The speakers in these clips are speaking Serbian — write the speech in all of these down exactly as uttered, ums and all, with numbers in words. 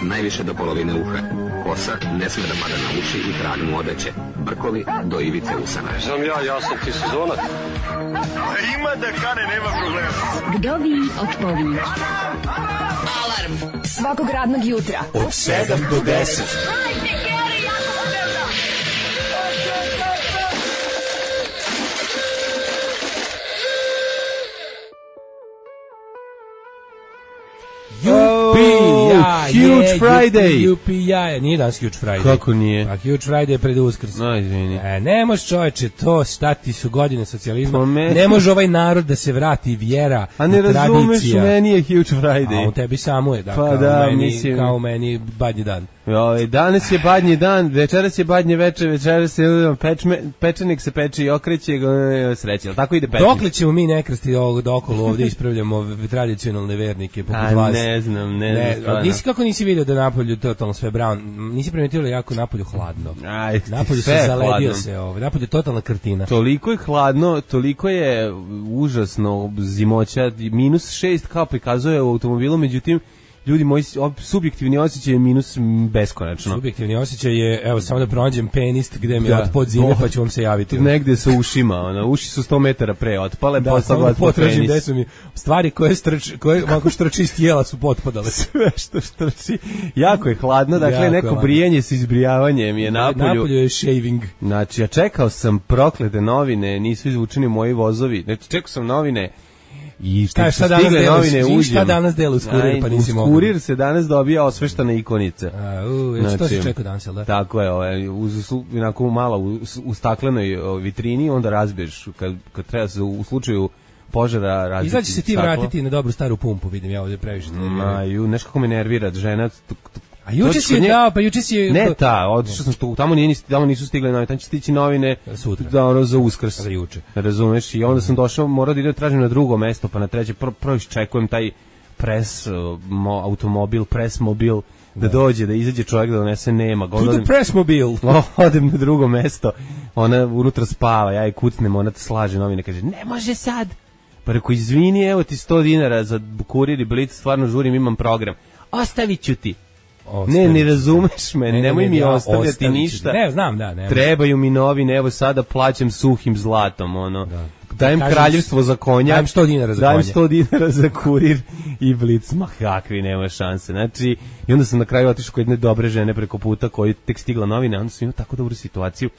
najviše do polovine uha. Kosa ne sme da pada na uši i trag mu odeće. Brkovi do ivice usana. Znam ja, ja sam ti sezonac. Ima da kane, nema problema. Vdovi odpovinj. Alarm svakog radnog jutra od sedam do deset. Huge Friday. Jupi jaja, nije danas Huge Friday. Kako nije? Pa Huge Friday je pred Uskrs. No, izvini. E, ne može čoveče, to šta ti su godine socijalizma. Pa me... Ne može ovaj narod da se vrati vjera, a ne tradicija. Razumeš, meni je Huge Friday. A u tebi samo je, da, pa kao, da, meni, mislim... kao meni badnji dan. Jo, danas je badnji dan, večeras je badnje večer, večeras se pečme, pečenik se peče i okreće, sreće, ali tako ide pečnik. Dokle ćemo mi nekrsti ovog dokolo ovdje ispravljamo tradicionalne vernike poput a, vas? ne znam, ne, ne znam. Nisi kako nisi vidio da napolju totalno sve brown, nisi primetio jako napolju hladno. Aj, napolju se zaledio hladno. se, ovo, napolju je totalna krtina. Toliko je hladno, toliko je užasno zimoća, minus šest kao prikazuje u automobilu, međutim, ljudi moji subjektivni osjećaj je minus beskonačno. Subjektivni osjećaj je, evo, samo da pronađem penist gde mi je otpod zime, pa ću vam se javiti. Negde sa ušima, ona, uši su sto metara pre otpale, da, pa samo da potražim gde su mi stvari koje strči, koje ako štrči iz tijela su potpadale. Sve što štrči. Jako je hladno, dakle jako neko brijanje s izbrijavanjem je napolju. Napolju je shaving. Znači, ja čekao sam proklete novine, nisu izvučeni moji vozovi. Znači, čekao sam novine. I šta, šta, danas novine, šta danas delu uz kurir, pa nisi mogao. Uz kurir se danas dobija osveštana ikonica. A, u, znači, to se čeka danas, jel da? Tako je, ovaj, uz, onako malo u, u staklenoj vitrini, onda razbiješ, kad, kad treba se u slučaju požara razbiti. Izaći se ti staklo. Vratiti na dobru staru pumpu, vidim ja ovdje previše. Maju, nešto kako me nervira, žena... A juče si je dao, pa juče si je... Ne ta, otišao sam tu, tamo, nije, tamo nisu stigle novine, tamo će stići novine sutra, da, ono, za Uskrs. Za juče. Razumeš, i onda sam došao, morao da idem tražim na drugo mesto, pa na treće, prvo pro iščekujem taj pres mo, automobil, pres mobil, da, da dođe, da izađe čovjek da donese, nema. To the press mobil. Odem na drugo mesto, ona unutra spava, ja je kucnem, ona te slaže novine, kaže, ne može sad. Pa reko, izvini, evo ti sto dinara za kurir i blic, stvarno žurim, imam program. Ostavit ću ti. Ostavit. Ne, ne razumeš me, ne, nemoj ne, ne, mi ja, ostavljati ništa. Ne, znam, da, ne. Trebaju mi novine, evo sada plaćam suhim zlatom, ono. Da. Dajem kažem, kraljevstvo za konja. Dajem sto dinara za dajem konja. sto dinara za kurir i blic. Ma kakvi, nema šanse. Znači, i onda sam na kraju otišao kod jedne dobre žene preko puta koji tek stigla novine, onda sam imao tako dobru situaciju.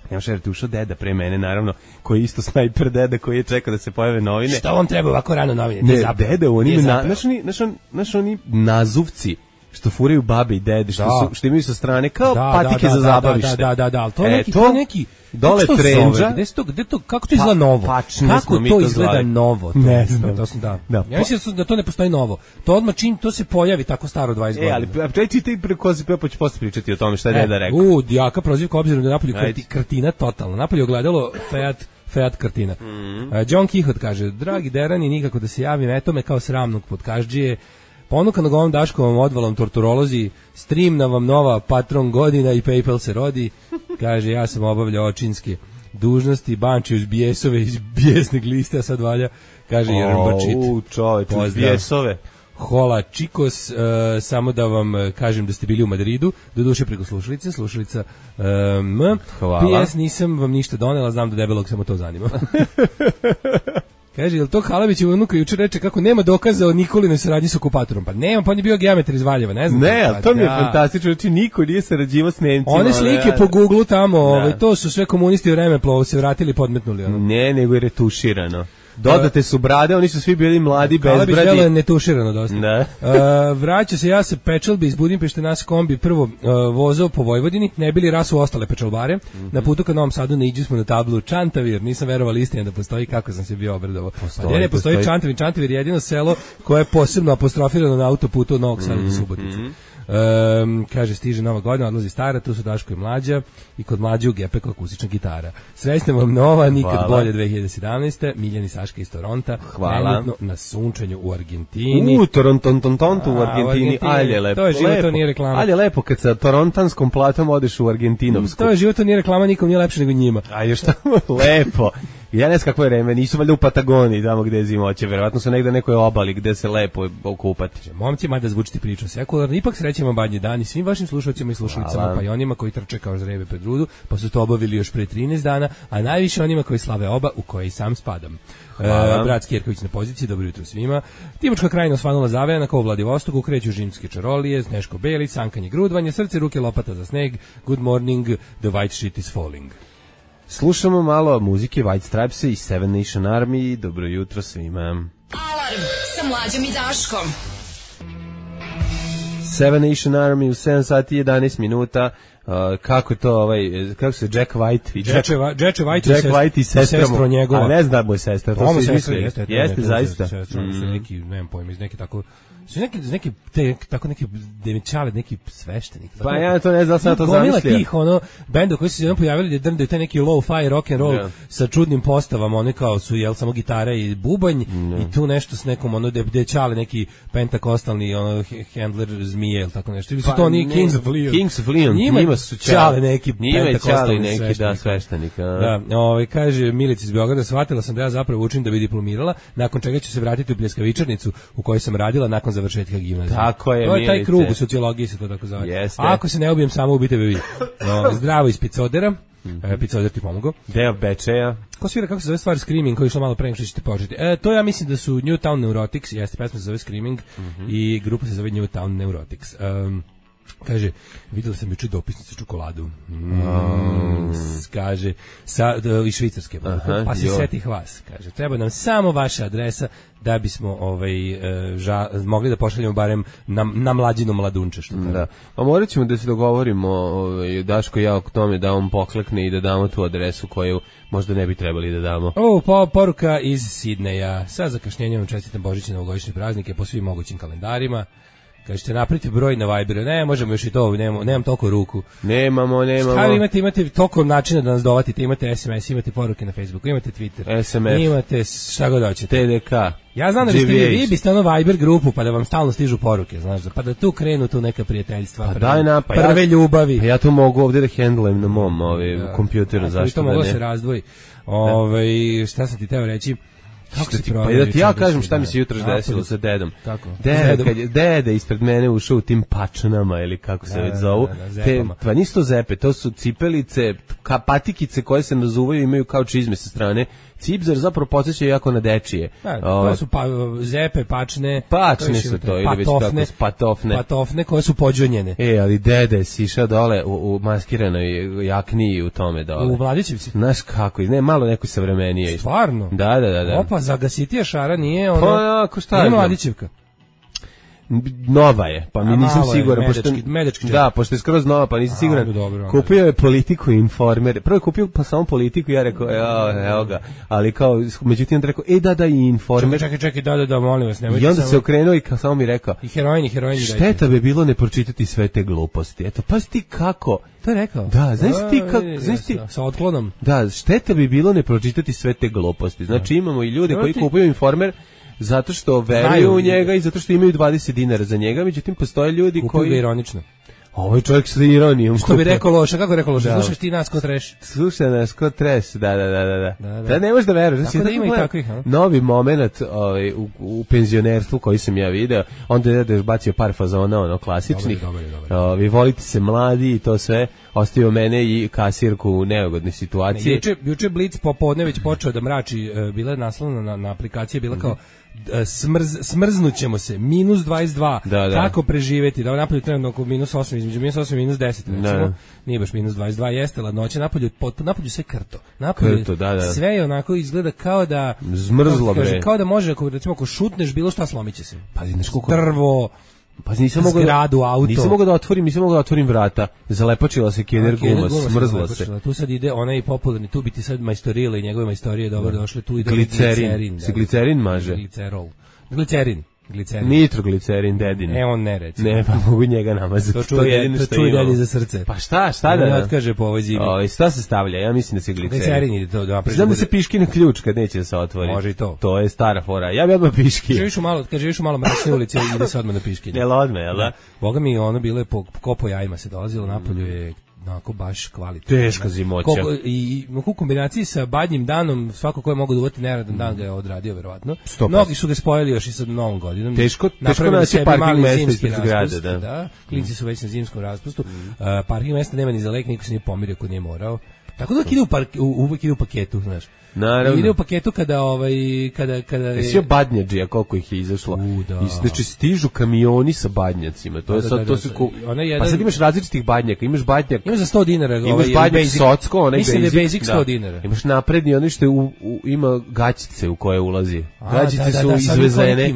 Nemo šerati, ušao deda pre mene, naravno, koji je isto snajper deda koji je čekao da se pojave novine. Što vam treba ovako rano novine? Ne, ne deda, oni, na, naš oni, naš on, naš oni nazuvci, što furaju babe i dede, što, su, što imaju sa strane, kao da, patike da, da, za zabavište. Da, da, da, da, ali to, e, neki, to, to neki, dole trendža. Gde to, gde to, kako to izgleda novo? Pa, kako to, to izgleda zvali. Novo? To, ne znam. To sam, da. da. Ja mislim da to ne postoji novo. To odmah čim to se pojavi tako staro dvadeset godina. E, ali čeći ti preko se pa ću posle pričati o tome šta je e, deda rekao. U, jaka prozivka obzirom da napolju kartina totalno. Napolju ogledalo Fiat Fiat kartina. Mm -hmm. uh, John Kihot kaže, dragi derani, nikako da se javim, eto me kao sramnog podkaždžije. Ponukan ovom Daškovom odvalom torturolozi, streamna vam nova patron godina i PayPal se rodi. Kaže, ja sam obavljao očinske dužnosti, banči uz bijesove iz bijesnog lista, sad valja, kaže oh, Jerbačit. U, čovječ, uz bijesove. Hola, čikos, uh, samo da vam kažem da ste bili u Madridu, do duše preko slušalice, slušalica um, Hvala. P S nisam vam ništa donela, znam da debelog samo to zanima. Kaže, jel to Kalabićeva unuka juče reče kako nema dokaza o Nikolinoj saradnji sa okupatorom? Pa nema, pa on je bio geometar iz Valjeva, ne znam. Ne, ali to mi je ja. fantastično, znači niko nije sarađivao s Nemcima. One slike ne, po Google tamo, ovaj, to su sve komunisti u Vremeplov se vratili i podmetnuli. Ono. Ne, nego je retuširano. Dodate su brade, oni su svi bili mladi, bezbradi. Kalabić je netuširano dosta. Da. uh, vraća se ja sa Pečalbe iz Budimpešte, nas kombi prvo uh, vozao po Vojvodini, ne bili rasu ostale pečalbare. Mm -hmm. Na putu ka Novom Sadu ne iđu smo na tablu Čantavir, nisam verovao istina da postoji, kako sam se bio obradovao. Postoji, pa ne, ne postoji, postoji Čantavir, Čantavir je jedino selo koje je posebno apostrofirano na autoputu od Novog Sada mm -hmm. do Subotice. Um, kaže, stiže nova godina, odlazi stara, tu su Daško i Mlađa i kod Mlađe u Gepeku akustična gitara. Srećna vam nova, nikad Hvala. Bolje dve hiljade sedamnaeste. Miljani Saška iz Toronta. Hvala. Na sunčanju u Argentini. U, Toronton, Tontontu u Argentini. Ali je lepo. To je život, to nije reklama. Ali je lepo kad sa torontanskom platom odeš u Argentinovsku. To je život, to nije reklama, nikom nije lepše nego njima. A još tamo lepo. Ja ne znam kakvo je vreme, nisu valjda u Patagoniji, tamo gde je zimoće, verovatno su negde na nekoj obali gde se lepo okupati. Momci, mada zvučiti priču sekularno, ipak srećemo badnji dan i svim vašim slušalcima i slušalicama, pa i onima koji trče kao žrebe pred rudu, pa su to obavili još pre trinaest dana, a najviše onima koji slave oba, u koje i sam spadam. E, brat Kjerković na poziciji, dobro jutro svima. Timočka krajina osvanula zavejana kao u Vladivostoku, kreću žimske čarolije, Sneško Belić, sankanje grudvanje, srce, ruke, lopata za sneg, good morning, the white shit is falling. Slušamo malo muzike White Stripes i Seven Nation Army. Dobro jutro svima. Alarm sa Mlađom i Daškom. Seven Nation Army u sedam sati i jedanaest minuta. Uh, kako je to ovaj kako se Jack White i Jack, Jack, Jack White, Jack White i sestra njegova. A ne znam moj sestra, to se izmislio. Jeste, jeste zaista. Sestra, mm. neki, nemam pojma, iz neke tako su neki neki te, tako neki demičale, neki sveštenik. Pa tako, ja to ne znam, sad to zamislio. Gomila tih ono benda koji su se jednom pojavili da drndaju taj neki low-fi rock and roll yeah. sa čudnim postavama, oni kao su jel samo gitara i bubanj yeah. i tu nešto s nekom ono dečale neki pentakostalni ono handler zmije ili tako nešto. Ili su pa, to oni Kings of Leon. Kings of Leon. Njima, njima su čale neki pentakostalni neki sveštenik. Da, sveštenika. Da, ovaj kaže Milica iz Beograda, shvatila sam da ja zapravo učim da bi diplomirala, nakon čega ću se vratiti u pljeskavičarnicu u kojoj sam radila nakon završetka gimnazije. Tako je, to je taj krug u sociologiji se to tako zove. Jeste. Ako se ne ubijem samo ubite me vi. No, zdravo iz Picodera. Mm-hmm. E, Picoder ti pomogao. Deo Bečeja. Ko svira, kako se zove stvar Screaming, koji je išlo malo pre nego što ćete početi? E, to ja mislim da su Newtown Neurotics, jeste, pesma se zove Screaming mm-hmm. i grupa se zove Newtown Neurotics. Um, kaže, videla sam juče dopisnicu čokoladu. Mm, um. Kaže, sa, da, iz Švicarske. Aha, pa se setih vas. Kaže, treba nam samo vaša adresa da bismo ovaj, ža, mogli da pošaljemo barem na, na mlađinu mladunče. Što da. Pa morat ćemo da se dogovorimo, ovaj, Daško i ja oko tome da on poklekne i da damo tu adresu koju možda ne bi trebali da damo. O, po, poruka iz Sidneja. Sa zakašnjenjem čestitam Božićne novogodišnje praznike po svim mogućim kalendarima. Kažete, napravite broj na Viberu. Ne, možemo još i to, nemam, nemam toliko ruku. Nemamo, nemamo. Šta vi imate, imate toliko načina da nas dovatite, imate es em es, imate poruke na Facebooku, imate Twitter. es em ef. Imate šta god hoćete. te de ka. Ja znam da biste vi, vi biste ono Viber grupu, pa da vam stalno stižu poruke, znaš, pa da tu krenu tu neka prijateljstva, pa prve, daj na, pa prve ja, ljubavi. Pa ja to mogu ovdje da hendlujem na mom ovaj, da, kompjuteru, zašto da ne? To moglo se razdvoji. Ove, šta sam ti teo reći? Kako se ti pa da ti ja kažem šta mi se jutros desilo sa dedom. Kako? Dede, kad je dede ispred mene ušao u tim pačanama ili kako se da, već zovu. Da, da, te, pa nisu to zepe, to su cipelice, ka, patikice koje se nazuvaju, imaju kao čizme sa strane. Cipzar zapravo podsjeća jako na dečije. Da, to su pa, zepe, pačne. Pačne su to, ili već tako patofne. Patofne koje su pođonjene. E, ali dede si išao dole u, u maskiranoj jakni u tome dole. U Mladićevci. Znaš kako, ne, malo neko savremenije. Stvarno? Da, da, da. da. Opa, zagasitija šara nije ono... Pa, ako šta je? Mladićevka. Nova je, pa mi nisam siguran, medečki, pošto medečki da, pošto je skroz nova, pa nisam siguran. Dobro, kupio je Politiku i Informer. Prvo je kupio pa samo Politiku, ja rekao, evo, evo ga. Ali kao, međutim rekao, e da da i Informer. Čekaj, čekaj, da da da, molim vas, nemojte. I onda samo... se okrenuo i kao samo mi rekao. I heroini, heroini. Šteta bi bilo ne pročitati sve te gluposti. Eto, pa ti kako? To je rekao. Da, znaš ti kako, znaš ti sa otklonom. Da, šteta bi bilo ne pročitati sve te gluposti. Znači imamo i ljude koji kupuju Informer zato što veruju u njega i zato što imaju dvadeset dinara za njega, međutim postoje ljudi kupuju koji... Kupuju ironično. Ovaj čovjek sa ironijom. Što bi rekao loše, kako je rekao loše? Da. Slušaš ti nas ko treš. Slušaj nas ko treš, da, da, da, da. Da, da. da ne možeš da veruješ. Tako da ima i takvih, ha? Novi moment ovaj, u, u penzionerstvu koji sam ja video, onda je da je bacio par fazona, ono, klasičnih. Dobar, dobar, dobar. O, vi volite se mladi i to sve, ostavio mene i kasirku u neugodnoj situaciji. Ne, juče, juče Blic popodne već počeo da mrači, bila je naslovna na, na aplikaciji, bila kao smrz, smrznućemo se, minus dvadeset dva, da, da. Kako preživeti, da napolju trenutno oko minus osam, između minus osam i minus deset, recimo, da. Nije baš minus dvadeset dva, jeste ladnoće, napolju, napolju sve krto, napolju krto, da, da. Sve je onako izgleda kao da, zmrzlo, kao, bre. Kao da može, ako, recimo, ako šutneš bilo šta, slomit će se. Pa, znaš koliko... Drvo, pa nisam mogao zgradu, auto. Nisam mogao da otvorim, nisam mogao da otvorim vrata. Zalepačila se Kenner guma, smrzla se. Tu sad ide onaj popularni, tu bi ti sad majstorila i njegove majstorije dobro da. Došle, tu ide glicerin. glicerin da. Se glicerin maže. Glicerol. Glicerin. Glicerin. Nitroglicerin, dedin. E, on ne reći. Ne, pa mogu njega namazati. To čuje, to čuje dedi za srce. Pa šta, šta da? Ne otkaže po ovoj zimi. O, i šta se stavlja? Ja mislim da se glicerin. Glicerin ide to. Da, znam da se piškine ključ kad neće da se otvori. Može i to. To je stara fora. Ja bi odmah piškine. Živiš u malo, kad živiš u malo mračne ulici, ide se odmah na piškine. Jel odmah, jel da? Boga mi ono bilo je po, ko po jajima se dolazilo, napolju je onako baš kvalitetno. Teška zimoća. Koliko, I u kombinaciji sa badnjim danom, svako ko je mogao da uvati neradan dan ga je odradio, verovatno. Mnogi su ga spojili još i sa novom godinom. Teško, teško naći parking mesta ispred zgrade. Da. Da, klinci su već na zimskom raspustu. Mm. Uh, parking mesta nema ni za lek, niko se nije pomirio ko nije morao. Tako da uvek ide u, park, uvek ide u paketu, znaš. Naravno. Ide u paketu kada ovaj kada kada je Jesi badnjađija koliko ih je izašlo. U, da. I znači stižu kamioni sa badnjacima. To je da, sad da, da, to su ko... jedan... Pa sad imaš različitih badnjaka, imaš badnjak. Imaš za sto dinara, imaš ovaj badnjak basic, socko, onaj mislim basic, da je basic sto da. dinara. Imaš napredni onaj što je u, u, ima gaćice u koje ulazi. Gaćice da, da, su da, izvezene.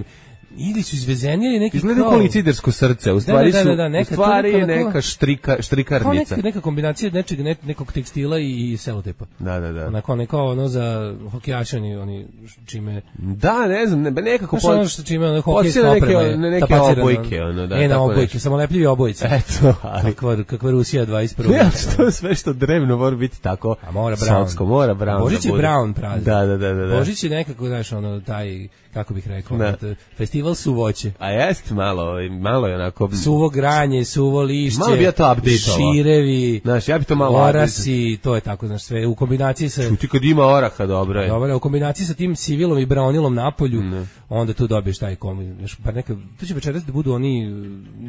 Ili su izvezeni ili neki izgleda kao licidersko srce, u stvari da, da, da, da, su neka, u stvari neka, neka štrika štrikarnica. Kao neka, neka kombinacija nečeg ne, nekog tekstila i, i selotepa. Da, da, da. Onako neko ono za hokejaše oni oni čime da, ne znam, ne, nekako po ono što čime ono hokejska oprema. Neke, neke obojke, ono, da. E, na obojke, samo lepljivi obojice. Eto, ali kakva kakva Rusija dvadeset prve. Ja, što sve što drevno mora biti tako. A mora Brown. Socko, mora Brown. Božić je Brown praznik. Da, da, da, da. Božić je nekako, znaš, ono taj kako bih rekao, festival suvoće. A jest malo, malo je onako suvo granje, suvo lišće. Malo bi ja to update-ovao. Širevi. Znaš, ja bi to malo orasi, to je tako, znaš, sve u kombinaciji sa Čuti kad ima oraha, dobro je. Dobro, u kombinaciji sa tim civilom i braunilom na polju, ne. Onda tu dobiješ taj kombi. Pa neka, to će večeras da budu oni,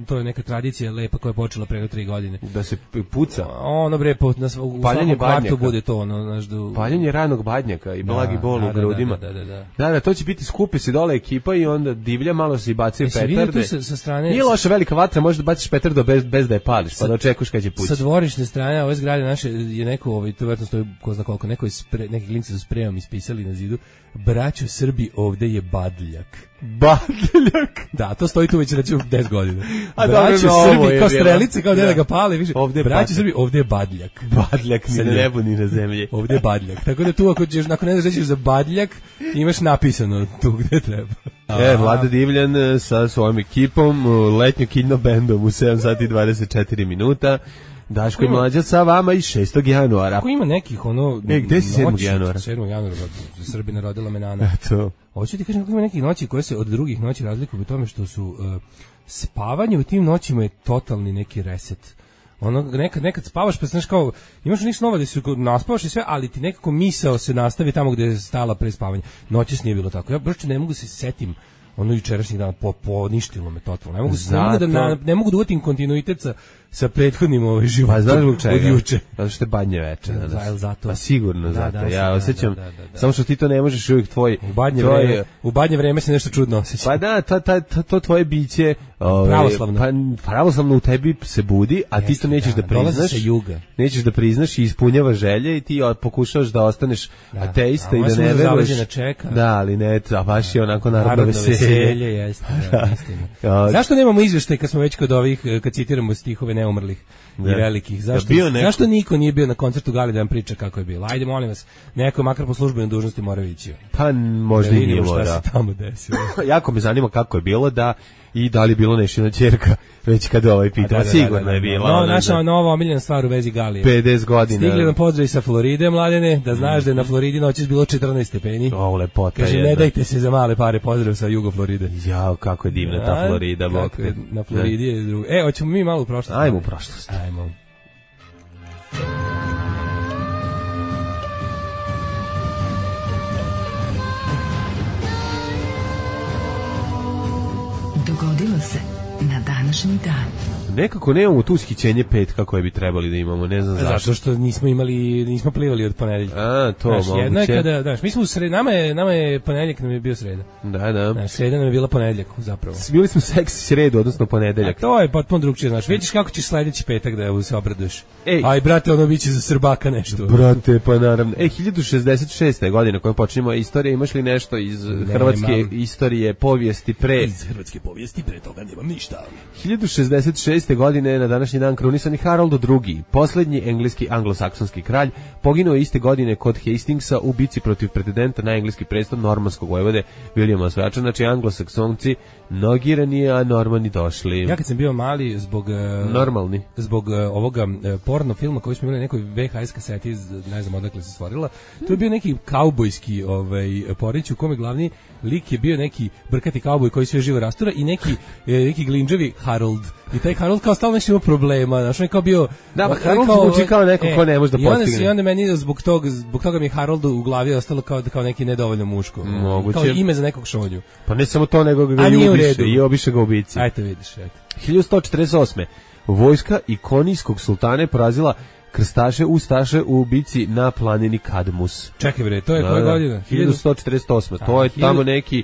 to je neka tradicija lepa koja je počela pre tri godine. Da se puca. Ono bre, po, na, u paljenje svakom kvartu bude to, ono, znaš, da... Paljenje ranog badnjaka i blagi da, bol da, u grudima. Da, da, da, da. Da, da, to će biti skupi se dole ekipa i onda divlja, malo se i bacaju petarde. Sa, sa strane... Nije loša velika vatra, možeš da baciš petardu bez, bez da je pališ, pa da očekuješ kad će pući. Sa dvorišne strane ove zgrade naše je neko, ovaj, to vjerojatno stoji ko zna koliko, neko je spre, neki klinci su spremom ispisali na zidu, braćo Srbi, ovde je badljak. Badljak? Da, to stoji tu već recimo deset godina. A braćo Srbi, kao strelice, kao da da ga pale, više. Ovde braćo Srbi, ovde je badljak. Badljak ni na nebu ni na zemlji. Ovde je badljak. Tako da tu ako ćeš, nakon ne znaš za badljak, imaš napisano tu gde treba. E, Vlada Divljan sa svojom ekipom, letnjo kino bendom u sedam sati i dvadeset četiri minuta. Daško i Mlađa sa vama i šestog januara. Ako ima nekih ono... E, gde si sedmog januara? sedmog januara, Srbina rodila menana. Eto. Hoću ti kažem kako ima nekih noći koje se od drugih noći razlikuju u tome što su uh, spavanje u tim noćima je totalni neki reset. Ono, nekad, nekad spavaš pa znaš kao, imaš ništa nova da se naspavaš i sve, ali ti nekako misao se nastavi tamo gde je stala pre spavanja. Noćas nije bilo tako. Ja baš ne mogu se setim ono jučerašnjih dana, po, poništilo me totalno. Ne mogu, Zato... ne mogu da, na, ne mogu da uvatim kontinuitet sa, sa prethodnim ovaj životom. Pa znaš zbog čega? Od juče. Zato što je badnje veče. Da, zato. Pa sigurno da, zato. Da, ja da, osjećam, da, da, da, da. samo što ti to ne možeš uvijek tvoj... U badnje, tvoj... vreme, u badnje vreme se nešto čudno osjeća. Pa da, ta, ta, ta, to tvoje biće... Ove, pravoslavno. Pa, pravoslavno u tebi se budi, a Jeste, ti to nećeš da, da priznaš. Juga. Nećeš da priznaš i ispunjava želje i ti pokušavaš da ostaneš da. ateista a i da ne veruješ. Čeka. Da, ali ne, a baš je onako narodno, narodno veselje. veselje jeste, da, istina. Zašto nemamo izveštaj kad smo već kod ovih, kad citiramo stihove neumrlih da. i velikih? Zašto, da neko... zašto niko nije bio na koncertu Gali da nam priča kako je bilo? Ajde, molim vas, neko makar po službenoj dužnosti mora ići. Pa možda i nije mora. Šta se tamo desilo. Jako me zanima kako je bilo da i da li bilo nešina ćerka već kada ovaj pita. Da, da, sigurno da, da, da, je bila. No, naša da... nova omiljena stvar u vezi Galije. pedeset godina. Stigli nam pozdrav sa Floride, Mladene, da znaš da je na Floridi noćas bilo četrnaest stepeni. O, lepota. Kaže, ne dajte se za male pare, pozdrav sa Jugo Floride. Jao, kako je divna ta Florida. Kako je, na Floridi je drugo. E, hoćemo mi malo u prošlost. Ajmo u prošlost. Ajmo. Dogodilo se na današnji dan. Nekako nemamo tu ushićenje petka koje bi trebali da imamo, ne znam zašto. Zato što nismo imali, nismo plivali od ponedeljka. A, to znaš, moguće. Jedno je kada, znaš, mi smo u sred, nama je, nama je ponedeljak, nam je bio sreda. Da, da. Znaš, sreda nam je bila ponedeljak, zapravo. Bili smo seksi sredu, odnosno ponedeljak. A to je potpuno drugčije, znaš. Vidiš kako ćeš sledeći petak da se obraduješ. Ej. Aj, brate, ono biće za Srbaka nešto. Brate, pa naravno. Ej, hiljadu šezdeset šeste godine kojom počinjemo istorije, imaš li nešto iz ne, hrvatske imam. Istorije, povijesti pre... Iz hrvatske povijesti pre toga nemam ništa. hiljadu šezdeset šeste godine na današnji dan krunisani Harold drugi, posljednji engleski anglosaksonski kralj, poginuo iste godine kod Hastingsa u bici protiv pretendenta na engleski prestol normanskog vojvode Williama Osvajača, znači anglosaksonci nogirani, a normani došli. Ja kad sam bio mali zbog normalni zbog uh, ovoga uh, porno filma koji smo imali na nekoj V H S kaseti, ne znam odakle se stvorila, to je bio neki kaubojski ovaj porić u kome glavni lik je bio neki brkati kauboj koji sve živo rastura i neki e, neki glinđavi Harold. I taj Harold Harold kao stalno nešto ima problema, znaš, on je kao bio... Da, on pa je Harold zvuči kao neko ko ne može da i onda, postigne. I onda meni zbog toga, zbog toga mi je Haroldu u glavi ostalo kao, kao neki nedovoljno muško. Moguće. Kao ime za nekog šonju. Pa ne samo to, nego ga A i nije u ubiše, redu. i obiše ga ubici. Ajte vidiš, eto. hiljadu sto četrdeset osme. Vojska ikonijskog sultana je porazila krstaše ustaše u bici na planini Kadmus. Čekaj bre, to je koja godina? hiljadu sto četrdeset osme. To je tamo neki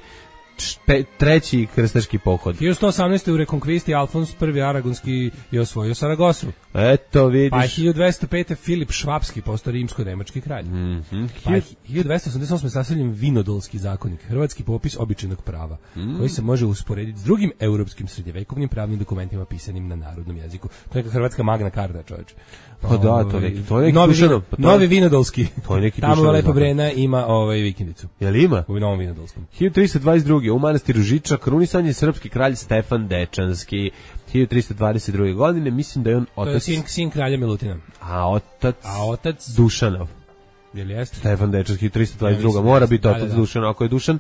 čpe, treći krstaški pohod. hiljadu sto osamnaeste. u Rekonkvisti Alfons prvi Aragonski je osvojio Saragosu. Eto vidiš. Pa hiljadu dvesta pete. Filip Švapski postao rimsko-nemački kralj. Mm-hmm. Pa hiljadu dvesta osamdeset osme. sastavljen Vinodolski zakonik, hrvatski popis običajnog prava, mm. koji se može usporediti s drugim europskim srednjevekovnim pravnim dokumentima pisanim na narodnom jeziku. To je neka hrvatska Magna Carta, čoveče. Pa da, to neki, to je neki novi, Dušanov. Pa novi Vinodolski. To je neki Tamo Lepa Brena ima ovaj vikendicu. Jel ima? U Novom Vinodolskom. hiljadu tristo dvadeset druge. u manastiru Žiča krunisan je srpski kralj Stefan Dečanski. hiljadu tristo dvadeset druge. godine, mislim da je on otac... To je sin, sin kralja Milutina. A otac... A otac... Dušanov. Jel jeste? Stefan Dečanski, hiljadu tristo dvadeset druge. Mora biti otac da, da, da. Dušan. Ako je Dušan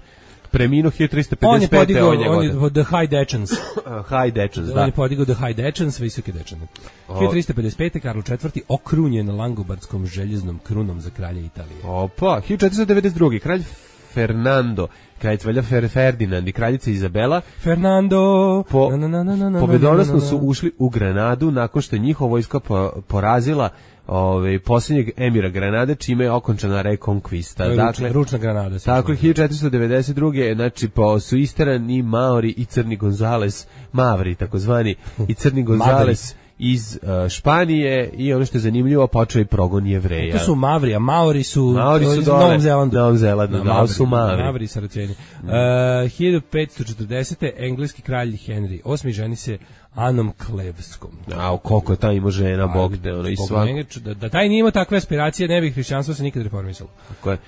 preminuo hiljadu tristo pedeset pete. On je podigao, on je, on je The High Dečans. High Dečans, da. On je podigao The High Dečans, visoke Dečane. hiljadu tristo pedeset pete. Karlo četvrti. okrunjen Langobardskom željeznom krunom za kralja Italije. Opa, hiljadu četiristo devedeset druge. kralj Fernando, kraljica Velja Fer Ferdinand i kraljica Izabela Fernando po, na, na, na, na, na, pobedonosno su ušli u Granadu nakon što je njihova vojska po, porazila ovaj posljednjeg emira Granade, čime je okončana rekonkvista. Dakle, ručna Granada. Tako je hiljadu četiristo devedeset druge. znači po su isterani Maori i Crni Gonzales, Mavri takozvani, i Crni Gonzales iz uh, Španije, i ono što je zanimljivo, počeo i progon Jevreja. To su Mavri, a Maori su, Maori su u Novom Zelandu. Novom Zelandu, da, da, Mavri, su Mavri. Mavri i Saraceni. Mm. Uh, hiljadu petsto četrdesete. engleski kralj Henry osmi ženi se Anom Klevskom. A koliko je ta ima žena, Bog te, ono i svako. Da, da taj nije imao takve aspiracije, ne bi hrišćanstvo se nikad reformisalo. Tako je.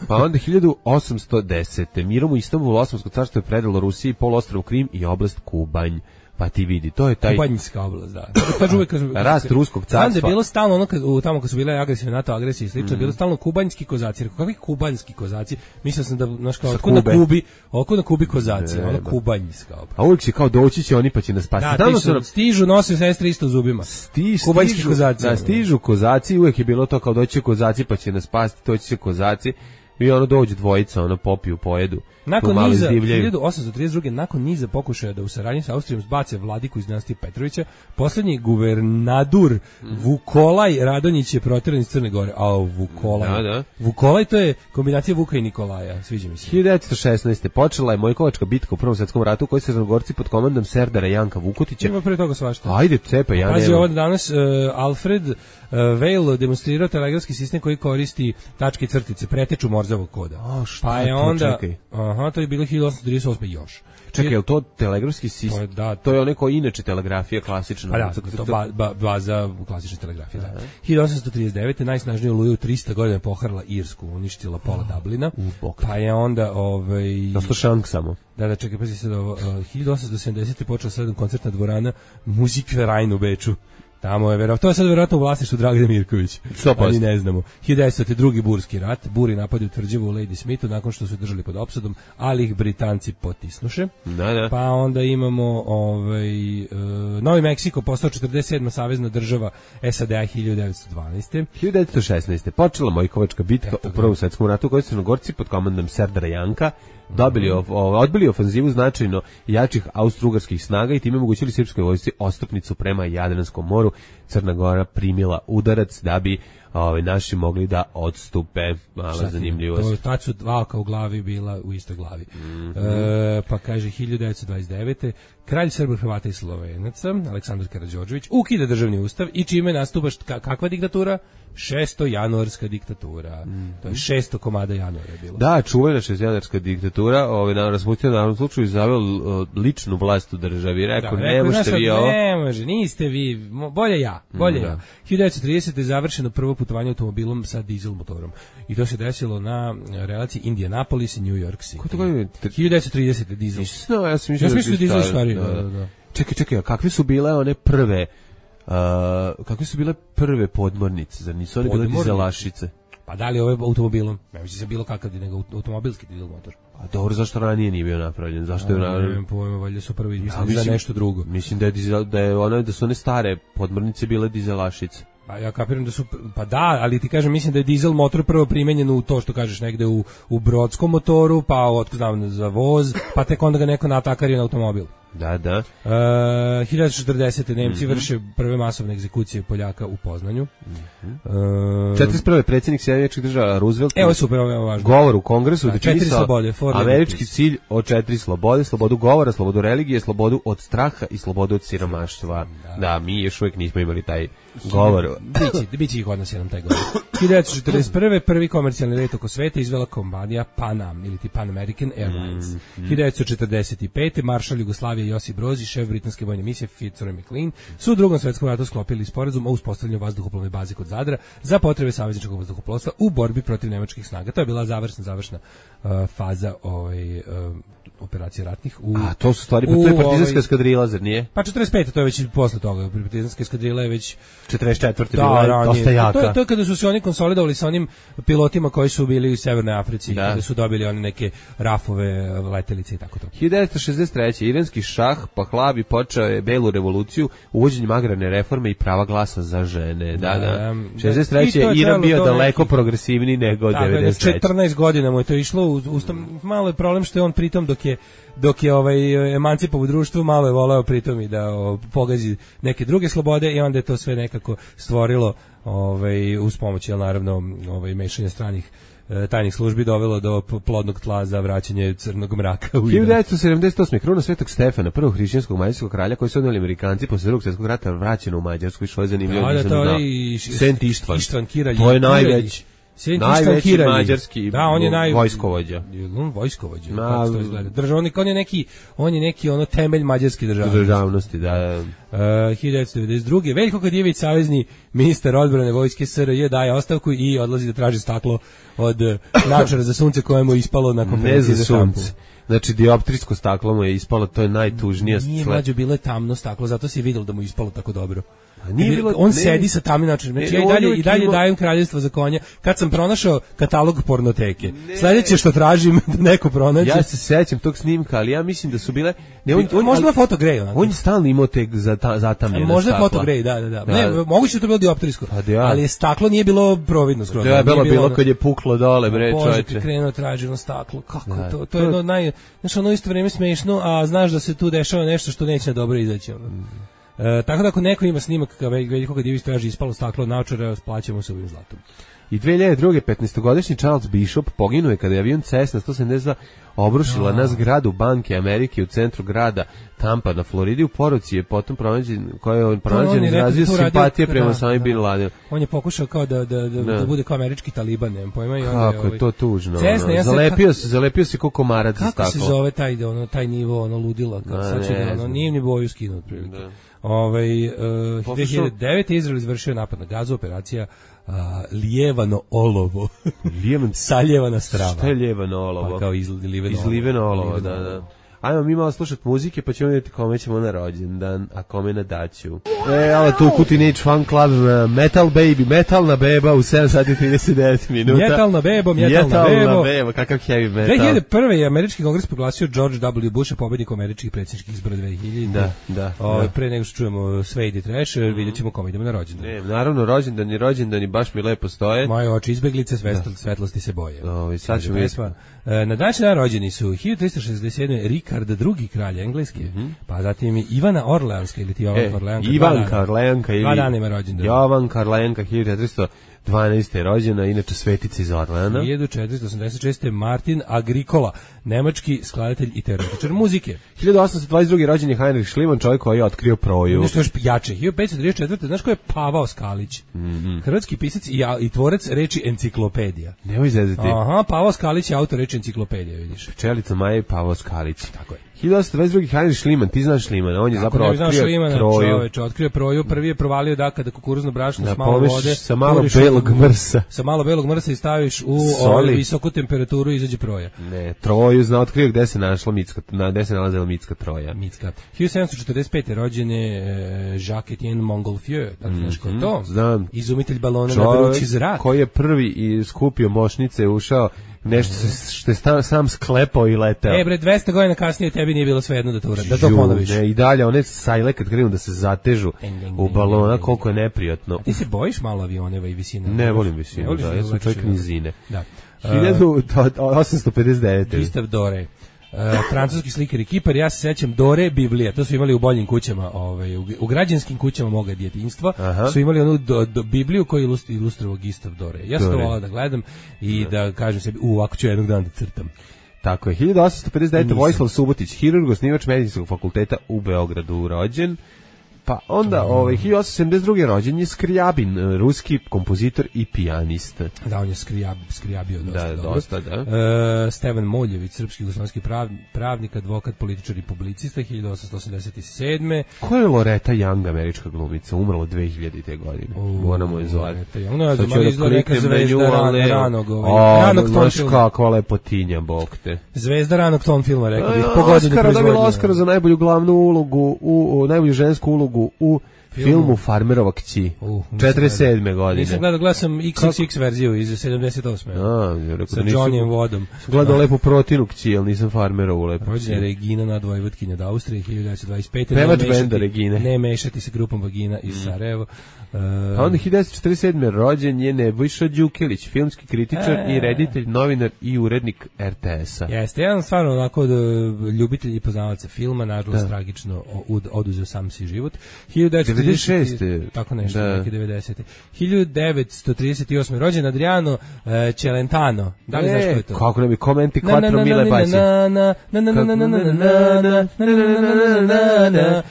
Pa onda hiljadu osamsto desete. mirom u Istanbulu Osmansko carstvo je predalo Rusiji poluostrvo Krim i oblast Kubanj. Pa ti vidi, to je taj Kubanjska oblast, da. Kažu uvek kažu rast ruskog carstva. Znam da je bilo stalno ono kad u tamo kad su bile agresivne NATO agresije i slično, mm. bilo stalno kubanjski kozaci. Rekao, kakvi kubanjski kozaci? Mislio sam da znaš kao otkud na Kubi, oko na Kubi kozaci, ono kubanjska oblast. A uvijek će kao doći će oni pa će nas spasiti. Da, su, stižu, nose sestre isto zubima. Sti, kubanjski stižu, kozaci. Da, stižu kozaci, uvijek je bilo to kao doći kozaci pa će nas spasiti, doći će kozaci. I ono dođu dvojica, ono popiju, pojedu. Nakon niza, hiljadu osamsto trideset druge. nakon niza pokušaja da u saradnji sa Austrijom zbace vladiku iz dinastije Petrovića, posljednji guvernadur mm. Vukolaj Radonjić je protjeran iz Crne Gore. A Vukolaj. Da, da. Vukolaj, to je kombinacija Vuka i Nikolaja, sviđa mi se. hiljadu devetsto šesnaeste. počela je Mojkovačka bitka u Prvom svjetskom ratu, koji se Crnogorci pod komandom Serdara Janka Vukotića. Ima pre toga svašta. Ajde, cepa, ja Pazi, ovo danas uh, Alfred uh, Vail demonstrirao telegrafski sistem koji koristi tačke i crtice, preteču Morzovog koda. O, šta pa je to, onda, čekaj. Aha, to je bilo hiljadu osamsto trideset osme još. Čekaj, je li to telegrafski sistem? To je, da, to je ono kao inače telegrafija klasična. Pa da, to ba, ba, baza klasične telegrafije. Da. hiljadu osamsto trideset devete. najsnažniju oluju trista godina poharala Irsku, uništila pola Dublina. Pa je onda ovaj Dosta šank samo. Da, da, čekaj, pazi sad ovo. Uh, hiljadu osamsto sedamdesete. počela sedam koncertna dvorana Musikverein u Beču. Tamo je verovatno, to je sad verovatno u vlasništvu Dragana Mirković. Ali ne znamo. hiljadu devetsto drugi burski rat, buri napadi u tvrđavu u Lady Smithu nakon što su držali pod opsadom, ali ih Britanci potisnuše. Da, da. Pa onda imamo ovaj uh, Novi Meksiko postao četrdeset sedma savezna država S A D A hiljadu devetsto dvanaeste. hiljadu devetsto šesnaeste. počela Mojkovačka bitka Eto, u Prvom svjetskom ratu, koji su Crnogorci pod komandom Serdara Janka dobili of, o, odbili ofanzivu značajno jačih austrougarskih snaga i time omogućili srpskoj vojsci ostupnicu prema Jadranskom moru. Crna Gora primila udarac da bi ovaj naši mogli da odstupe. Mala zanimljivost. To tad su dva oka u glavi bila u istoj glavi. Mm-hmm. E, pa kaže hiljadu devetsto dvadeset devete. kralj Srba, Hrvata i Slovenaca Aleksandar Karađorđević ukida državni ustav i čime nastupa šta, kakva diktatura? šesto januarska diktatura. Mm-hmm. To je šesto komada januara je bilo. Da, čuvena šesto januarska diktatura, ovaj na raspustio na ovom slučaju zaveo ličnu vlast u državi. Rekao, da, ne možete vi ovo. Ne može, niste vi, bolje ja, bolje mm, ja. hiljadu devetsto tridesete. je završeno prvo putovanje automobilom sa dizel motorom. I to se desilo na relaciji Indianapolis i New York City. Ko to je? hiljadu devetsto tridesete. dizel. No, ja sam mislio ja da dizel stvari. Da, da, da. Čekaj, čekaj, a kakve su bile one prve Uh, kakve su bile prve podmornice, zar nisu one bile dizelašice? Pa da li ovaj automobilom? Ne mislim se bilo kakav, nego automobilski dizel motor. A dobro, zašto ranije nije bio napravljen? Zašto je napravljen? Ne znam, pojma, valjda su prvo izmislili Ja, mislim, za nešto drugo. Mislim da je dizel, da je one da su one stare podmornice bile dizelašice. Pa ja kapiram da su, pa da, ali ti kažem, mislim da je dizel motor prvo primenjen u to što kažeš negde u, u brodskom motoru, pa otko znam za voz, pa tek onda ga neko natakario na automobil. Da, da. Uh, hiljadu četrdesete Nemci mm-hmm. vrše prve masovne egzekucije Poljaka u Poznanju. Mm-hmm. Uh, četrdeset prve predsjednik Sjedinjenih Država Roosevelt. Evo je super, ovo je važno. Govor u Kongresu da četiri slobode, američki cilj od četiri slobode, slobodu govora, slobodu religije, slobodu od straha i slobodu od siromaštva. Da, da mi još uvijek nismo imali taj govor. Biće, biće ih odnos jedan taj govor. hiljadu četrdeset prve prvi komercijalni let oko sveta izvela kompanija Pan Am ili ti Pan American Airlines. Mm-hmm. hiljadu četrdeset pete maršal Jugoslavije Josip Broz i šef britanske vojne misije Fitzroy McLean su u Drugom svetskom ratu sklopili sporazum o uspostavljanju vazduhoplovne baze kod Zadra za potrebe savezničkog vazduhoplovstva u borbi protiv nemačkih snaga. To je bila završna završna uh, faza ovaj uh, operacije ratnih. U, A to su stvari, pa to je partizanska ovaj, eskadrila, zar nije? Pa četrdeset pete to je već posle toga. Partizanska eskadrila je već četrdeset četvrte Da, bila dosta jaka. To je, to je kada su se oni konsolidovali sa onim pilotima koji su bili u Severnoj Africi, da. Kada su dobili one neke rafove, letelice i tako to. hiljadu devetsto šezdeset treće iranski šah Pahlavi počeo je belu revoluciju uvođenjem agrarne reforme i prava glasa za žene. Da, da. šezdeset treće je Iran bio daleko neki, progresivniji nego devedeset treće četrnaest godina mu je to išlo, uz, uz, malo je problem što je on pritom dok je dok je ovaj emancipovo društvo malo je voleo pritom i da o, pogazi neke druge slobode i onda je to sve nekako stvorilo ovaj uz pomoć jel naravno ovaj mešanja stranih e, tajnih službi dovelo do plodnog tla za vraćanje crnog mraka u hiljadu devetsto sedamdeset osme kruna Svetog Stefana, prvog hrišćanskog mađarskog kralja koji su odneli Amerikanci posle Drugog svjetskog rata vraćeno u Mađarsku i što je zanimljivo. Da, da, to je i Sent Ištvan. Ištvan Kiralj. To je najveći Sint najveći mađarski da, on je naj... vojskovođa. On vojskovođa, Na, kako to izgleda. Državnik, on je neki, on je neki ono temelj mađarske državnosti. Državnosti, da. Uh, hiljadu devetsto devedeset druge Veljko Kadijević, savezni ministar odbrane vojske S R J, daje ostavku i odlazi da traži staklo od Načara za sunce kojemu je ispalo na konferenciji za štampu. Znači, dioptrijsko staklo mu je ispalo, to je najtužnija stvar. Nije mlađo, bilo je tamno staklo, zato si je vidjelo da mu je ispalo tako dobro. Nije bilo, on ne, sedi sa tamnim načinom. Znači, ja i dalje, i dalje ima... dajem kraljevstvo za konja. Kad sam pronašao katalog pornoteke, ne. Sledeće što tražim da neko pronađe. Ja se sećam tog snimka, ali ja mislim da su bile... Ne, on, on, možda je fotogrej. Onako. On je stalno imao te zatamljene možda je fotogrej, da, da, da. da. Ne, moguće je to bilo dioptrijsko, ja. Ali staklo nije bilo providno skroz. Da, je bilo, bilo kad je puklo dole, bre, čoveče. Bože, krenuo traženo staklo. Kako da, to? To je jedno naj... Znaš, ono isto vreme smešno, a znaš da se tu dešava nešto što neće dobro izaći. Ono. Mm. E, tako da ako neko ima snimak Veljko Kadijević traži ispalo staklo od Naočara, plaćamo se ovim zlatom. I dve hiljade druge petnaestogodišnji Charles Bishop poginuo je kada je avion Cessna sto sedamdeset dva obrušila no. na zgradu Banke Amerike u centru grada Tampa na Floridi. U poruci je potom pronađen, koja je on pronađen izrazio simpatije prema samim Bin Ladenu. On je pokušao kao da, da, da, da bude kao američki taliban, nemam pojma. I onda kako je to tužno. Cessna, ja zalepio se, zalepio se kao komarac za staklo. Kako se zove taj, ono, taj nivo, ono ludila, kao sad će da, ono, nije ni boju skinuo otprilike. Ovaj uh, dve hiljade devete Izrael izvršio napad na Gazu, operacija uh, Lijevano olovo. Lijevan saljevana strava. Šta je lijevano olovo? Pa kao izliveno, izliveno olovo, olovo, da, da. Ajmo mi malo slušati muzike, pa ćemo vidjeti kome ćemo na rođendan, a kome na daću. E, ali tu Kutinage Fan Club, Metal Baby, metalna beba u sedam sati i trideset devet minuta. Metalna bebo, metalna, metalna bebo. bebo, kakav heavy metal. dve hiljade prve je američki kongres proglasio George W. Busha pobednikom američkih predsjedničkih izbora dve hiljade. Da, da. O, da. Pre nego što čujemo Suede i Trash, mm. vidjet ćemo kome idemo na rođendan. Ne, naravno, rođendan i rođendan i baš mi lepo stoje. Moje oči izbeglice, svetlo, svetlosti se boje. O, sad ćemo vidjeti. Na današnji dan rođeni su hiljadu trista šezdeset sedme Rikard drugi kralj Engleske, mm-hmm. pa zatim Ivana Orleanska ili ti Jovan e, Orleanka. Ivanka Orleanka ili dva dana ima rođendan. Jovanka Orleanka hiljadu četiristo dvanaeste rođena, inače svetica iz Orleana. hiljadu četiristo osamdeset šeste Martin Agricola, nemački skladatelj i teoretičar muzike. hiljadu osamsto dvadeset druge rođen je Heinrich Schliemann, čovjek koji je otkrio proju. Nešto još jače. hiljadu petsto trideset četvrte znaš ko je Pavao Skalić? Mm-hmm. Hrvatski pisac i, i tvorac reči enciklopedija. Nemoj zezati. Aha, Pavao Skalić je autor reči enciklopedija, vidiš. Pčelica Maja i Pavao Skalić. Tako je. hiljadu osamsto dvadeset druge. Heinrich Schliemann, ti znaš Schliemana, on je Kako zapravo ne bi znao otkrio Schliemana, Troju. čoveče, otkrio Troju, prvi je provalio da kada kukuruzno brašno Da s malo pomešiš vode, sa malo poriš u- belog mrsa. sa malo belog mrsa i staviš u Soli. ovaj, visoku temperaturu i izađe Proja. Ne, Troju zna otkrio gde se našla mitska, na gde se nalazila mitska Troja. Mitska. hiljadu sedamsto četrdeset pete rođen je e, Jacques Etienne Montgolfier, da li znaš ko je to? Znam. Izumitelj balona na Čovjek vrući zrak. koji je prvi i skupio mošnice, ušao nešto se, što je sta, sam sklepao i leteo. E bre, dvesta godina kasnije tebi nije bilo svejedno da to uradi, da to Ju, ponoviš. Ne, i dalje, one sajle kad krenu da se zatežu u balona, koliko je neprijatno. Ti se bojiš malo avioneva i visine? Ne volim visinu, Ne voliš da, ja sam letiš čovjek avionom? nizine. Da. hiljadu osamsto pedeset devete. Gustav Dore. Uh, francuski slikar i kipar, ja se sećam Dore Biblija, to su imali u boljim kućama, ovaj, u, u građanskim kućama moga djetinjstva, Aha. su imali onu do, do Bibliju koju je ilust- ilustrovao Gustav Dore. Ja sam to Dore. volao da gledam i da kažem sebi, u, ovako ću jednog dana da crtam. Tako je, hiljadu osamsto pedeset devete. Nisam. Vojislav Subotić, hirurg, osnivač medicinskog fakulteta u Beogradu, rođen. Pa onda, ovaj, hiljadu osamsto sedamdeset druge. rođen je Skrijabin, eh, ruski kompozitor i pijanist. Da, on je skrijab, skrijabio dosta Da, dobro. dosta, da. E, Stevan Moljević, srpski jugoslovenski prav, pravnik, advokat, političar i publicista, hiljadu osamsto osamdeset sedme. Ko je Loretta Young, američka glumica, umrla dve hiljadite. godine. Moramo je zvati. Loretta Young, ne znam, Sad ću ali da izgleda neka kliknem na nju, zvezda ali ran- ne. ranog, ovaj, O, ranog ton znaš filma. kakva lepotinja, bog te. Zvezda ranog ton filma, rekao bih, A, po godini Oscara, dobila proizvodnje. Oscara za najbolju glavnu ulogu, u, u najbolju žensku ulogu u Filmu. filmu Farmerova kći. Uh, četrdeset sedme. godine. Nisam gledao, gledao sam iks iks iks verziju iz sedamdeset osme. A, ja rekao Sa da nisam- Johnnyem Vodom. Sam gledao lepu protinu kći, ali nisam Farmerovu lepu Rođena je kći. Regina Nadvojvodkinja od Austrije, hiljadu devetsto dvadeset pete. Pevač Ne mešati- benda Regine. Ne mešati se grupom Vagina iz Sarajeva. Uh, A onda hiljadu devetsto četrdeset sedme. rođen je Nebojša Đukelić, filmski kritičar E. i reditelj, novinar i urednik er te esa. Jeste, jedan stvarno onako od, ljubitelj i poznavaca filma, nažalost tragično od, oduzeo sam si život. hiljadu devetsto trideset devedeset šeste. Tako nešto, Da. neke devedesete. hiljadu devetsto trideset osme. rođen Adriano uh, Celentano. Da li znaš ko je to? Kako ne bi komenti Na, na, quattro na, mile na, basi. na, na, na, na, na, na, na, na, na, na, na, na,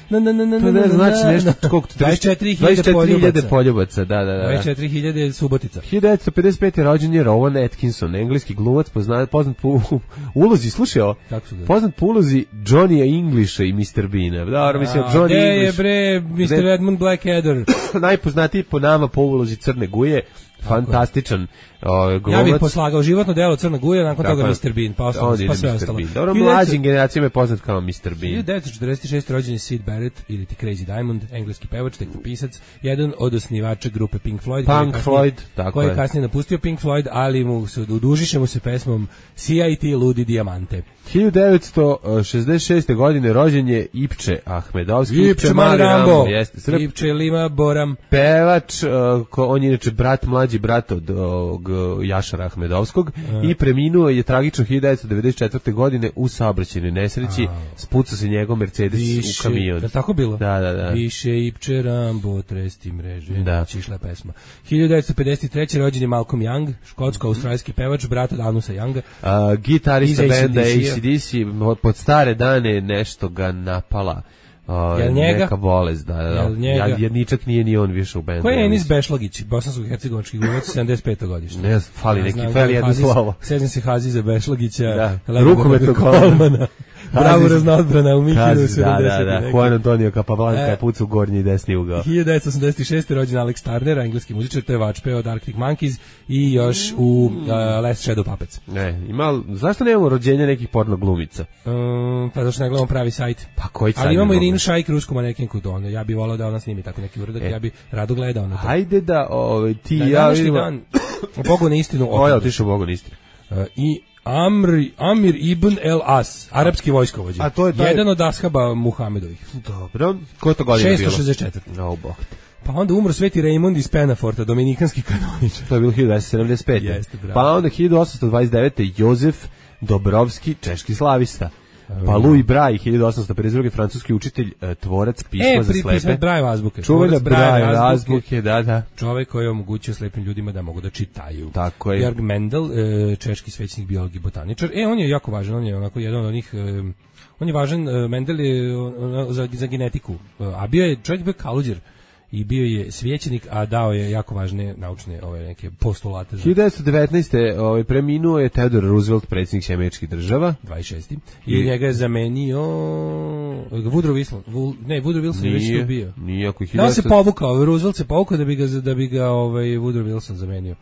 na, na, na, na, To ne znači nešto koliko to dvadeset četiri hiljade dvadeset četiri hiljade poljubaca. poljubaca, da, da, da. dvadeset četiri hiljade Subotica. hiljadu devetsto pedeset pete. rođen je Rowan Atkinson, engleski glumac poznat, poznat po ulozi, slušaj ovo, Kako su ga? poznat po ulozi Johnnyja Englisha i mister Beana. Dobro, mislim, A, Johnny gde je English, bre mister Gde- Edmund Blackadder? najpoznatiji po nama po ulozi Crne guje, fantastičan o, glumac. Ja bih poslagao životno delo Crna Guja, nakon Tako toga je. mister Bean, pa, ostalo, Onda ide pa sve mister ostalo. Bean. Dobro, hiljadu devetsto mlađim generacijama je poznat kao mister Bean. hiljadu devetsto četrdeset šeste. rođen je Sid Barrett ili ti Crazy Diamond, engleski pevač, tekstopisac, jedan od osnivača grupe Pink Floyd. koji je Pink kasnije- Floyd, tako koji je je. kasnije napustio Pink Floyd, ali mu se udužiše mu se pesmom C I T Ludi Dijamante. hiljadu devetsto šezdeset šeste. godine rođen je Ipče Ahmedovski. Ipče Mali Rambo, jeste Srb, Ipče Lima Boram. pevač, uh, ko, on je inače brat, mlađi brat od ovog uh, Jašara Ahmedovskog i preminuo je tragično hiljadu devetsto devedeset četvrte. godine u saobraćajnoj nesreći, spucao se njegov Mercedes u kamion. Da tako bilo? Da, da, da. Više Ipče Rambo, tresti mreže. Da. Išla je pesma. hiljadu devetsto pedeset treće. rođen je Malcolm Young, škotsko-australijski pevač, brat od Anusa Younga. Uh, gitarista Iz benda A C D C-a. A C D C, pod stare dane nešto ga napala. Uh, Jel njega? Neka bolest, da, da. Jel njega? Ja, jedničak nije ni on više u bendu. Ko je ja Enis mislim. Bešlagić, bosansko-hercegovački glumac, sedamdeset peto godište? Ne znam, fali neki, znam fali da je jedno Haziz- slovo. Sećam se Haziza Bešlagića, Da. Leonarda Rukometnog Kolmana. Bravo raznoodbrana u Mihinu Kazi, da, da, da. sedamdeset. Juan Antonio Capablanca E. je pucao u gornji i desni ugao. hiljadu devetsto osamdeset šeste. rođen Alex Turner, engleski muzičar, to je vačpeo od Arctic Monkeys i još u uh, Last Shadow Puppets. Ne, ima, zašto nemamo rođenja nekih porno glumica? Um, pa zašto ne gledamo pravi sajt. Pa koji sad Ali imamo imamo? Irinu Šajk, rusku manekinku, to ono, ja bih volao da ona snimi tako neki uradak, E. ja bih rado gledao na to. Hajde da ovaj, ti Na ja današnji vidimo... dan, Bogu na istinu, O, ja opet. otišao Bogu niste. Uh, i Amr, Amir ibn El As, arapski vojskovođa. A to je taj- Jedan od ashaba Muhamedovih. Dobro. Ko je to godina bilo? šesto šezdeset četvrte. No, bog. Pa onda umro Sveti Raymond iz Penaforta, dominikanski kanoničar. To je bilo hiljadu devetsto sedamdeset pete. Jeste, bravo. Pa onda hiljadu osamsto dvadeset devete. Jozef Dobrovski, češki slavista. Pa Louis Braille, hiljadu osamsto pedeset druge. francuski učitelj, e, tvorac pisma E, za pri, slepe. pismet Braille azbuke. Čuvena Tvorac Braille Braille azbuke. azbuke, da, da. Čovek koji je omogućio slepim ljudima da mogu da čitaju. Tako je. Jörg Mendel, e, češki svećenik, biolog i botaničar. E, on je jako važan, on je onako jedan od onih... e, on je važan, e, Mendel je ono, za, za genetiku. E, a bio je, čovjek bio kaluđer. i bio je svećenik, a dao je jako važne naučne ove neke postulate. Za... hiljadu devetsto devetnaeste. Ovaj, preminuo je Theodore Roosevelt, predsjednik Američkih država. dvadeset šesti. I, I njega je zamenio Woodrow Wilson. Ne, Woodrow Wilson je već tu bio. Nije, ako Da, se povukao, Roosevelt se povukao da bi ga, da bi ga ovaj, Woodrow Wilson zamenio.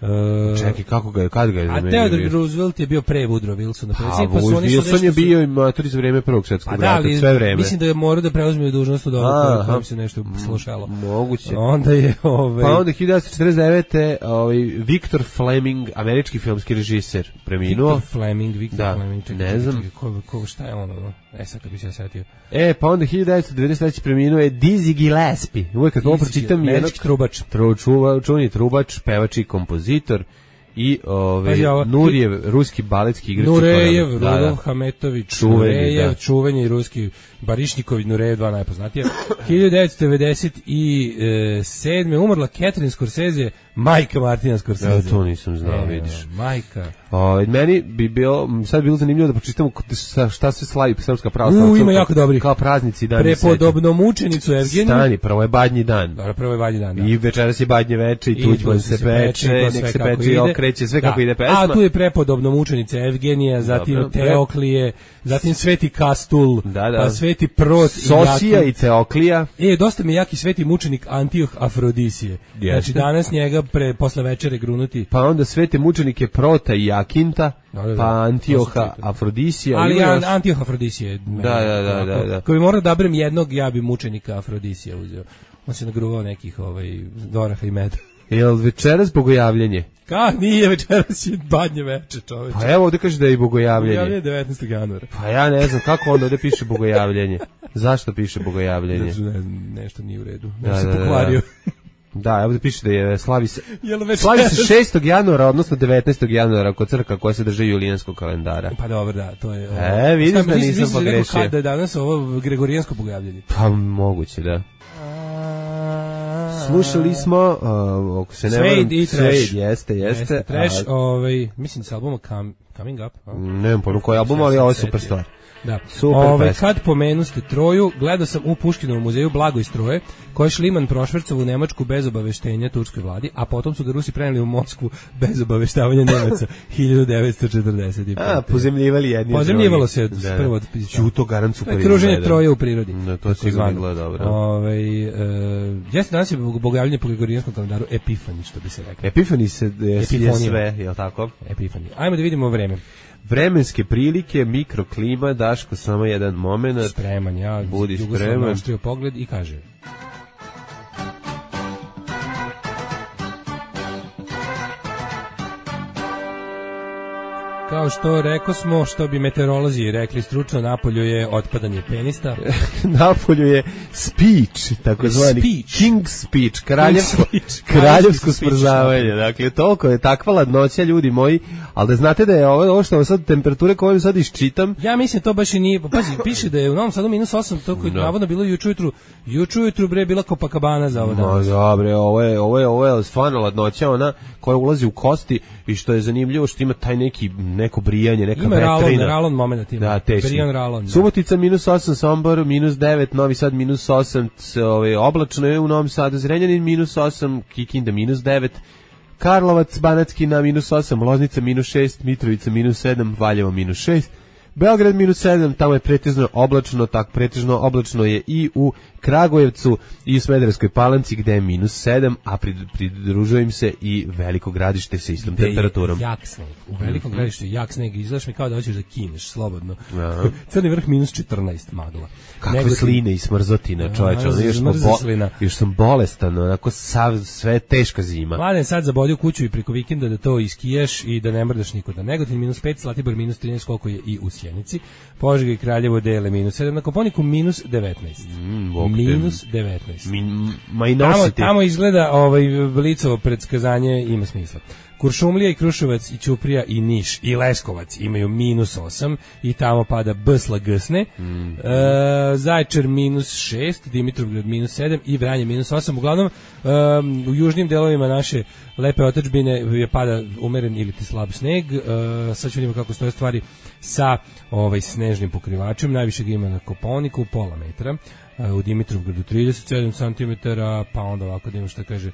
Uh, Čekaj, kako ga je, kad ga je zamenio? A Theodore Roosevelt je bio pre Woodrow Wilsona. Pa, pa Wilson je bio i matori za vreme prvog svjetskog rata, sve vreme. Mislim da je morao da preuzme dužnost od ovoga kojim se nešto slušalo. Moguće. Onda je... Ovaj... Pa onda hiljadu devetsto četrdeset devete. Ovaj, Victor Fleming, američki filmski režiser, preminuo. Victor Fleming, Victor da, Fleming. Čekaj, ne znam. Čekaj, ko, ko, šta je ono? E, sad kad bi se setio. E, pa onda hiljadu devetsto devedeset treće. preminuo je Dizzy Gillespie. Uvijek kad ovo pročitam... Američki trubač. Čuveni trubač, pevač i kompozitor. I ovaj Nurijev, ruski baletski igrač. Nurejev, Rudolf Hametović, Nurejev, čuveni ruski Barišniković, Nurejev, dva najpoznatije. hiljadu devetsto devedeset sedme. umrla Catherine Scorsese, majka Martina Scorsese. Ja to nisam znao, e, vidiš. Majka. O, meni bi bilo, sad bilo zanimljivo da pročitamo šta se slavi Srpska pravoslavna. U, ima jako dobri. Kao praznici dan. Prepodobno mučenicu Evgeniju. Stani, prvo je Badnji dan. Dobro, prvo je Badnji dan, da. I večeras je Badnje veče i Tuđman se peče, nek se peče i okreće, sve kako ide pesma. A tu je prepodobno mučenica Evgenija, zatim dobro, Teoklije, zatim Sveti Kastul, da, da. Pa Sveti Prot, Sosija i, i Teoklija. E, dosta mi jaki sveti mučenik Antioh Afrodisije. Jeste. Znači danas njega pre, posle večere grunuti. Pa onda svete mučenike Prota i Jakinta, da, da, da. Pa Antioha Afrodisija. Ali ja, Antioh Afrodisije. Da, da, da, da, da. Ko bi morao da brem jednog, ja bi mučenika Afrodisija uzeo. On se nagruvao nekih ovaj, doraha i meda. Jel večeras bogojavljenje? Ka, nije večeras je Badnje veče, čoveče. Pa evo ovde kaže da je i bogojavljenje. Bogojavljenje je devetnaestog januara. Pa ja ne znam kako onda ovde piše bogojavljenje. Zašto piše bogojavljenje? Znači, ne, nešto nije u redu. Da, da, se da, pokvario. Da, evo da piše da je slavi se, slavi se šestog januara, odnosno devetnaestog januara kod crkva koja se drže julijanskog kalendara. Pa dobro, da, to je... E, vidiš da nisam pogrešio. Kada je danas ovo gregorijansko bogojavljenje? Pa moguće, da. Slušali smo, uh, ako se ne varam, Suede i Trash. Suede, jeste, jeste. Jeste, Trash, a, ovaj, mislim sa albuma Come, Coming Up. A? Ne znam pojma koji album, ali ovo je super stvar. Da. Super Ove, pesma. kad pomenuste Troju, gledao sam u Puškinovom muzeju Blago iz Troje, koji je Šliman prošvercao u Nemačku bez obaveštenja turskoj vladi, a potom su ga Rusi preneli u Moskvu bez obaveštavanja Nemaca hiljadu devetsto četrdeset pete. A, pozemljivali jedni. Pozemljivalo se da, prvo. Ću to garant super. Kruženje Troje u prirodi. Da, to sigurno gleda dobro. Ove, e, jeste danas je bogojavljanje po gregorijanskom kalendaru Epifani, što bi se rekao. Epifani se je sve, je li tako? Epifani. Ajmo da vidimo vreme. Vremenske prilike, mikroklima, Daško, samo jedan moment. Spreman, ja. Budi spreman. Naštrio pogled i kaže... Kao što rekao smo, što bi meteorolozi rekli stručno, napolju je otpadanje penista. Napolju je speech, takozvani speech. King speech, kraljevsko, kraljevsko smrzavanje. Dakle, toliko je takva ladnoća, ljudi moji, ali da znate da je ovo, ovo što vam sad temperature koje vam sad iščitam. Ja mislim to baš i nije, pazi, piše da je u Novom Sadu minus osam, to koji no. navodno bilo juče ujutru, juče ujutru bre bila Copacabana za ovo danas. No, dobre, ovo je, ovo je, ovo je stvarno ladnoća, ona koja ulazi u kosti i što je zanimljivo što ima taj neki neko brijanje, neka ima vetrina. Ima ralon moment ima. Da, teški. Brijan ralon. Da. Subotica minus osam, Sombor minus devet, Novi Sad minus osam, ovaj, oblačno je u Novom Sadu, Zrenjanin minus osam, Kikinda minus devet, Karlovac, Banatski na minus osam, Loznica minus šest, Mitrovica minus sedam, Valjevo minus šest, Beograd minus sedam, tamo je pretežno oblačno, tak pretežno oblačno je i u Kragujevcu i u Smederevskoj Palanci gde je minus sedam, a pridružujem se i Veliko Gradište sa istom gde temperaturom. Jak sneg. U Velikom mm-hmm. Gradištu jak sneg, izgledaš mi kao da hoćeš da kineš slobodno. Aha. Crni vrh minus četrnaest magla. Kakve Nego sline i smrzotina, čoveče, ono još, bo, još sam bolestan, onako sav, sve teška zima. Mladen sad zabodio kuću i preko vikenda da to iskijaš i da ne mrdaš nikoda. Negotin minus pet, Zlatibor minus trinaest, koliko je i u Sjenici. Požega i Kraljevo dele minus sedam, na Koponiku minus devetnaest. Mm, minus devetnaest. Min, ma i tamo, nositi. tamo izgleda ovaj Blicovo predskazanje ima smisla. Kuršumlija i Kruševac i Ćuprija i Niš i Leskovac imaju minus osam i tamo pada Bsla Gsne. Mm. E, Zaječar minus šest, Dimitrovgrad minus sedam i Vranje minus osam. Uglavnom, e, u južnim delovima naše lepe otadžbine je pada umeren ili ti slab sneg. E, sad ću vidimo kako stoje stvari sa ovaj snežnim pokrivačem. Najviše ga ima na Kopaoniku, pola metra. E, u Dimitrovgradu trideset sedam centimetara, pa onda ovako da imamo što kaže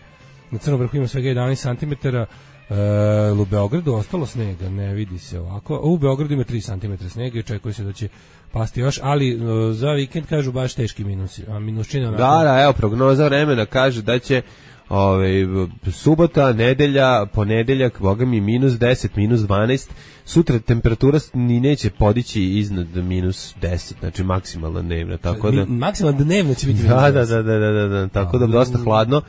na Crnom vrhu ima svega jedanaest centimetara. E, u Beogradu ostalo snega, ne vidi se ovako. U Beogradu ima tri centimetra snega i očekuje se da će pasti još, ali e, za vikend kažu baš teški minusi, a minuščina onako... Da, da, evo, prognoza vremena kaže da će ove, subota, nedelja, ponedeljak, boga mi, minus deset, minus dvanaest, sutra temperatura ni neće podići iznad minus deset, znači maksimalna dnevna, tako da... Mi, maksimalna dnevna će biti da, da, da, da, da, da, tako da dosta hladno.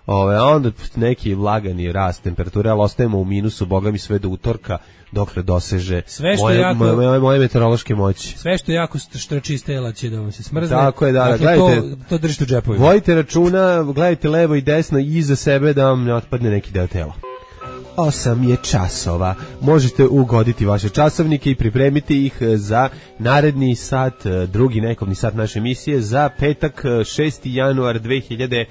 Ove, a onda neki lagani rast temperature, ali ostajemo u minusu, boga mi, sve do utorka, dokle doseže moje, jako, moje, moje meteorološke moći. Sve što jako štrči iz tela će da vam se smrzne. Tako je, da, dakle, gledajte, to, to držite u džepovima. Vojite računa, gledajte levo i desno i iza sebe da vam ne otpadne neki deo tela. Osam je časova. Možete ugoditi vaše časovnike i pripremiti ih za naredni sat, drugi nekovni sat naše emisije za petak šesti januar dve hiljade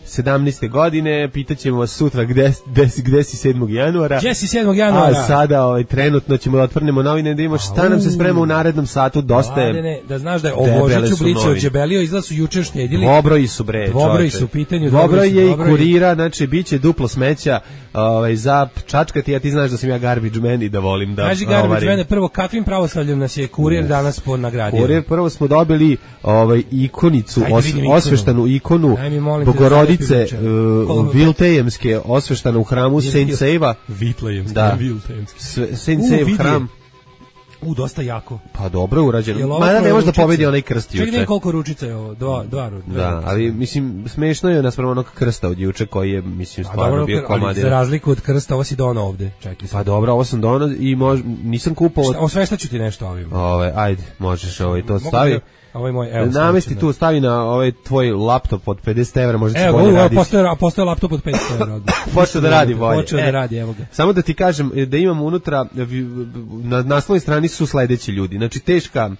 sedamnaeste godine. Pitaćemo vas sutra gde, gde, gde si sedmog januara. Gde si sedmog januara? A sada ovaj, trenutno ćemo da otvornemo novine da imamo šta nam se sprema u narednom satu. Dosta je... Mladene, da znaš da je o Božiću Blicu odjebelio, izgleda su juče štedili. Dvobroji su bre. Dvobroji su u pitanju. Dvobroj je i kurira, znači bit će duplo smeća ovaj, za čačkati, a ti znaš da sam ja garbage man i da volim da... Kaži garbage man, prvo kakvim pravoslavljem nas je kurir danas po nagradio? Kurir, prvo smo dobili ovaj, ikonicu, os, osveštanu ikonu Bogorodice Uh, Viltejemske, osveštana u hramu Saint Seiva. Vitlejemske, da. Viltejemske. Saint Seiv hram. U, dosta jako. Pa dobro urađeno. Mada ne može da pobedi onaj krst juče. Čekaj, koliko ručica je ovo? Dva, dva ručica. Da, ali mislim, smešno je naspram onog krsta od juče koji je, mislim, stvarno dobro, bio komadina. Za razliku od krsta, ovo si donao ovde. Čekaj. Pa dobro, ovo sam donao i mož, nisam kupao... Šta, osveštaću ti nešto ovim. Ove, ajde, možeš ovaj to stavi. Ovo je moj, evo, namesti tu, stavi na ovaj tvoj laptop od pedeset evra, možda će evo, bolje raditi. Evo, postoje, postoje laptop od pedeset evra. Počeo da radi bolje. Počeo da radi, evo ga. Samo da ti kažem da imam unutra, na naslovnoj strani su sledeći ljudi. Znači, teška...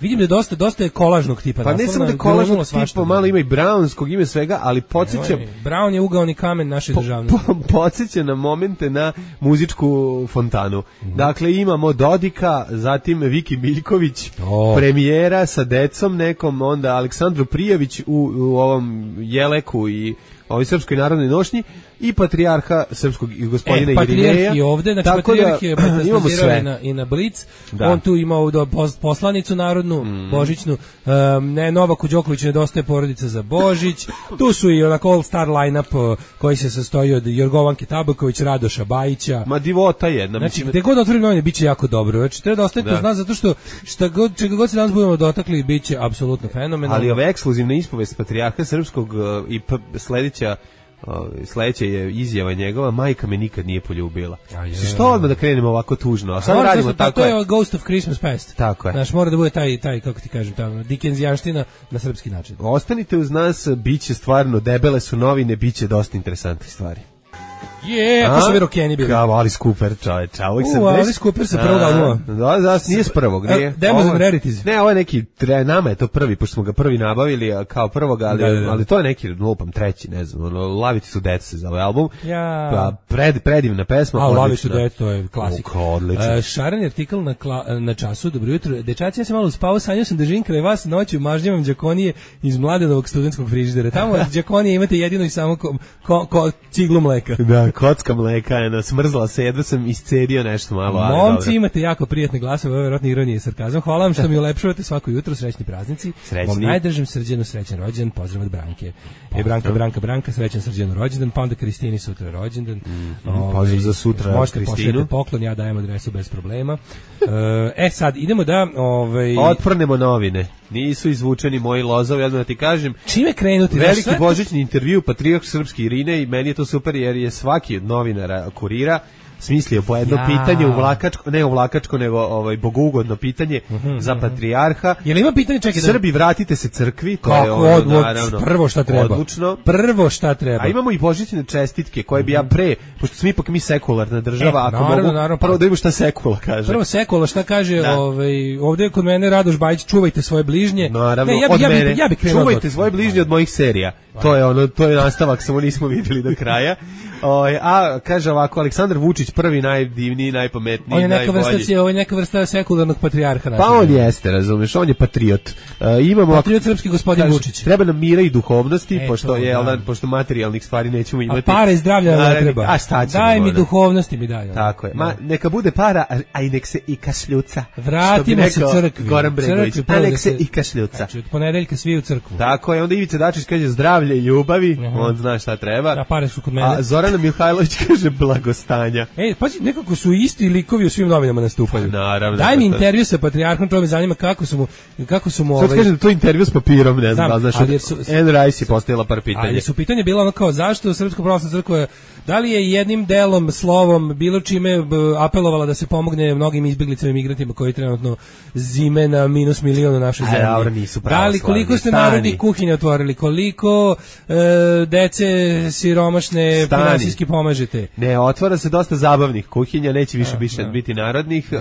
Vidim da je dosta, dosta je kolažnog tipa. Pa ne samo da je kolažnog tipa, malo ima i brownskog, ima svega, ali podsjećam... Brown je ugaoni kamen naše državnosti. Po, po, podsjeća na momente na muzičku fontanu. Mm. Dakle, imamo Dodika, zatim Viki Miljković, oh. premijera sa decom nekom, onda Aleksandru Prijević u, u ovom Jeleku i ovoj Srpskoj narodnoj nošnji i patrijarha srpskog gospodina e, Irineja. Patrijarh je ovde, znači patrijarh je metastazirao i na, i na Blic, da. On tu ima ovdje poslanicu narodnu, mm. božićnu, um, ne, Novaku Đokoviću nedostaje porodica za Božić, tu su i onako all star line-up koji se sastoji od Jorgovanke Tabaković, Radoša Bajića. Ma divota jedna. Znači, mislim, gde god otvorim novine, bit će jako dobro. Znači, treba da ostavite zna, zato što šta god, čega god se danas budemo dotakli, bit će apsolutno fenomenalno. Ali ove ekskluzivne ispovest patrijarha srpskog uh, i p- sledeća sledeća je izjava njegova, majka me nikad nije poljubila. Ja, što odmah da krenemo ovako tužno? A sad radimo tako. To je Ghost of Christmas Past. Tako je. Znaš, mora da bude taj, taj kako ti kažem, tamo, Dickensijanština na srpski način. Ostanite uz nas, biće stvarno, debele su novine, biće dosta interesantnih stvari. Je, ako su mi rokeni bili. Kao Alice Cooper, čoveč. A uvijek sam U, Alice Cooper sa prvog albuma. Da, da, nije s prvog, nije. Demos and Rarities. Ne, ovo je neki, tre, nama je to prvi, pošto smo ga prvi nabavili kao prvog, ali, da, da, da. ali to je neki, lupam, treći, ne znam, ono, Laviti su deca se zove album. Ja. Pa, pred, predivna pesma. A, Laviti su deca, to je klasik. O, odlično. Uh, šaran je artikl na, kla, na času, dobro jutro. Dečaci, ja sam malo uspao, sanjao sam da živim kraj vas noću, mažnjavam Đakonije iz Mladenovog studentskog frižidera. Tamo Đakonije imate jedino i samo ko, ko, ko, ciglu mleka. Da, kocka mleka. Eno, smrzla se, jedva sam iscedio nešto malo. Ali momci, dobro. Imate jako prijatne glasove, ovo je vjerojatno ironije i sarkazam. Hvala vam što mi ulepšavate svako jutro, srećni praznici. Srećni. Mom najdržem Srđanu srećan rođendan, pozdrav od Branke. E, Branka, Branka, Branka, srećan Srđanu rođendan, pa onda Kristini sutra rođendan. Mm, ovaj, pozdrav za sutra možete Kristinu. Možete poklon, ja dajem adresu bez problema. E, sad, idemo da... Ovaj... Otprnemo novine. Nisu izvučeni moji lozovi, ja da ti kažem. Čime krenuti? Veliki božićni intervju, patrijarh srpski Irine, i meni je to super jer je svaki od novinara Kurira smislio po jedno Ja. pitanje uvlakačko, ne uvlakačko, nego ovaj bogougodno pitanje Mhm, za mhm. patrijarha. Jel ima pitanje, čekaj da... Srbi, vratite se crkvi, to je Kako, ono, od, od, naravno, prvo šta treba. odlučno. Prvo šta treba. A imamo i božićne čestitke koje bi ja pre, pošto smo ipak mi sekularna država, E, ako naravno, mogu, naravno, prvo pa- da vidimo šta sekula kaže. Prvo Sekula šta kaže, Da. ovaj ovde je kod mene Radoš Bajić, čuvajte svoje bližnje. Naravno, Ne, ja bi, od ja bi, mene. ja bi krenuo Čuvajte od- svoje bližnje od mojih serija. To je ono, to je nastavak, samo nismo videli do kraja. O, a kaže ovako, Aleksandar Vučić prvi najdivniji, najpametniji, On je neka najbolji. vrsta, ovo je neka vrsta sekularnog patrijarha. Pa našeg. on jeste, razumeš, on je patriot. E, imamo Patriot srpski gospodin kaže, Vučić. Treba nam mira i duhovnosti, E, pošto to, je, da. da. pošto materijalnih stvari nećemo A imati. para i zdravlja ne Naravno, treba. A šta ćemo? Daj mi ono? duhovnosti mi daj. ono. Tako je. Da. Ma, neka bude para, a, a i nek se i kašljuca. Vratimo Što bi se rekao crkvi. Goran Bregović. Crkvi, A nek da se se- i kašljuca. Znači, od ponedeljka svi u crkvu. Tako je, onda Ivica Dačić kaže zdravlje i ljubavi, on zna šta treba. A pare su kod mene. A Zorana Mihajlović kaže blagostanja. Ej, pazi, nekako su isti likovi u svim novinama nastupaju. Naravno. Daj mi Pa to- intervju sa patrijarhom, to me zanima kako su mu, kako su mu Sad ovaj... kaže da to je intervju s papirom, ne znam, Znam, da li znaš. ali jer su- Anne Rice je postavila par pitanja. Ali su pitanje bilo ono kao zašto Srpska pravoslavna crkva, da li je jednim delom, slovom, bilo čime b, apelovala da se pomogne mnogim izbjeglicama i migrantima koji trenutno zime na minus milion u našoj A, zemlji. dobro, nisu Da li, pravoslavni, koliko ste stani. narodnih kuhinja otvorili, koliko e, dece siromašne Stani. finansijski pomažete? Ne, otvara se dosta zabavnih kuhinja, neće više više biti narodnih. Uh,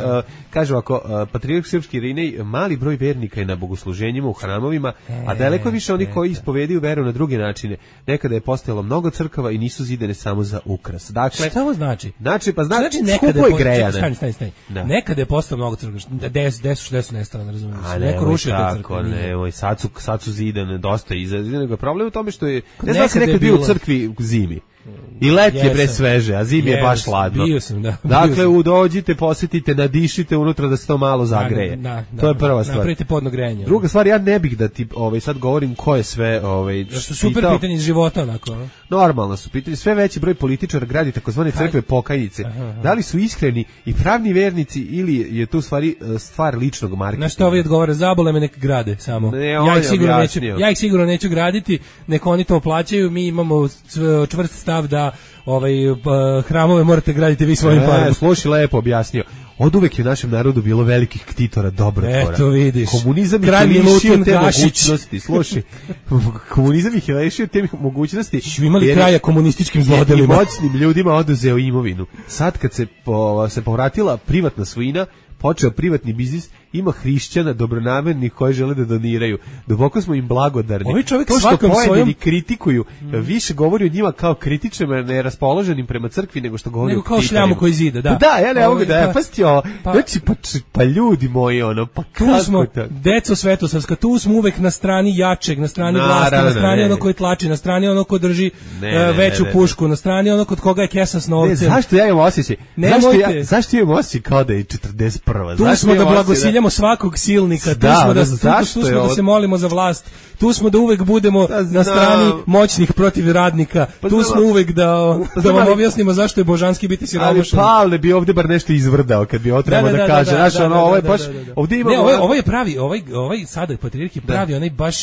kaže ovako, uh, Patrijarh Srpski Irinej, mali broj vernika je na bogosluženjima u hramovima, a daleko više oni koji ispovediju veru na druge načine. Nekada je postojalo mnogo crkava i nisu zidane samo za ukras. Dakle, Šta ovo znači? znači, pa znači, Znači nekada skupo je po- grejane. čekaj, stani, stani, stani. Da. Nekada je postao mnogo crkva. Des, des, des su nestala, ne razumijem. A Neko nemoj rušio te tako, crkve. nije. nemoj, sad su, sad su zidane, dosta iza. Problem je u tome što je, ne znam Nekada se je nekad bio u bilo- crkvi u zimi. I let je bre Jesam. sveže, a zim je baš Jesam, hladno. bio sam, da, bio Dakle, sam. u dođite, posjetite, nadišite unutra da se to malo zagreje. Da, da, to je da, prva stvar. Napravite podno grejanje. Druga stvar, ja ne bih da ti ovaj sad govorim ko je sve ovaj Da su super pitao. pitanje iz života, onako. ono. Normalno su pitanje, sve veći broj političara gradi takozvane crkve pokajnice. Da li su iskreni i pravni vernici ili je to u stvari e, stvar ličnog marketinga? Na što ovi odgovore, zabole me nek grade samo. Ne, on ja, je ih sigurno neću, objasnio. ja ih sigurno neću graditi, nek oni to plaćaju, mi imamo cv- čvrst stav da ovaj, p- hramove morate graditi vi svojim parama. E, slušaj, lepo objasnio. Od uvek je u našem narodu bilo velikih ktitora dobrotvora. Eto, vidiš. Komunizam ih Kralj je lišio Milutin te Gašić. mogućnosti. Slušaj, komunizam ih je lišio te mogućnosti. Su imali jer je- kraja komunističkim i zlodelima. moćnim ljudima oduzeo imovinu. Sad kad se po, se povratila privatna svojina, počeo privatni biznis, ima hrišćana dobronamernih koji žele da doniraju. Duboko smo im blagodarni. Ovaj čovjek to što svakom pojedini svojom- kritikuju, više govori o njima kao kritičnima, neraspoloženim prema crkvi, nego što govori Nego o kao ktitorima. šljamu koji zida, da. Pa da, ja ne mogu Ovaj, da, pa- pa sti ovo, pa- znači, pa, č- pa ljudi moji, ono, pa Tu kako smo, to? deco Svetosavska, tu smo uvek na strani jačeg, na strani Naravno, vlasti, na strani ne. ono koji tlači, na strani ono ko drži Ne, e, ne, veću ne, ne. pušku, na strani ono kod koga je kesa s Ne, novcem. zašto ja imam osjećaj? Nemojte. Zašto ja, zašto imam osjećaj kao da je četrdeset prva? Tu Zašto smo da imam osjećaj blagosiljamo svakog silnika, tu Da, smo da, da, tu, tu zašto je smo da ovo- se molimo za vlast, tu smo da uvek budemo Da, na znam. strani moćnih protiv radnika, Pa tu znam, smo uvek da, da znam, vam ali- objasnimo zašto je božanski biti Ali siromašan. Pavle bi ovde bar nešto izvrdao kad bi ovo trebao da, kaže. Znaš, ono, ovo je baš, ovde imamo... Ne, ovo je, onako- ovo je pravi, ovaj, ovaj sada patrijarh je pravi, onaj baš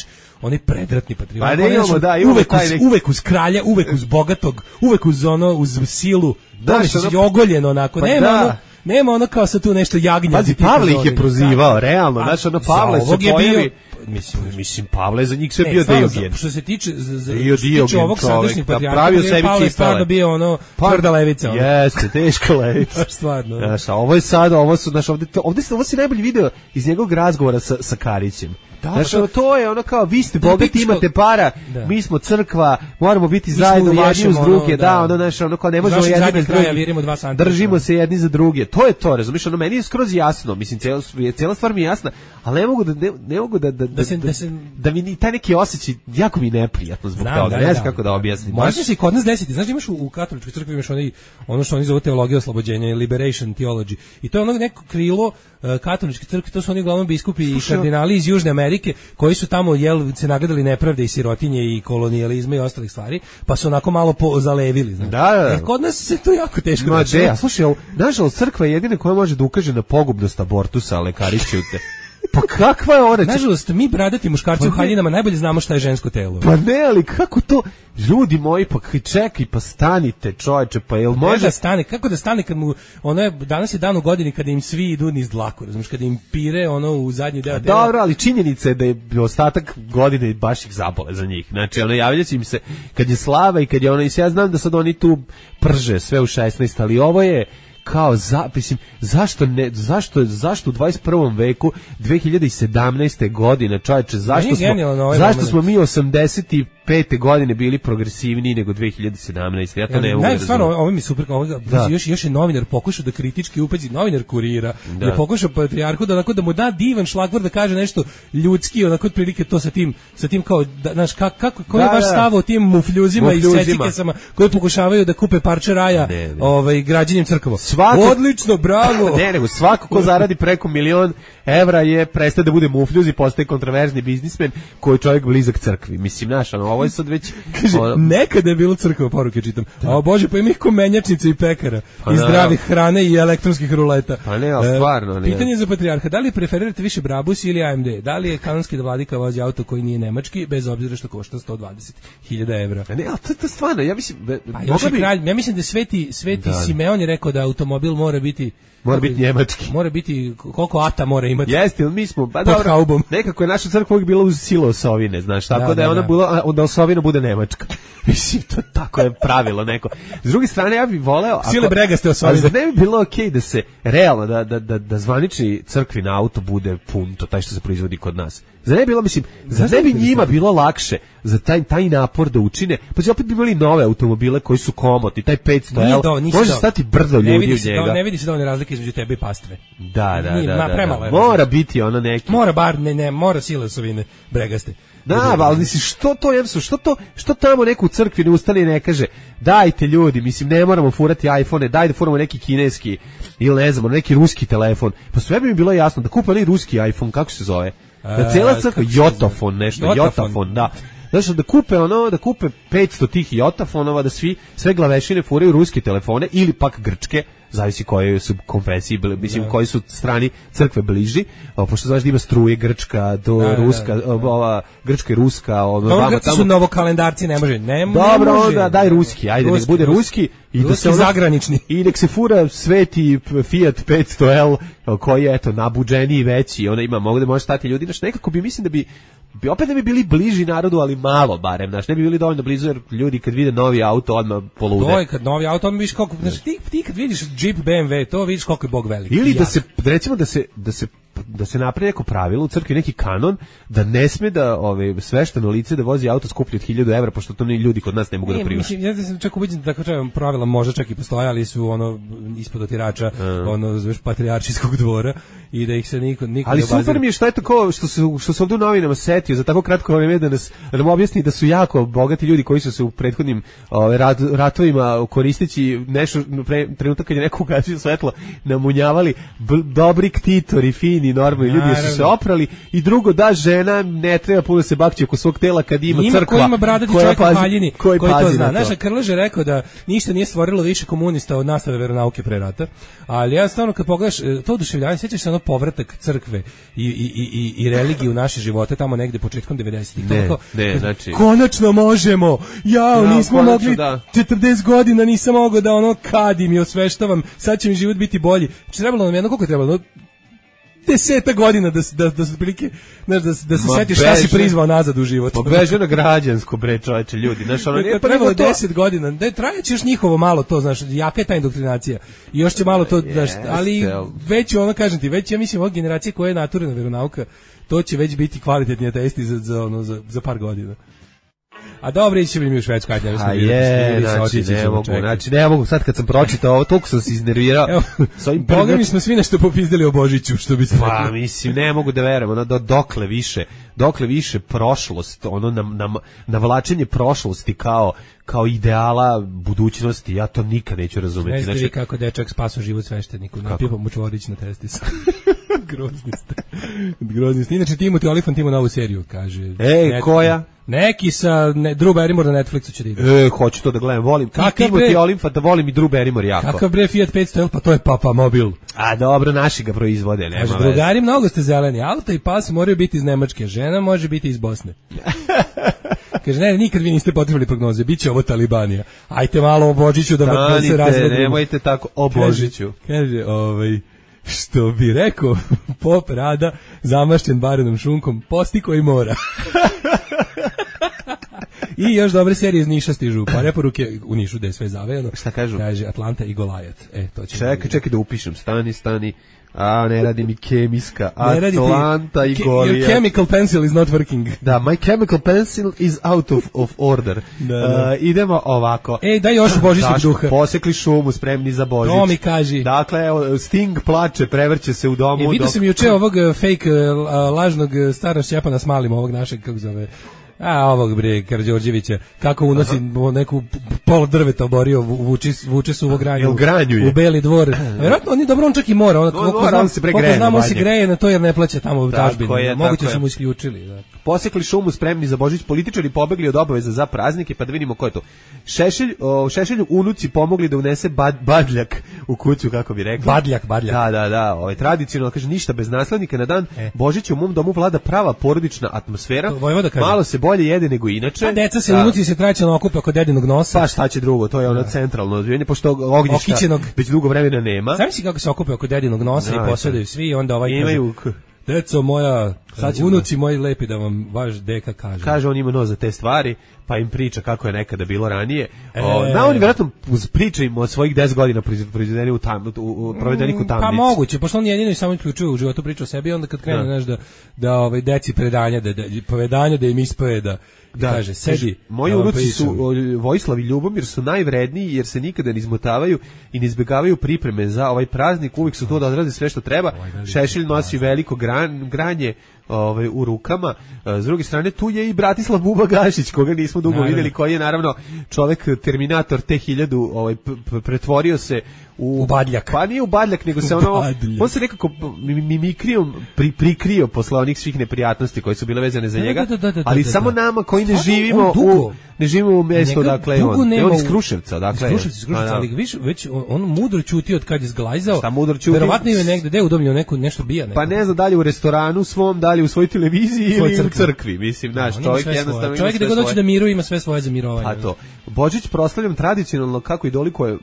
onaj predratni patrijarh. Pa ne Onaj, imamo, znaš, da, imamo uvek, taj uz, neki- uvek uz kralja, uvek uz bogatog, uvek uz ono, uz silu. Da, Da, što je ono- ogoljeno onako. Pa nema da. ono, nema ono kao sa tu nešto jagnja. Pazi, Pavle ih je prozivao, realno. Znaš, ono, Pavle se je pojavi... bio, Mislim, mislim, Pavle za njih sve Ne, bio stvarno, Diogen. Što se tiče za, za, Bio što se tiče Diogen ovog čovek, sadašnjeg da patrijarha, pravio Pavle sebi je cipele. stvarno bio ono tvrda levica. ono. Jeste, teška levica. Baš stvarno. Znaš, a ovo je sad, ovo su, znaš, ovde, to, ovde, se- ovo si najbolji video iz njegovog razgovora sa, sa Karićem. Da, Znaš, pa to- ono, to je ono kao, vi ste Da, bogati, pičko- imate para, Da. mi smo crkva, moramo biti smo zajedno u jedni vašem, uz ono, druge, da, da. ono, znaš, ono, kao ne Iz možemo vašeg jedni zadnjeg bez kraja drugih. virimo dva santimetra. Držimo se jedni za druge. To je to, razumiješ, ono, meni je skroz jasno, mislim, cijela, cijela stvar mi je jasna, ali ne mogu da, ne, ne mogu da, da, da, se- da, da se- da mi ni taj neki osjećaj, jako mi je neprijatno zbog Znam, toga, da, ne da. znam kako da objasnim. Može Baš- se i kod nas desiti. Znaš, imaš u, u katoličkoj crkvi imaš onaj, ono što oni zovu teologija oslobođenja, liberation theology. I to je ono neko krilo uh, katoličke crkve, to su oni uglavnom biskupi i Slušaj, kardinali iz Južne Amerike, koji su tamo jel, se nagledali nepravde i sirotinje i kolonijalizma i ostalih stvari, pa su onako malo po, zalevili. Znaš. Da, da, da. E, kod nas se to jako teško Ma dešava. de, a slušaj, ovo, nažalost, crkva je jedina koja može da ukaže na pogubnost abortusa, ale kariću te. Pa kakva je ona? Nažalost, mi bradati muškarci u haljinama najbolje znamo šta je žensko telo. Pa ne, ali kako to? Ljudi moji, pa čekaj, pa stanite, čoveče, pa jel može da stane? Kako da stane kad mu ono je danas je dan u godini kada im svi idu niz dlaku, razumiješ, kada im pire ono u zadnji deo tela. Dobro, ali činjenica je da je ostatak godine baš ih zabole za njih. Znači, ono javljaće im se kad je slava i kad je ono, i ja znam da sad oni tu prže sve u šesnaest, ali ovo je kao za, mislim, zašto ne, zašto, zašto u dvadeset prvom veku dve hiljade sedamnaeste godine, čovječe, zašto smo, ovaj zašto smo mi osamdeset pete godine bili progresivniji nego dve hiljade sedamnaeste. Ja to ja, ne mogu da stvarno, ovo mi super, ovo, da. još, još je novinar pokušao da kritički upazi, novinar Kurira, da je pokušao patrijarhu da, onako, da mu da divan šlagvor, da kaže nešto ljudski, onako otprilike to sa tim, sa tim kao, da, znaš, kako, kako, koji je vaš stav o tim mufljuzima i secikesama koji pokušavaju da kupe parče raja ne, ne. Ovaj, građenjem crkava. Svako, odlično, bravo! Ne, nego svako ko zaradi preko milion evra je prestaje da bude mufljuz i postaje kontroverzni biznismen koji je čovjek blizak crkvi. Mislim, naš, ono, ovo je sad već... Kaže, ono, nekada je bilo crkva, poruke čitam. Da. A bože, pa ima ih ko menjačnica i pekara. Pa I zdravih hrane i elektronskih ruleta. Pa ne, ali stvarno. E, pitanje za patrijarha, da li preferirate više Brabus ili A M D? Da li je kanonski da vladika vozi auto koji nije nemački, bez obzira što košta sto dvadeset hiljada evra? Ne, ali to je stvarno, ja mislim... Pa još je kralj, ja mislim da Sveti, Sveti da. Simeon je rekao da automobil mora biti Mora biti njemački. Mora biti, koliko ata mora imati. Jeste, mi smo, ba dobro, nekako je naša crkva uvijek bila uz silo osovine, znaš, tako da, da je ona da. Bila, onda osovina bude nemačka. Mislim, to tako je pravilo neko. S druge strane, ja bih voleo... Sile brega ste osovine. Ali ne bi bilo okej okay da se, realno, da, da, da, da zvanični crkvin auto bude pun, to taj što se proizvodi kod nas. Za ne bi bilo, mislim, za ne bi njima bilo lakše za taj, taj napor da učine, pa će opet bi bili nove automobile koji su komotni, taj petsto L, može stati brdo ljudi u njega. Do, ne vidi se dovoljne razlike između tebe i pastve. Da, da, Nije, da, ma, da, premalo da. Mora biti ono neki. Mora bar, ne, ne, mora sile osovine bregaste. Da, ali mislim, što to, jemsu, što to, što tamo neko u crkvi ne ustane i ne kaže, dajte ljudi, mislim, ne moramo furati iPhone, daj da furamo neki kineski, ili ne znam, neki ruski telefon. Pa sve bi mi bilo jasno, da kupe ali ruski iPhone, kako se zove? Da cijela crkva, Jotafon, nešto, Jotafon, Jotafon da. Znači da kupe ono, da kupe petsto tih Jotafonova, da svi, sve glavešine furaju ruske telefone, ili pak grčke, zavisi koje su konfesiji, mislim, koji su strani crkve bliži, o, pošto znaš da ima struje grčka, do da, ruska, da, da. ova, grčka i ruska, ono, dobro, grci tamo su novokalendarci, ne može, ne, dobro, ne može. Onda daj ruski, ajde, ruski, nek bude ruski, i da se ono, zagranični. I nek se fura sveti Fiat petsto L, koji je, eto, nabuđeniji, veći, ona ima, mogu da može stati ljudi, znaš, nekako bi, mislim da bi, bi opet da bi bili bliži narodu, ali malo barem, znaš, ne bi bili dovoljno blizu, jer ljudi kad vide novi auto, odmah polude. To je kad novi auto, odmah vidiš koliko, znaš, ti, ti kad vidiš Jeep B M W, to vidiš koliko je Bog veliki. Ili da se, recimo da se, da se da se napravi neko pravilo u crkvi, neki kanon, da ne sme da ove, svešteno lice da vozi auto skuplji od hiljadu evra, pošto to ni ljudi kod nas ne mogu ne, da priušte. Mislim, ja sam čak ubeđen da tako kažem, pravila možda čak i postoje, ali su ono ispod otirača, uh. ono znaš, patrijaršijskog dvora i da ih se niko niko ali ne obazira. Super mi je šta je to ko što se što se ovdje u novinama setio za tako kratko vreme da nas da nam objasni da su jako bogati ljudi koji su se u prethodnim ove, rat, ratovima koristeći nešto pre, trenutak kad je neko ugasio svetlo namunjavali b, dobri ktitori, fini, normalni ljudi su se oprali i drugo da žena ne treba puno se bakći oko svog tela kad ima, ima crkva. Ima ko ima bradati čovjek u haljini koji, koji to zna. Naša Krlež je rekao da ništa nije stvorilo više komunista od nastave veronauke pre rata, ali ja stvarno kad pogledaš to oduševljavanje, sjećaš se ono povratak crkve i, i, i, i religije u naše živote tamo negde početkom devedesetih. Ne, ne, znači... Konačno možemo! Jao, ja, nismo konačno, mogli da. četrdeset godina, nisam mogao da ono kadim i osveštavam, sad će mi život biti bolji. Znači, trebalo nam jedno, koliko je trebalo? Deseta godina da da da se prilike, znaš, da da se setiš šta si prizvao nazad u život. Pobeže na građansko bre, čoveče, ljudi, znaš, ono nije trebalo deset godina. Da trajeće još njihovo malo to, znaš, jaka je ta indoktrinacija. I još će malo to, znaš, ali već ono kažem ti, već ja mislim ova generacija koja je naturalna veronauka, to će već biti kvalitetni ateisti za za ono za, za par godina. A dobro, ići mi u Švedsku, ajde, a je, znači, ne mogu, znači, ne mogu, sad kad sam pročitao ovo, toliko sam se iznervirao. Boga mi smo svi nešto popizdali o Božiću, što bi se rekao. Pa, mislim, ne mogu da verujem, ono, do, dokle više, dokle više prošlost, ono, na, na, navlačenje prošlosti kao, kao ideala budućnosti, ja to nikad neću razumeti. Ne znači, kako dečak spasao život svešteniku, napipao mu čvorić na testis. Grozni ste. Grozni ste. Inače, Timothy Olyphant ima novu seriju, kaže. Ej, net, koja? Neki sa ne, Drew Barrymore na Netflixu će da ide. E, hoću to da gledam, volim. Kakav Timothy Olyphant, da volim i Drew Barrymore jako. Kakav bre Fiat petsto L, pa to je Papa Mobil. A dobro, naši ga proizvode, nema Kaže, veze. drugari, mnogo ste zeleni, auto i pas moraju biti iz Nemačke, žena može biti iz Bosne. Kaže, ne, nikad vi niste potrebili prognoze, bit će ovo Talibanija. Ajte malo o Božiću da, da se razvedimo. Nemojte tako o Božiću. Kaže, kaže ovaj, što bi rekao pop Rada, zamašćen barenom šunkom, posti koji mora. I još dobre serije iz Niša stižu, pa preporuke u Nišu da je sve zavejano. Šta kažu? Kaže Atlanta i Golajat. E, to će čekaj, čekaj da upišem. Stani, stani. A, ne radi mi kemijska. Atlanta i Golijat. Your chemical pencil is not working. Da, my chemical pencil is out of, of order. Da, da. Uh, idemo ovako. Ej, daj još božićnog duha. Posekli šumu, spremni za Božić. To mi kaži. Dakle, evo, Sting plače, prevrće se u domu. E, vidio dok... sam juče ovog fake, uh, lažnog stara Šćepana s malim, ovog našeg, kako zove... A ovog bre Karađorđevića kako unosi Aha. neku pol drveta oborio vuče vuče su u granju u Beli dvor. Verovatno on je dobro on čak i mora on koliko znam se pregreje. Znamo se greje na to jer ne plaća tamo u tazbini. Moguće su mu isključili, da. Posekli šumu, spremni za Božić, političari pobegli od obaveza za praznike, pa da vidimo ko je to. Šešelj, o, Šešelju unuci pomogli da unese bad, badljak u kuću, kako bi rekli. Badljak, badljak. Da, da, da, ovaj tradicionalno kaže ništa bez naslednika na dan e. Božića u mom domu vlada prava porodična atmosfera. Malo se bolje jede nego inače. Pa deca se unuci se tradicionalno okuplja kod dedinog nosa. Pa šta će drugo, to je ono centralno odvijanje, pošto ognjišta Okićenog. Već dugo vremena nema. Znam si kako se okuplja oko dedinog nosa da, i posjedaju svi i onda ovaj imaju kaže, deco moja, unuci moji lepi da vam vaš deka kaže. Kaže, on ima nos za te stvari, pa im priča kako je nekada bilo ranije. E, o, na, oni vjerojatno priča im od svojih deset godina proizvedeni u, tam, u, u provedenih u tamnici. Pa moguće, pošto on jedino i samo uključuje u životu priča o sebi, onda kad krene, znaš, da, da ovaj, deci predanja, da, da, povedanja da im ispoje, da da kaže, sedi. Moji unuci su Vojislav i Ljubomir su najvredniji jer se nikada ne izmotavaju i ne izbjegavaju pripreme za ovaj praznik, uvijek su to da odrade sve što treba. Šešelj nosi veliko gran, granje ovaj, u rukama. S druge strane, tu je i Bratislav Buba Gašić, koga nismo dugo naravno vidjeli, koji je naravno čovek Terminator T hiljadu ovaj, pretvorio se u, u badljak. Pa nije u badljak, nego se ono, on se nekako mimikrijom pri, prikrio posle onih svih neprijatnosti koje su bile vezane za njega, da, da, da, da, ali da, da, samo nama koji ne živimo u ne živimo u mjestu, dakle on, on iz Kruševca, dakle. Iz Kruševca, iz Kruševca, ali viš, već on, on mudro ćuti od kad je zglajzao. Šta mudro ćuti? Verovatno je negde, gde udomljio neku, nešto bija. Neko. Pa ne znam, dalje u restoranu svom, dalje u svojoj televiziji ili crkvi. u crkvi, mislim, znaš, no, čovjek jednostavno čovjek gde god hoće da miruje ima sve svoje za mirovanje. A to. Božić proslavljam tradicionalno kako i dolikuje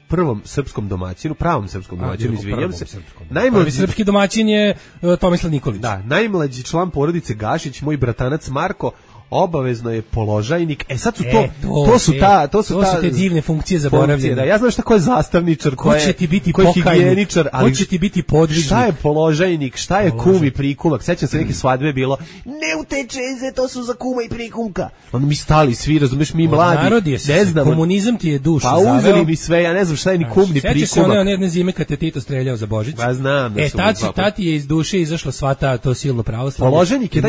prvom srpskom domaćinu, pravom srpskom domaćinu, izvinjam se. Najmlađi srpski domaćin je uh, Tomislav Nikolić. Da, najmlađi član porodice Gašić, moj bratanac Marko, obavezno je položajnik. E sad su to, e, to, to su ta, to su to ta su te divne funkcije zaboravljene. Da, ja znam šta ko je zastavničar, ko, ko će ti biti higijeničar, ali ko će ti biti podvižnik. Šta je položajnik, šta je kum i prikulak? Sećam se neke svadbe bilo, ne uteče, to su za kuma i prikulka. Onda mi stali svi, razumeš, mi mladi. Ne znam, komunizam ti je dušu zaveo. Pa uzeli mi sve, ja ne znam šta je ni kum ni prikulak. Sećaš se one jedne zime kad te Tito streljao za Božić? Pa znam da e, su. E tad tati je iz duše izašlo sva ta to silno pravoslavlje. Položajnik je da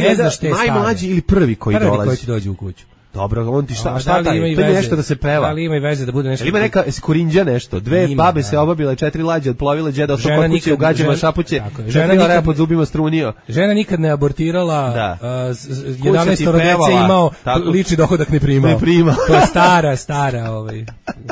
najmlađi ili prvi koji dolazi. Koji ti dođe u kuću. Dobro, on ti šta, šta taj? To je nešto da se peva. Ali ima i veze da bude nešto. Ima neka Korinđa nešto. Dve ima, babe da se obabile, četiri lađe odplovile, đeda od kod kuće u gađama šapuće. Žena nikad pod zubima strunio. Žena nikad ne abortirala. Da. Uh, jedanaest dece imao, tako, lični dohodak ne primao. Ne prima. To je stara, stara ovaj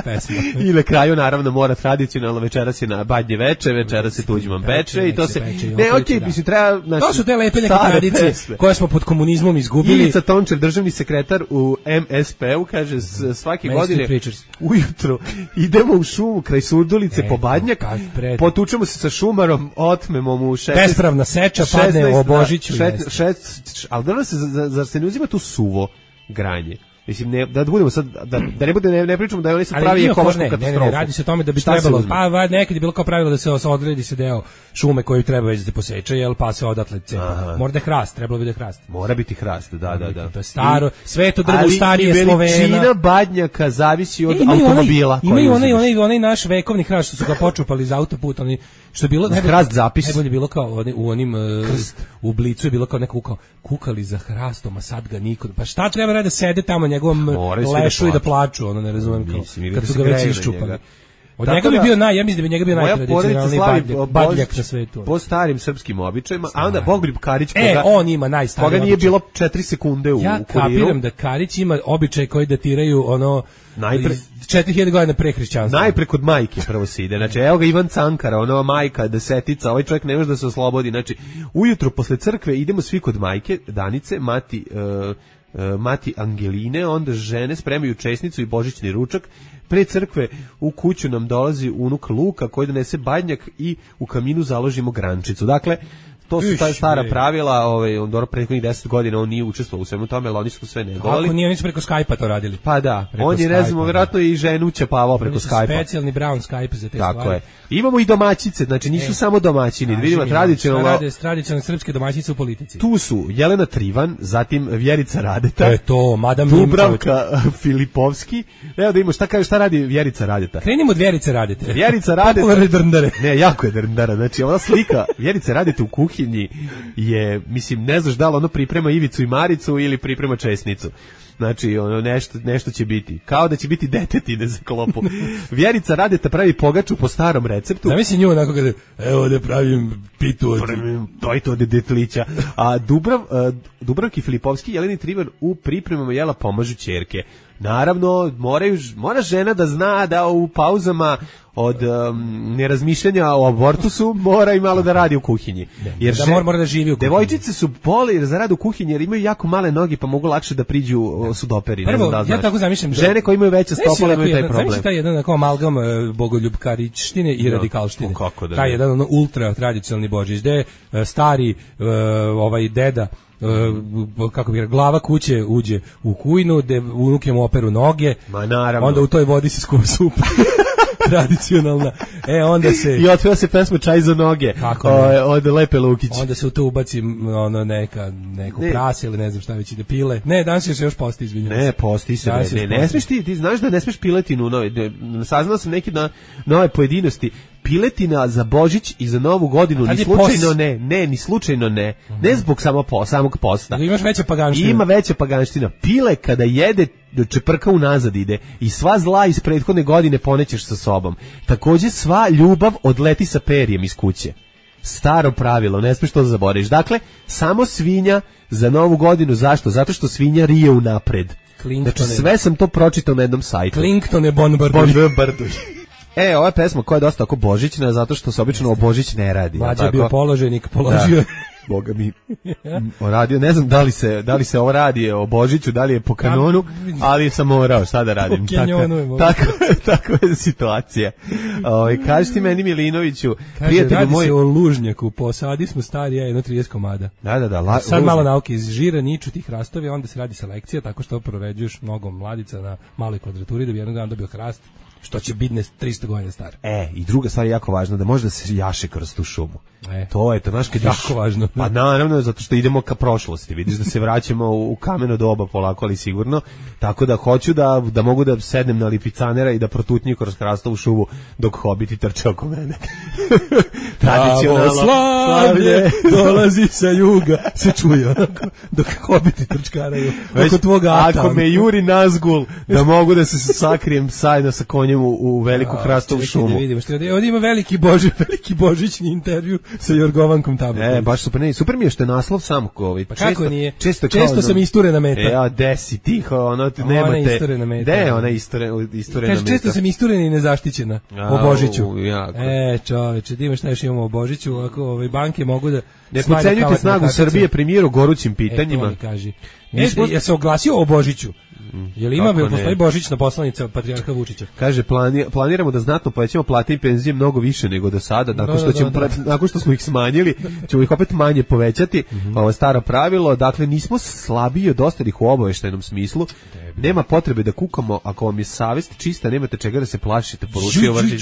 pesma. I na kraju naravno mora tradicionalno večeras je na badnje veče, večeras se tuđman peče i to se ne, okej, mislim treba to su te lepe neke tradicije koje smo pod komunizmom izgubili. Ivica Tončev, državni sekretar u M S P-u, kaže svake godine ujutro idemo u šumu kraj Surdulice e, po Badnjak, potučemo se sa šumarom, otmemo mu šesnaest bespravna seča, padne o Božiću. Ali da se, zar se ne uzima tu suvo granje? Mislim, ne, da budemo sad, da, da ne bude, ne, ne pričamo da je oni sad pravi ekološku katastrofu. Ne, ne, radi se o tome da bi šta trebalo, pa nekad je bilo kao pravilo da se odredi se deo šume koji treba već da se poseče, jel, pa se odatle cepa. Mora da je hrast, trebalo bi da je hrast. Mora biti hrast, da, da, da. To je staro, sve to drvo starije Slovena. Ali veličina badnjaka zavisi od e, automobila. Imaju onaj, onaj, onaj naš vekovni hrast što su ga počupali iz autoputa, oni što je bilo hrast zapis. Najbolje bilo kao u onim u Blicu je bilo kao neko kukao, kukali za hrastom, a sad ga niko. Pa šta treba radi da sede tamo njegovom lešu i da plaču, ono ne razumem kao. Kad su ga već iščupali. Od njega bi bio naj, ja mislim da bi njega bio najtradicionalniji badljak, badljak na svetu. Po starim srpskim običajima, a onda Bogoljub Karić, koga, e, on ima najstariji koga nije običaj. bilo četiri sekunde u, ja u kuriru. Ja kapiram da Karić ima običaj koji datiraju ono najpre četiri hiljade godina pre hrišćanstva. Najpre kod majke prvo se ide. Znači, evo ga Ivan Cankara, ona majka, desetica, ovaj čovjek ne može da se oslobodi. Znači, ujutro posle crkve idemo svi kod majke, Danice, mati, uh, uh, mati Angeline, onda žene spremaju česnicu i božićni ručak. Pre crkve u kuću nam dolazi unuk Luka koji donese badnjak i u kaminu založimo grančicu. Dakle, to su ta stara pravila, ovaj, on dobro prethodnih deset godina on nije učestvovao u svemu tome, ali oni su sve negovali. Kako nije, oni su preko Skype-a to radili? Pa da, preko on je, ne znam, vjerojatno i ženu ćepavao preko Skype-a. Oni su specijalni brown Skype za te Tako stvari. je. Imamo i domaćice, znači nisu e, samo domaćini, vidimo tradicionalno. Rade tradicionalne srpske domaćice u politici. Tu su Jelena Trivan, zatim Vjerica Radeta. To je to, madam Dubravka Filipovski. Evo da imamo šta kaže, šta radi Vjerica Radeta. Krenimo od Vjerice Radete. Vjerica Radeta. Popularne drndare. Ne, jako je drndara. Znači, ova slika Vjerice Radete u kuhinji je, mislim, ne znaš da li ono priprema Ivicu i Maricu ili priprema česnicu. Znači, ono, nešto, nešto će biti. Kao da će biti detetine za klopu. Vjerica Radeta pravi pogaču po starom receptu. Zamisli nju onako kada, evo da pravim pitu od... To je to od detlića. A Dubrav, uh, Dubravki Filipovski i Jeleni Trivan u pripremama jela pomažu ćerke. Naravno, moraju, mora žena da zna da u pauzama od um, nerazmišljanja o abortusu mora i malo da radi u kuhinji. Jer da mora, mora da živi u kuhinji. Devojčice su boli za rad u kuhinji jer imaju jako male noge pa mogu lakše da priđu sudoperi. Prvo, ne znam da ja tako zamišljam. Žene koje imaju veće stopale imaju taj problem. Zamišljam taj jedan amalgam uh, Bogoljubkarićštine i da, radikalštine. Da taj jedan ono, ultra tradicionalni Božić, gde uh, stari uh, ovaj deda Uh, kako bi glava kuće uđe u kujnu, gde unuke mu operu noge, ma naravno, onda u toj vodi se skuva supa tradicionalna, e onda se i otveo se pesma Čaj za noge kako o, od Lepe Lukić, onda se u to ubaci ono neka, neko ne. prase ili ne znam šta već ide pile, ne, danas se još posti, izvinjam ne, posti se, ne, ne, ne smiješ ti, ti znaš da ne smiješ piletinu, no, saznao sam neki na nove pojedinosti, piletina za Božić i za Novu godinu ni slučajno pos... ne, ne, ni slučajno ne. Mm-hmm. Ne zbog samo po, samog posta. Imaš veća paganština. Ima veća paganština. Pile kada jede čeprka unazad ide i sva zla iz prethodne godine ponećeš sa sobom. Takođe sva ljubav odleti sa perijem iz kuće. Staro pravilo, ne smiješ to da zaboraviš. Dakle, samo svinja za Novu godinu. Zašto? Zato što svinja rije unapred. Znači, sve sam to pročitao na jednom sajtu. Clinktone bombarduj. Bombarduj. E, ova pesma koja je dosta tako božićna, zato što se obično o Božić ne radi. Mlađa bio položenik, položio. Da. Boga mi, radio, ne znam da li se, da li se ovo radi o Božiću, da li je po kanonu, ali sam morao, šta da radim. Tako, tako, tako je situacija. O, kaži ti meni, Milinoviću, kaže, prijatelju radi moj... se o lužnjaku, posadi smo stari, ja jedno trideset komada. Da, da, da. La, sad lužnjak. Malo nauke iz žira, niču tih hrastovi, onda se radi selekcija, tako što proređuješ mnogo mladica na maloj kvadraturi, da bi jednog dana dobio hrast, što će biti tristo godina star. E, i druga stvar je jako važna, da može da se jaše kroz tu šumu. E, to je to, znaš, kad jako iš, važno. Pa naravno, zato što idemo ka prošlosti, vidiš da se vraćamo u, u kameno doba polako, ali sigurno, tako da hoću da, da mogu da sednem na lipicanera i da protutnju kroz hrastovu šumu dok hobiti trče oko mene. Tradicionalno slavlje dolazi sa juga, se čuje onako, dok hobiti trčkaraju oko tvoga ata. Ako me juri nazgul, da mogu da se sakrijem sajno sa konjem u, u veliku hrastovu šumu. Da vidimo, što ovdje ima veliki, boži, veliki božićni intervju sa Jorgovankom Tabaković. E, baš super, ne, super mi je što je naslov sam ovaj. Pa kako nije? Često, često sam isturena meta. E, a desi tiho, ono ti nemate. Ona isturena meta. De, ona isturena, isturena meta. Često sam isturena i nezaštićena o Božiću. Jako. E, čoveče, da imaš šta još imamo o Božiću, ako ove banke mogu da ne podcenjujte snagu Srbije premijeru gorućim pitanjima. E, to mi kaži. E, ja se oglasio o Božiću. Je li ima, jel postoji božićna poslanica patrijarha Vučića? Kaže, plani, planiramo da znatno povećamo plate i penzije mnogo više nego do sada, nakon što, ćemo, da, da, da. nakon što smo ih smanjili, ćemo ih opet manje povećati, mm-hmm. ovo je staro pravilo, dakle nismo slabiji od ostalih u obaveštajnom smislu, nema potrebe da kukamo, ako vam je savest čista, nemate čega da se plašite, poručio Vrčić.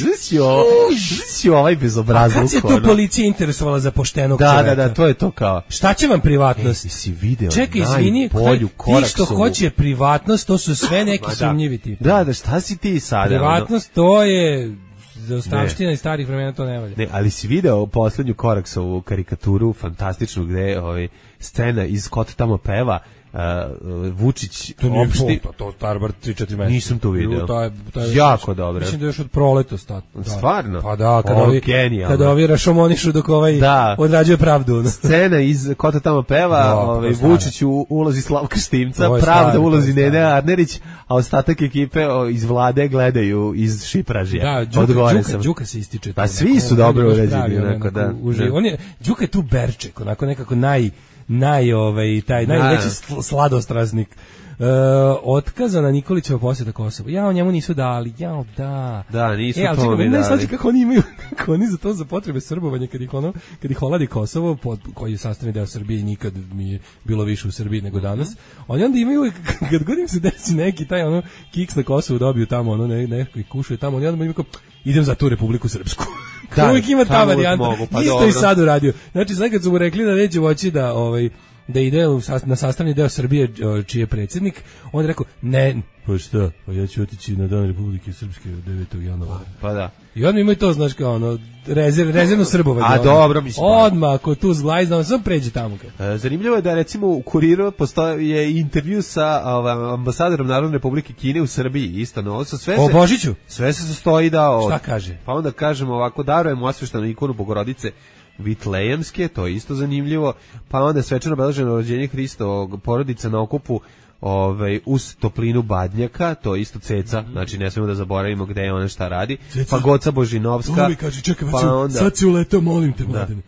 Zsi ovaj bezobrazluk. A kad se tu policija interesovala za poštenog da, čoveka? Da, da, to je to kao. Šta će vam privatnost? E, si video čekaj, izvini, ti što hoće privatnost, to su sve neki da. sumnjivi tipi. Da, da, šta si ti sada? Privatnost, to je za ostavština i starih vremena, to ne valja. Ne, ali si video poslednju Koraksovu karikaturu, fantastičnu, gde ovaj, scena iz Kot tamo peva, uh, Vučić To nije opšti... to, to, to bar tri četiri meseca. Nisam to video. To je, to je jako dobro. Mislim da je još od proleta stat. Da. Stvarno? Pa da, kada o, ovi, genijalno. kada ovi rašomonišu dok ovaj da. odrađuje pravdu. Scena iz Ko to tamo peva, da, ovaj, Vučić u ulozi Slavka Štimca, Pravda Pravda ulozi Nene Arnerić, a ostatak ekipe o, iz vlade gledaju iz Šipražija. Da, Đuka, Đuka, Đuka se ističe. Pa svi su dobro urađeni. Onako, da, da. On je, Đuka je tu berček, onako nekako naj, naj, ovaj, taj, najveći sladostrasnik. Uh, otkazana Nikolićeva posjeta Kosovo. Ja, o njemu nisu dali. Ja, da. Da, nisu e, to mi dali. Znači kako oni imaju, kako oni za to za potrebe srbovanja kad ih ono, kad ih oladi Kosovo, pod, koji je sastavni deo Srbije i nikad mi je bilo više u Srbiji nego danas. Oni onda imaju, kad god im se desi neki taj ono kiks na Kosovu dobiju tamo, ono ne, neko ih kušuje tamo, oni onda imaju kao, idem za tu Republiku Srpsku. Da, uvijek ima ta varijanta. Pa isto dobro. I sad uradio. Znači, sad kad su mu rekli da neće moći da, ovaj, da ide na sastavni deo Srbije čiji je predsjednik, on je rekao, ne, pa šta, pa ja ću otići na dan Republike Srpske devetog januara. Pa da. I odmah imaju to, znaš, kao ono, rezerv, rezervno srbovanje. A dobro, mislim. Odmah, ako tu zglajzno, sam pređe tamo. E, zanimljivo je da, recimo, u Kuriru postoje intervju sa ovaj, ambasadorom Narodne Republike Kine u Srbiji, isto, no, sa sve se... O Božiću? Sve se sastoji da... Od, šta kaže? Pa onda kažemo ovako, darujemo osveštanu ikonu Bogorodice Vitlejemske, to je isto zanimljivo, pa onda svečano obeleženo rođenje Hristovog, porodica na okupu ovaj, uz toplinu Badnjaka, to je isto ceca, znači ne smemo da zaboravimo gde je ona šta radi, ceca. Pa Goca Božinovska, Ovi kaže, čekaj, pa onda... sad si uletao, molim te, mladene.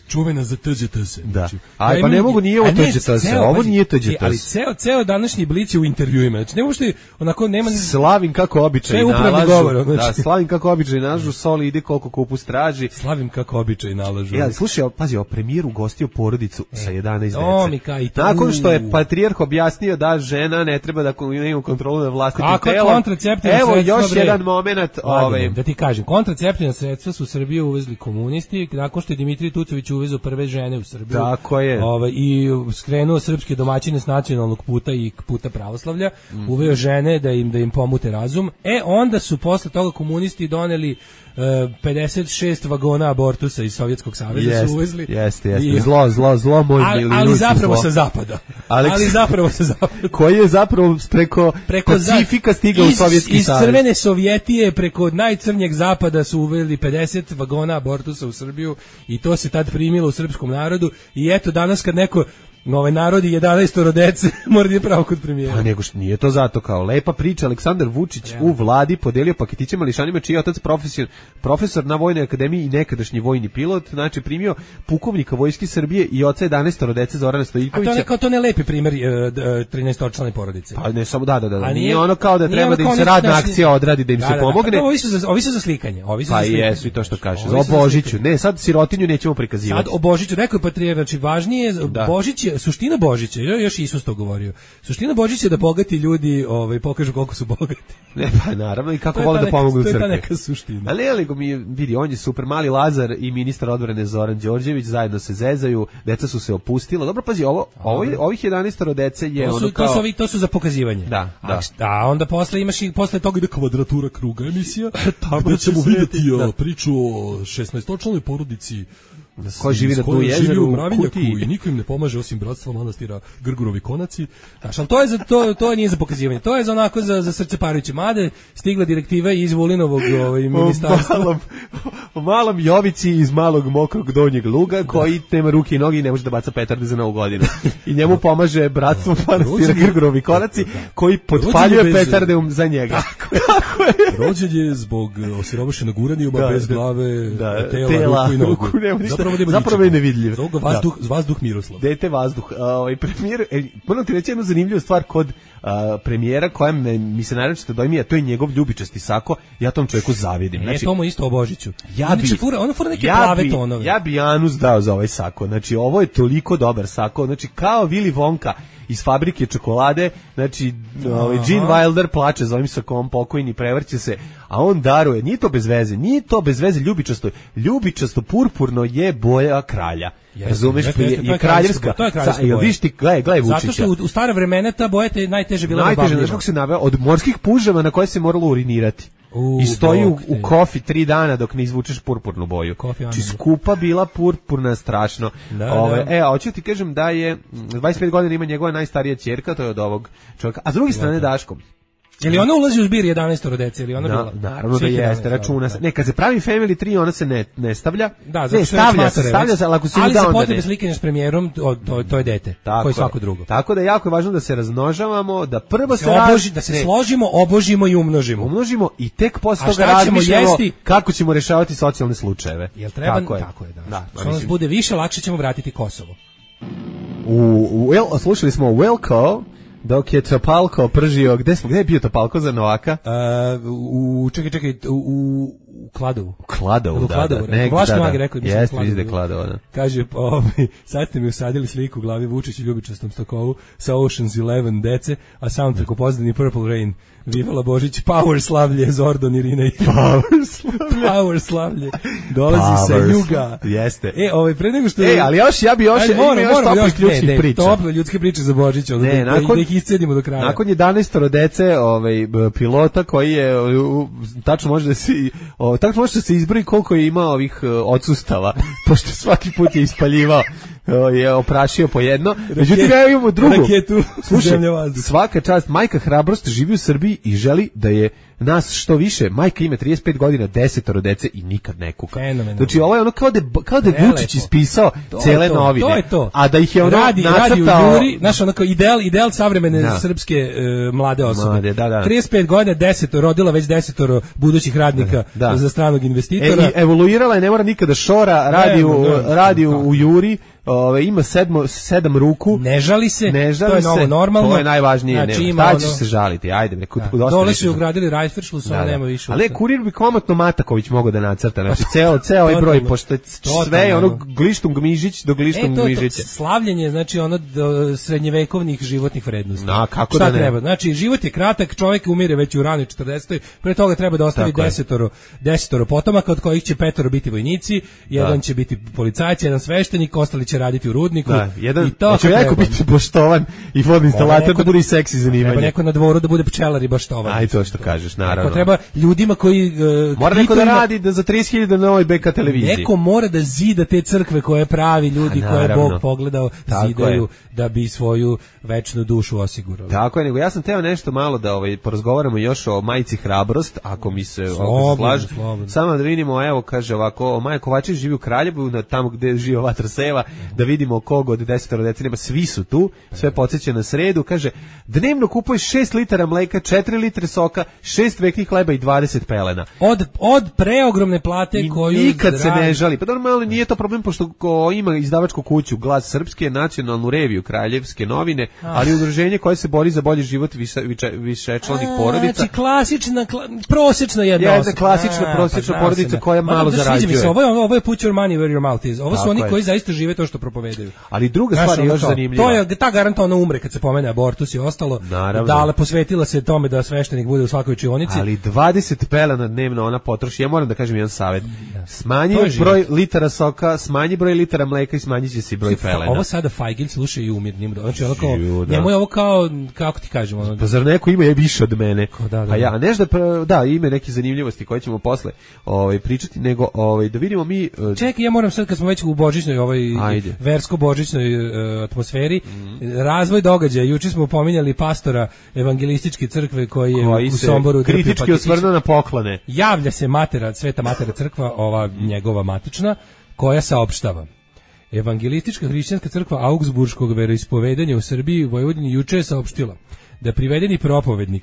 Čuvena za T Ž T S. Da. Aj, pa ne mogu, nije ovo T Ž T S, ovo nije T Ž T S. Ali ceo, ceo današnji Blic je u intervjuima, znači ne možete, onako nema... Slavim kako običaj nalažu, govor, znači. Da, slavim kako običaj nalažu, soli ide koliko kupus traži. Slavim kako običaj nalažu. Ja, slušaj, pazi, o premijer ugostio porodicu e, sa jedanaest dece. O, mi kaj, nakon što je patrijarh objasnio da žena ne treba da ima kontrolu nad vlastitim telom. Kako kontraceptivna Evo sredstva, još bre, jedan moment. Ovaj... Da ti kažem, kontraceptivna sredstva su u Srbiju uvezli komunisti, nakon što je Dimitrij Tucović uvezao prve žene u Srbiju. Tako je. Ovaj, i skrenuo srpske domaćine s nacionalnog puta i puta pravoslavlja, mm. uveo žene da im da im pomute razum. E onda su posle toga komunisti doneli uh, pedeset šest vagona abortusa iz Sovjetskog saveza jest, su uvezli. Jeste, jeste. Zlo, zlo, zlo moj ali, ali zapravo zlo. Sa zapada. Aleks, ali zapravo sa zapada. Koji je zapravo preko, preko Pacifika stigao u Sovjetski iz savez. Iz crvene Sovjetije preko najcrnjeg zapada su uveli pedeset vagona abortusa u Srbiju i to se tad primilo u srpskom narodu i eto danas kad neko ovaj narodi jedanaestoro dece mora da je pravo kod premijera. Pa nego što nije to zato kao lepa priča. Aleksandar Vučić ja. u vladi podelio paketiće mališanima čiji je otac profesor, profesor na Vojnoj akademiji i nekadašnji vojni pilot, znači primio pukovnika Vojske Srbije i oca jedanaestoro dece Zorana Stojiljkovića. A to ne kao to ne lepi primer trinaestoročlane porodice. Pa ne samo da da da. da. Nije, nije ono kao da treba da im se radna akcija odradi, da im da, se da, pomogne. Da, ovi su za ovi su za slikanje, ovi su pa za slikanje. Pa jesu i to što kaže. O Božiću. Ne, sad sirotinju nećemo prikazivati. Sad o Božiću, rekao je patrijarh, znači važnije da. Božić je suština Božića, još Isus to govorio. Suština Božića je da bogati ljudi, ovaj pokažu koliko su bogati. Ne, pa naravno i kako vole da pomognu crkvi. To je ta neka suština. Ali ali mi vidi, on je super mali Lazar i ministar odbrane Zoran Đorđević zajedno se zezaju, deca su se opustila. Dobro, pazi, ovo, ovo ovih jedanaestoro dece je to su, ono kao to su ovi, to su za pokazivanje. Da, da. A, a onda posle imaš i posle toga ide kvadratura kruga emisija. Tamo ćemo videti da. priču o šesnaestočlanoj porodici ko živi na tu jezeru u Mravinjaku i niko im ne pomaže osim bratstva manastira Grgurovi konaci. Znaš, ali to je za to to nije za pokazivanje. To je za onako za za srce parujuće. Made stigla direktiva iz Vulinovog ovaj ministarstva. O malom, o malom Jovici iz malog mokrog donjeg luga koji nema ruke i noge i ne može da baca petarde za Novu godinu. I njemu pomaže bratstvo manastira Grgurovi konaci koji potpaljuje petarde za njega. Kako je? Rođen je zbog osiromašenog uranijuma bez glave, da, tela, tela, ruku i nogu. Zapravo je nevidljiv. Zoga vazduh, da. vazduh Miroslav. Dete vazduh. Ovaj premijer, e, moram ti reći jednu zanimljivu stvar kod a, premijera koja me, mi se naročito dojmi, a to je njegov ljubičasti sako. Ja tom čovjeku zavidim. Znači, e, to mu isto o Božiću. Ja bi, fura, ono fura neke ja plave bi, tonove. Ja bi Janus dao za ovaj sako. Znači, ovo je toliko dobar sako. Znači, kao Willy Wonka iz fabrike čokolade, znači ovaj Gene Wilder plače za ovim sakom, pokojni, prevrće se, a on daruje, nije to bez veze, nije to bez veze, ljubičasto, ljubičasto purpurno je boja kralja. Razumeš, je, je, je kraljevska. To je kraljevska boja. Viš ti, gledaj, gledaj Vučića. Zato što u, u stare vremena ta boja te najteže bila najteže, znaš kako se naveo, od morskih puževa na koje se moralo urinirati. U, I stoji u, bog te. u kofi tri dana dok ne izvučeš purpurnu boju. Kofi Či Anandu. skupa bila purpurna, strašno. Da, Ove, da. E, a hoću ti kažem da je dvadeset pet godina ima njegova najstarija ćerka, to je od ovog čovjeka. A s druge strane Daško. Je li ona ulazi u zbir jedanaestoro dece ili ona Na, bila? naravno da Svih jeste, jedanaest, računa se. da. Ne, kad se pravi Family tri, ona se ne, ne stavlja. Da, ne, zato što stavlja je se, već stavlja se, ali ako se ali uda, za onda potrebe ne. slikanja s premijerom, to, to, to je dete, Tako koji je. svako drugo. Tako da je jako važno da se razmnožavamo, da prvo se, Se raz- oboži, da se ne, složimo, obožimo i umnožimo. umnožimo i tek posle A toga šta ćemo razmišljamo jesti? kako ćemo rešavati socijalne slučajeve. Jel treba? Tako je. Tako je, da. Da, Što nas mislim, bude više, lakše ćemo vratiti Kosovo. u, u, El- slušali smo Welko, dok je Topalko pržio, gde smo, gde je bio Topalko za Novaka? Uh, u, čekaj, čekaj, u, u, u Kladovu. U Kladovu, U da, Kladovu, da. rekao. Nek- Vlaški da, da. mag je rekao, mislim, Jeste, Kladovu. mislim da je Kladovo, da. Kaže, ovaj, sad ste mi usadili sliku u glavi Vučić i ljubičastom stokovu sa Ocean's Eleven dece, a soundtrack u pozadini Purple Rain. Vivala Božić, Power slavlje, Zordon, Irina i Power slavlje. Power slavlje. Dolazi sa Power juga. Jeste. E, ovaj, pre nego što... E, ali još, ja bi još, Ajde, ima moramo, još moramo, toplih još, ljudskih ne, ne, priča. tople ljudske priče za Božić, ono, Ne, da, da, nakon- da ih iscedimo do kraja. Nakon jedanaestoro dece, ovaj b- pilota koji je u, tačno može da se o, tačno može da se izbroji koliko je imao ovih e, odsustava, pošto svaki put je ispaljivao, o, je oprašio po jedno. Međutim, ja imamo drugu. Raketu, Slušaj, zemlja, vazduh. svaka čast, majka Hrabrost živi u Srbiji i želi da je nas što više. Majka ima trideset pet godina, desetoro dece i nikad ne kuka. Fenomenalno. Znači, ovo je ono kao da je, kao da je Prelepo. Vučić ispisao To je cele to, novine. To je to. A da ih je ono radi, nacrtao... radi u Juri, znaš, onako ideal, ideal savremene Da. srpske e, mlade osobe. Mlade, da, da. trideset pet godina, desetoro, rodila već desetoro budućih radnika Da. za stranog investitora. E, i evoluirala je, ne mora nikada šora, radi, u, Ne, ne, radi u, kako? u Juri, ove, ima sedmo, sedam ruku, Ne žali se, ne žali to je se, novo normalno. to je najvažnije, Znači, ne, ima šta ono- ćeš se žaliti, ajde, bre, kod, Da. dosta Dole više su sam- ugradili Rajferšlu, samo Da, da. nema više. Ali ne, kurir bi komotno Mataković mogao da nacrta, znači ceo, ceo ovaj broj, Totalno. pošto je Totalno. sve je ono glištum gmižić do E, glištum to je to, gmižića. slavljenje, znači ono do srednjevekovnih životnih vrednosti. Na, kako Šta da ne? treba? Znači, život je kratak, čovjek umire već u ranoj četrdesetoj, pre toga treba da ostavi Tako je. desetoro, desetoro potomaka, od kojih će petoro biti vojnici, jedan Da. će biti policajac, jedan sveštenik, ostali će raditi u rudniku. Da, jedan, I to hoće kako neko treba. biti poštovan i vodinstalater neko- da bude i seksi Treba zanimanje. neko na dvoru da bude pčelar i baštovan. Aj, to što kažeš, naravno. Neko treba ljudima koji... Uh, Mora neko da kvitovima- radi da za trideset hiljada na ovoj B K televiziji. Neko mora da zida te crkve koje pravi ljudi, A, koje je naravno. Bog pogledao, Tako zidaju je. da bi svoju večnu dušu osigurali. Tako je, nego ja sam teo nešto malo da ovaj porazgovaramo još o majici Hrabrost, ako mi se, ako se Slobodno, slaže. slobodno. Samo da vidimo, evo, kaže ovako, Maja Kovačević živi u Kraljevu, na tamo gde živi Vatra Seva, da vidimo kog od desetoro dece nema, svi su tu, sve podsjeća na sredu, kaže, dnevno kupuješ šest litara mleka, četiri litre soka, šest veknih hleba i dvadeset pelena. Od, od preogromne plate I koju... nikad se radi- ne žali. Pa normalno nije to problem, pošto ko ima izdavačku kuću Glas Srpske, nacionalnu reviju Kraljevske novine, ali udruženje koje se bori za bolji život više, više, višečlanih porodica. Znači, klasična, kla, prosječna jedna Jedna osoba. klasična, A, prosječna znao porodica sam ja. koja Ma, malo da, sviđa mi se, zarađuje. Ovo je, ovo je put your money where your mouth is. Ovo su Tako oni je. koji zaista žive to što propovedaju. Ali druga Znaš, stvar je ono još kao, zanimljiva. To je ta garanta ona umre kad se pomene abortus i ostalo. Naravno. Dale posvetila se tome da sveštenik bude u svakoj učionici. Ali dvadeset pelena dnevno ona potroši. Ja moram da kažem jedan savjet. Smanji To je život. broj litara soka, smanji broj litara mleka i smanjit će se i broj pelena. Ovo sada Fajgil sluša i umir njim. Znači, ono kao, Živo, da. njemu je ovo kao, kako ti kažem, ono, Pa zar neko ima je više od mene? da, da, A ja, da. nešto da, da, ime neke zanimljivosti koje ćemo posle ovaj, pričati, nego ovaj, da vidimo mi... eh, Čekaj, ja moram sad kad smo već u božićnoj ovoj Ajde. versko-božićnoj e, atmosferi, razvoj događaja. Juče smo pominjali pastora evangelističke crkve koji je koji u se Somboru kritički trpio osvrnuo na poklone. Javlja se matera, Sveta matera crkva, ova njegova matična, koja saopštava. Evangelistička hrišćanska crkva Augsburškog veroispovedanja u Srbiji u Vojvodini juče je saopštila da privedeni propovednik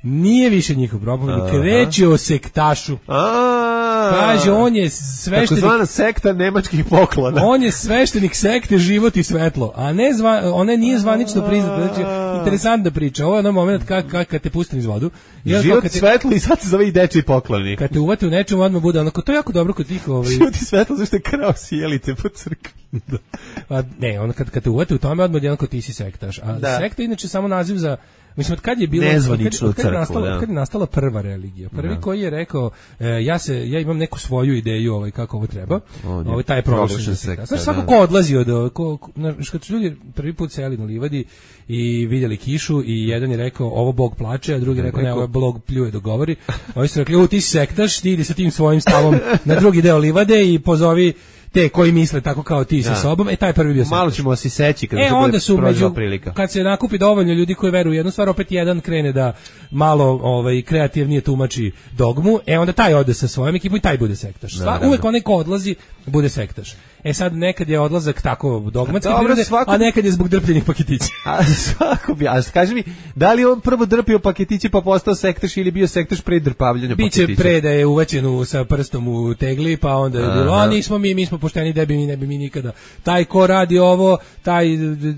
nije više njihov propovednik, reč je o sektašu. A, Kaže, on je sveštenik, takozvana sekta nemačkih poklona. on je sveštenik sekte Život i svetlo, a ne zva, ona nije zvanično priznata. Znači, interesantna priča. Ovo je onaj moment kad, kad, kad te pustim iz vodu. I onda kao Život kad te, svetlo i sad se zove i dečiji pokloni. kad te uvate u nečemu, odmah bude onako, to je jako dobro kod tih... Ovaj, Život i svetlo, zašto je krao sjelite po crkvi. a, ne, ono kad, kad te uvate u tome, odmah je onako ti si sektaš. A Da. sekta je inače samo naziv za Mislim, od kad je bilo, nezvaničnu od kad, od kad je crkvu, nastala, da. od kad je nastala prva religija. Prvi Da. koji je rekao, e, ja se ja imam neku svoju ideju ovaj kako ovo treba. On je Ovaj taj je proglašen proglašen za sekta. sekta, Znaš, svako da. ko odlazi od ko, ko, znaš, kad su ljudi prvi put seli na livadi i vidjeli kišu i jedan je rekao ovo Bog plače, a drugi je rekao ne, ovo Bog pljuje dok govori. Ovi su rekli, u ti si sektaš, ti idi sa tim svojim stavom na drugi deo livade i pozovi te koji misle tako kao ti sa Da. sobom, e taj prvi bio Malo sektaš. ćemo se seći kad E, se onda bude su prošla među, prilika. kad se nakupi dovoljno ljudi koji veruju u jednu stvar, opet jedan krene da malo ovaj, kreativnije tumači dogmu, e onda taj ode sa svojom ekipom i taj bude sektaš. Sva, Naravno. uvek onaj ko odlazi, bude sektaš. E sad, nekad je odlazak tako dogmatski Dobro, prirode, svako- a nekad je zbog drpljenih paketića. A svako bi, a kaži mi, da li on prvo drpio paketiće pa postao sektaš ili bio sektaš pre drpavljanja Biće paketića? pre da je uvećen u, sa prstom u tegli, pa onda je bilo, a nismo mi, mi smo pošteni, debi mi, ne bi mi nikada. Taj ko radi ovo, taj d- d-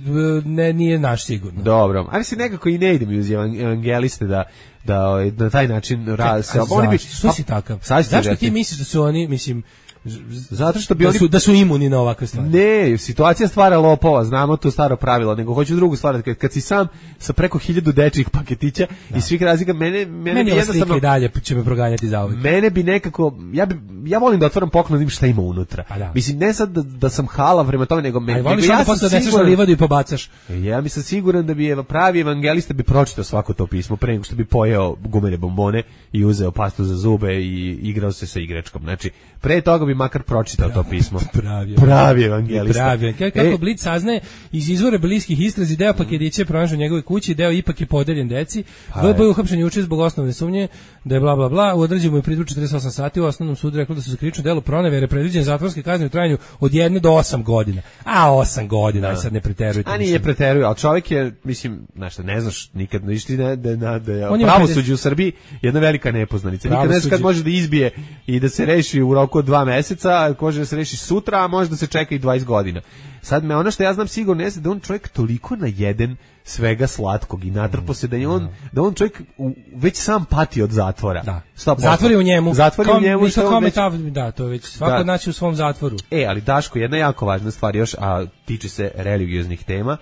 ne, nije naš sigurno. Dobro, ali se nekako i ne ide mi uz evan- evangeliste da da ovaj, na taj način rad se A oni bi zašto? Što si takav? sad ću ti Zašto reći. ti misliš da su oni, mislim, Zato što bi da oni su, da su imuni na ovakve stvari? Ne, situacija stvara lopova, znamo to staro pravilo, nego hoću drugu stvar, kad, kad si sam sa preko hiljadu dečjih paketića i svih razlika, mene, mene Meni bi ova jednostavno... slika i dalje će me proganjati za uvijek. Mene bi nekako, ja bi, ja volim da otvaram poklon da vidim šta ima unutra. Pa da. Mislim, ne sad da, da sam halav prema tome, nego, me, Ali nego voliš ja onda sam posle da neseš na siguran, livadu i pobacaš. ja mi sam siguran da bi eva- pravi evangelista bi pročitao svako to pismo pre nego što bi pojeo gumene bombone i uzeo pastu za zube i igrao se sa igračkom. Znači, pre toga bi makar pročitao to pismo. Pravi, Pravi evangelista. Pravi. Kako E, Blic saznaje iz izvora bliskih istrazi, deo paketića je pronašao u njegovoj kući, deo ipak je podeljen deci. V B je uhapšen juče zbog osnovne sumnje da je bla bla bla. U određenju je pritvoru četrdeset osam sati, u osnovnom sudu reklo da su za krivično delo pronevere predviđene zatvorske kazne u trajanju od jedne do osam godina. A osam godina, aj sad ne preterujte. A nije mislim. preteruje, ali čovjek je, mislim, znaš šta, ne znaš nikad, ništa da, da, da, da On ima pravosuđe u Srbiji jedna velika nepoznanica. Nikad ne znaš kad Pravosuđe- može da izbije i da se reši u roku od dva meseca, a može da se reši sutra, a može da se čeka i dvadeset godina. Sad me ono što ja znam sigurno jeste da on čovjek toliko najeden svega slatkog i natrpo se da je on, da on čovjek u, već sam pati od zatvora. Da. sto posto. Zatvor je u njemu. Zatvor je u Kom- njemu. ništa što on kome već- ta- da, to je već svako Da. naći u svom zatvoru. E, ali Daško, jedna jako važna stvar još, a tiče se religioznih tema,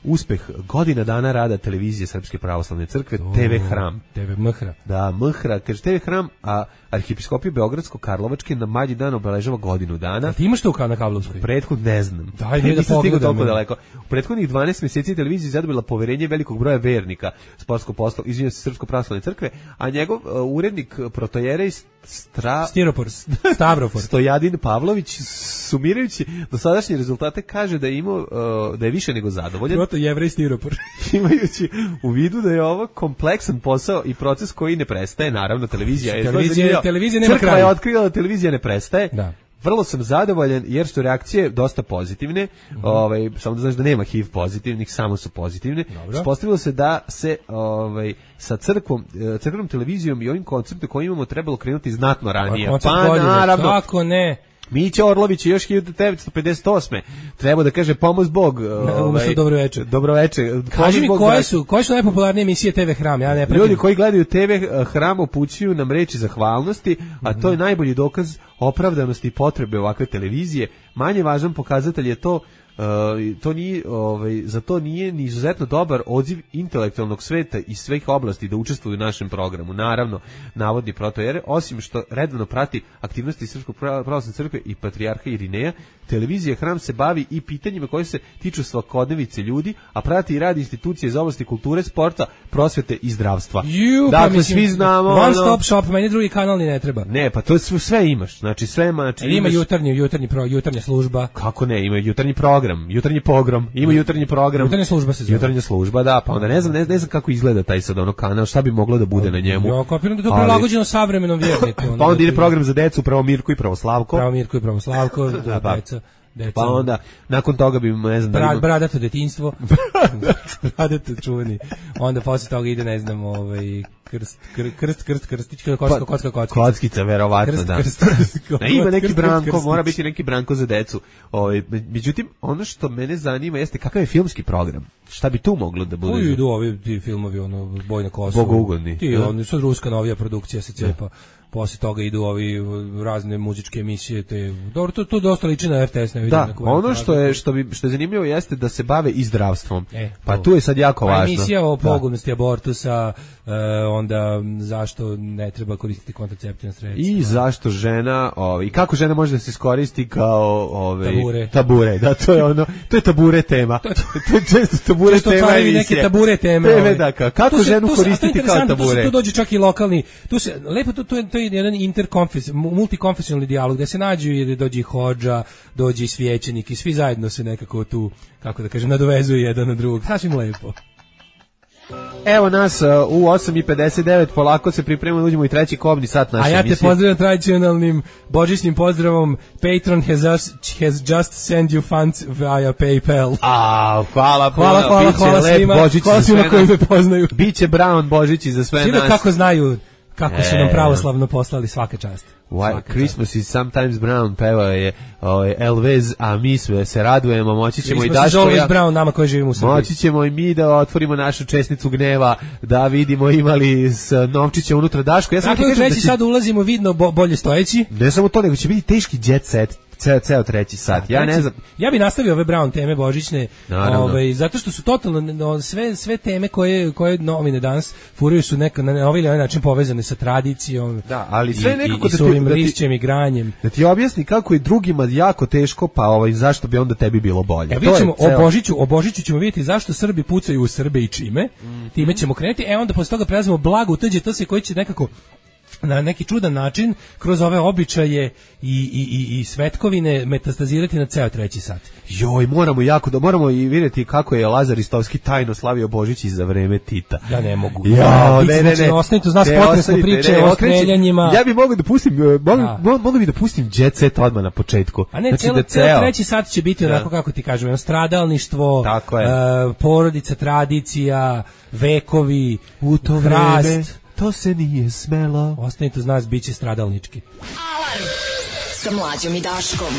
uspeh godina dana rada televizije Srpske pravoslavne crkve, T V Hram. T V Mhra. Da, Mhra, kaže T V Hram, a Arhipiskopija Beogradsko-Karlovačke na Malji dan obeležava godinu dana. A ti imaš to kao na kablovskoj? Prethod ne znam. Daj, mi da Nisam stigao pogledam, toliko ja. daleko. U prethodnih dvanaest mjeseci televizija je zadobila poverenje velikog broja vernika sportskog posla, izvinjavam se, Srpsko pravoslavne crkve, a njegov uh, urednik protojerej Stra Stiropor, Stavrofor. Stojadin Pavlović, sumirajući dosadašnje rezultate, kaže da je imao uh, da je više nego zadovoljan, Proto Jevrej Stiropor. imajući u vidu da je ovo kompleksan posao i proces koji ne prestaje. Naravno, televizija je Televizija- zanimljiva. televizija nema Crkva kraja. je otkrila da televizija ne prestaje. Da. Vrlo sam zadovoljan jer su reakcije dosta pozitivne. Ovaj samo da znaš da nema H I V pozitivnih, samo su pozitivne. Dobro. Ispostavilo se da se ovaj sa crkvom, eh, crkvenom televizijom i ovim konceptom koji imamo trebalo krenuti znatno ranije. Koncept Pa godine, naravno, kako ne? Mića Orlović je još hiljadu devetsto pedeset osme treba da kaže pomoz Bog. umesto dobro večer. Dobro večer. Kaži mi Pomoz Bog, koje braćo. su, koje su najpopularnije emisije T V Hram? Ja ne pratim. Ljudi koji gledaju T V Hram upućuju nam reči zahvalnosti, a to je najbolji dokaz opravdanosti i potrebe ovakve televizije. Manje važan pokazatelj je to Uh, to nije, ovaj, za to nije ni izuzetno dobar odziv intelektualnog sveta iz svih oblasti da učestvuju u našem programu. Naravno, navodni protojere, osim što redovno prati aktivnosti Srpskog pravoslavne crkve i patrijarha Irineja, televizija Hram se bavi i pitanjima koje se tiču svakodnevice ljudi, a prati i radi institucije iz oblasti kulture, sporta, prosvete i zdravstva. Ju, pa dakle, mislim, svi znamo... One ono- stop shop, meni drugi kanal ni ne treba. Ne, pa to sve, sve imaš. Znači, sve ima... Znači, Ili ima imaš- jutarnji, jutarnji pro, jutarnja služba. Kako ne, ima jutarnji program, jutarnji pogrom, ima jutarnji program. Jutarnja služba se zove. Jutarnja služba, da, pa onda ne znam, ne, ne znam kako izgleda taj sad ono kanal, šta bi moglo da bude na njemu. Ja kapiram da je to Ali- prilagođeno savremenom vjerniku. Pa onda ide program za decu, pravo Mirko i pravo Slavko. Pravo Mirko i pravo Slavko, da, pa. deca. Deca. Pa onda, nakon toga bi, ne znam, da Bra, ima... bradato detinjstvo. Bradato čuveni. Onda posle toga ide, ne znam, ovaj, krst, kr, krst, krst, krstić, kocka, kocka, kocka, kocka. Kockica, verovatno, Krst, da. krst, krst, Da, ima neki krst, Branko, krstić. mora biti neki Branko za decu. Ovaj, međutim, ono što mene zanima jeste kakav je filmski program. Šta bi tu moglo da bude? Koji idu ovi ti filmovi, ono, Boj na Kosovu. Bogougodni. Ti, Da. oni, sad ruska novija produkcija se cepa. posle toga idu ovi razne muzičke emisije, te dobro, to to dosta liči na R T S, ne vidim. Da, ono što je što bi što je zanimljivo jeste da se bave i zdravstvom. E, pa to. tu je sad jako pa važno. Emisija o Da. pogubnosti abortusa, e, onda zašto ne treba koristiti kontraceptivna sredstva. I zašto žena, ovaj i kako žena može da se iskoristi kao ovaj Tabure. tabure, da, to je ono, to je tabure tema. to je često tabure Često tema otvaraju emisije. neke tabure teme. Teme, ovaj. da, ka- kako Tu se- ženu tu se- a to je koristiti kao interesantno, tu se- tabure. Tu dođe čak i lokalni, tu se lepo to to je to je jedan interkonfes, multikonfesionalni dijalog gde se nađu i dođe i hodža, dođe i svećenik i svi zajedno se nekako tu, kako da kažem, nadovezuju jedan na drugog. Sasvim lepo. Evo nas uh, u osam i pedeset devet, polako se pripremamo, uđemo i treći kobni sat naše A ja te emisije. pozdravljam tradicionalnim božićnim pozdravom. Patron has, us, has just sent you funds via PayPal. A, hvala puno, Hvala, hvala, biće hvala lep svima, Božić hvala za svima sve koji nas. me poznaju. Biće Brown Božić i za sve Svi da nas. kako znaju kako su nam E. pravoslavno poslali, svaka čast. Why, Svaka Christmas is sometimes brown, peva je ovaj, Elvez, a mi sve se radujemo, moći ćemo i Christmas is Daško i always ja, brown, nama koji živimo u Srbiji. moći ćemo i mi da otvorimo našu česnicu gneva, da vidimo imali s novčiće unutra Daško. Ja sam Dakle, ti u kažem da treći će, sad ulazimo vidno bo, bolje stojeći. ne samo to, nego će biti teški jet set, ceo, ceo treći sat. Ja ne Treći- znam, Ja bi nastavio ove Brown teme božićne, Naravno. ovaj zato što su totalno no, sve sve teme koje koje novine danas furaju su neka na ovaj ili onaj način povezane sa tradicijom. Da, ali sve i- nekako i, da i ti- s ovim da ti- lišćem i granjem. da ti objasni kako je drugima jako teško, pa ovaj, zašto bi onda tebi bilo bolje. E, To vidjet je ćemo, o ceo- Božiću, o Božiću ćemo vidjeti zašto Srbi pucaju u Srbe i čime. Time ćemo krenuti, e onda posle toga prelazimo blago u T Đ T S koji će nekako na neki čudan način kroz ove običaje i, i, i, i svetkovine metastazirati na ceo treći sat. Joj, moramo jako da moramo i vidjeti kako je Lazar Istovski tajno slavio Božić i za vreme Tita. Ja ne mogu. Ja, Biće, ne, ne, znači, ne. ostanite uz nas, Ne, potresne ostanite, priče ne, o okreći- streljanjima. Ja bih mogao da pustim, eh, mogu, Da. mo- mogu bi da pustim jet set odmah na početku. A ne, Znači celo, da ceo ceo- treći sat će biti Da. onako kako ti kažem, jedno stradalništvo, Tako je. e, porodica, tradicija, vekovi, U to hrast. vreme to se nije smelo. Ostanite uz nas, bit će stradalnički. Alarm sa Mlađom i Daškom.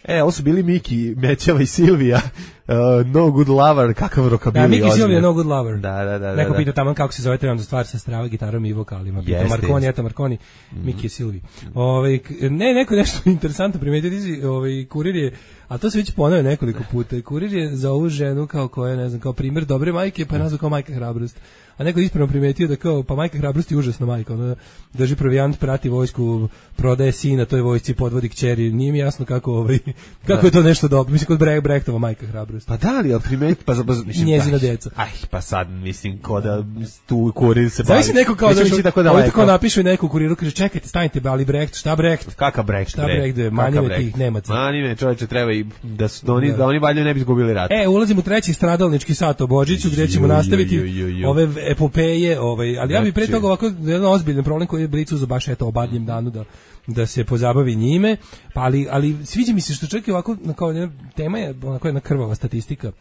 E, ovo su bili Miki, Mećava i Silvija. Uh, no Good Lover, kakav rokabili. Da, Miki ozbiljno. Silvija, No Good Lover. Da, da, da. Neko da, pita tamo kako se zove trebam za stvar sa strava, gitarom i vokalima. Pita Jeste, Marconi, jeste. eto Marconi, Miki je Silvi. Ovaj, k- ne, neko je nešto interesantno primetio, ti si, ovaj, kurir je, a to se već ponavlja nekoliko puta, kurir je za ovu ženu kao koja, ne znam, kao primjer dobre majke, pa je nazvao kao majka hrabrost. A neko je ispravno primetio da kao, pa majka hrabrost je užasna majka, ona drži provijant, prati vojsku, prodaje sina, toj vojsci podvodi kćeri, nije mi jasno kako, ovaj, kako je to nešto dobro, mislim kod Bre- Brechtova majka hrabrost. Pa da li, ali primeti, pa, pa mislim, Njezina aj, deca. Aj, pa sad, mislim, ko da tu kurir se bavi. Znaš si neko kao Nećemo da ići tako tako daleko. kao napišu neku u kuriru, kaže čekajte, stanite, ali Brecht, šta Brecht? Kakav Brecht, Šta Brecht, bre, mani Kakav me Brecht? tih Nemaca. Mani me, čovječe, treba i da, su, da, oni, Da. da oni valjda ne bi izgubili rat. E, ulazimo u treći stradalnički sat o Božiću, gdje ćemo Ju, ju, nastaviti ju, ju, ju. ove epopeje, ovaj, ali ja bih pre Znači- toga ovako jedan ozbiljan problem koji je Blicu za baš eto obadnjem danu da da se pozabavi njime, pa ali, ali sviđa mi se što čak i ovako kao jedna tema je onako jedna krvava statistika.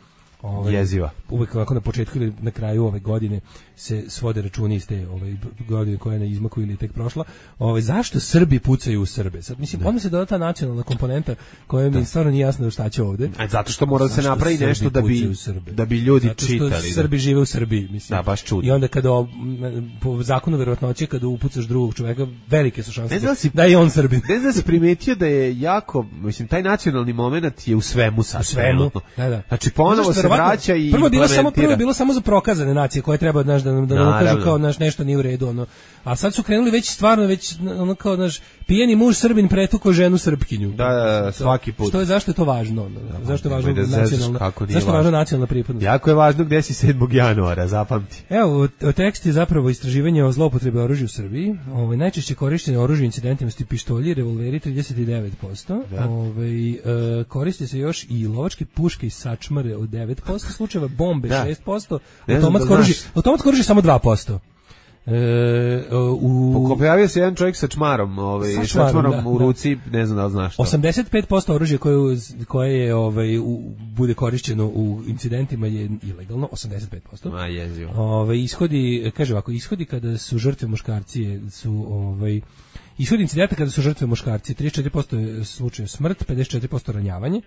Ovaj, Jeziva. Uvek ovako na početku ili na kraju ove godine se svode računi iz te ovaj, godine koja je na izmaku ili je tek prošla. Ovaj, zašto Srbi pucaju u Srbe? Sad, mislim, odmah se doda ta nacionalna komponenta koja mi stvarno nije jasno šta će ovde. A zato što mora da se Zašto napravi Srbi nešto da bi, pucaju u Srbe? da bi ljudi Zato što čitali. Da. Srbi žive u Srbiji, mislim. Da, baš čudno. I onda kada o- m, po zakonu verovatnoće kada upucaš drugog čoveka, velike su šanse Ne znam da si- da je on Srbin. Ne znam da si primetio da je jako, mislim, taj nacionalni moment je u svemu sad. U svemu. trenutno. Da, da. Znači, ponovo Zato što se verovatno- vraća i prvo je bilo samo implementira. prvo je bilo samo za prokazane nacije koje treba znaš da nam da nam Naravno. ukažu kao naš nešto nije u redu ono. A sad su krenuli već stvarno već ono kao naš pijeni muž Srbin pretuko ženu Srpkinju. Da, da, da, svaki put. Što je zašto je to važno? Ono? Zašto je važno nemoj da zezaš nacionalna? kako nije Zašto je važno. važna nacionalna pripadnost? Jako je važno gde si sedmog januara, zapamti. Evo, o- o tekst je zapravo istraživanje o zloupotrebi oružja u Srbiji. Ovaj najčešće korišćene oružje incidentima su pištolji, revolveri trideset devet posto. Ovaj e, koriste se još i lovačke puške i sačmare od devet posto slučajeva, bombe Da. šest posto, Ne znam da automatsko oružje, znaš. automatsko oružje samo dva posto. E, u Pojavio se jedan čovjek sa čmarom, ovaj, Sa sa čmarom, čmarom da, u da. ruci, ne znam da li znaš to. osamdeset pet posto oružja koje, koje je, ovaj, u, bude korišćeno u incidentima je ilegalno, osamdeset pet posto. Ma jezivo. Ove ishodi, kaže ovako, ishodi kada su žrtve muškarci su ovaj ishodi incidenta kada su žrtve muškarci, trideset četiri posto je slučaj smrt, pedeset četiri posto ranjavanje.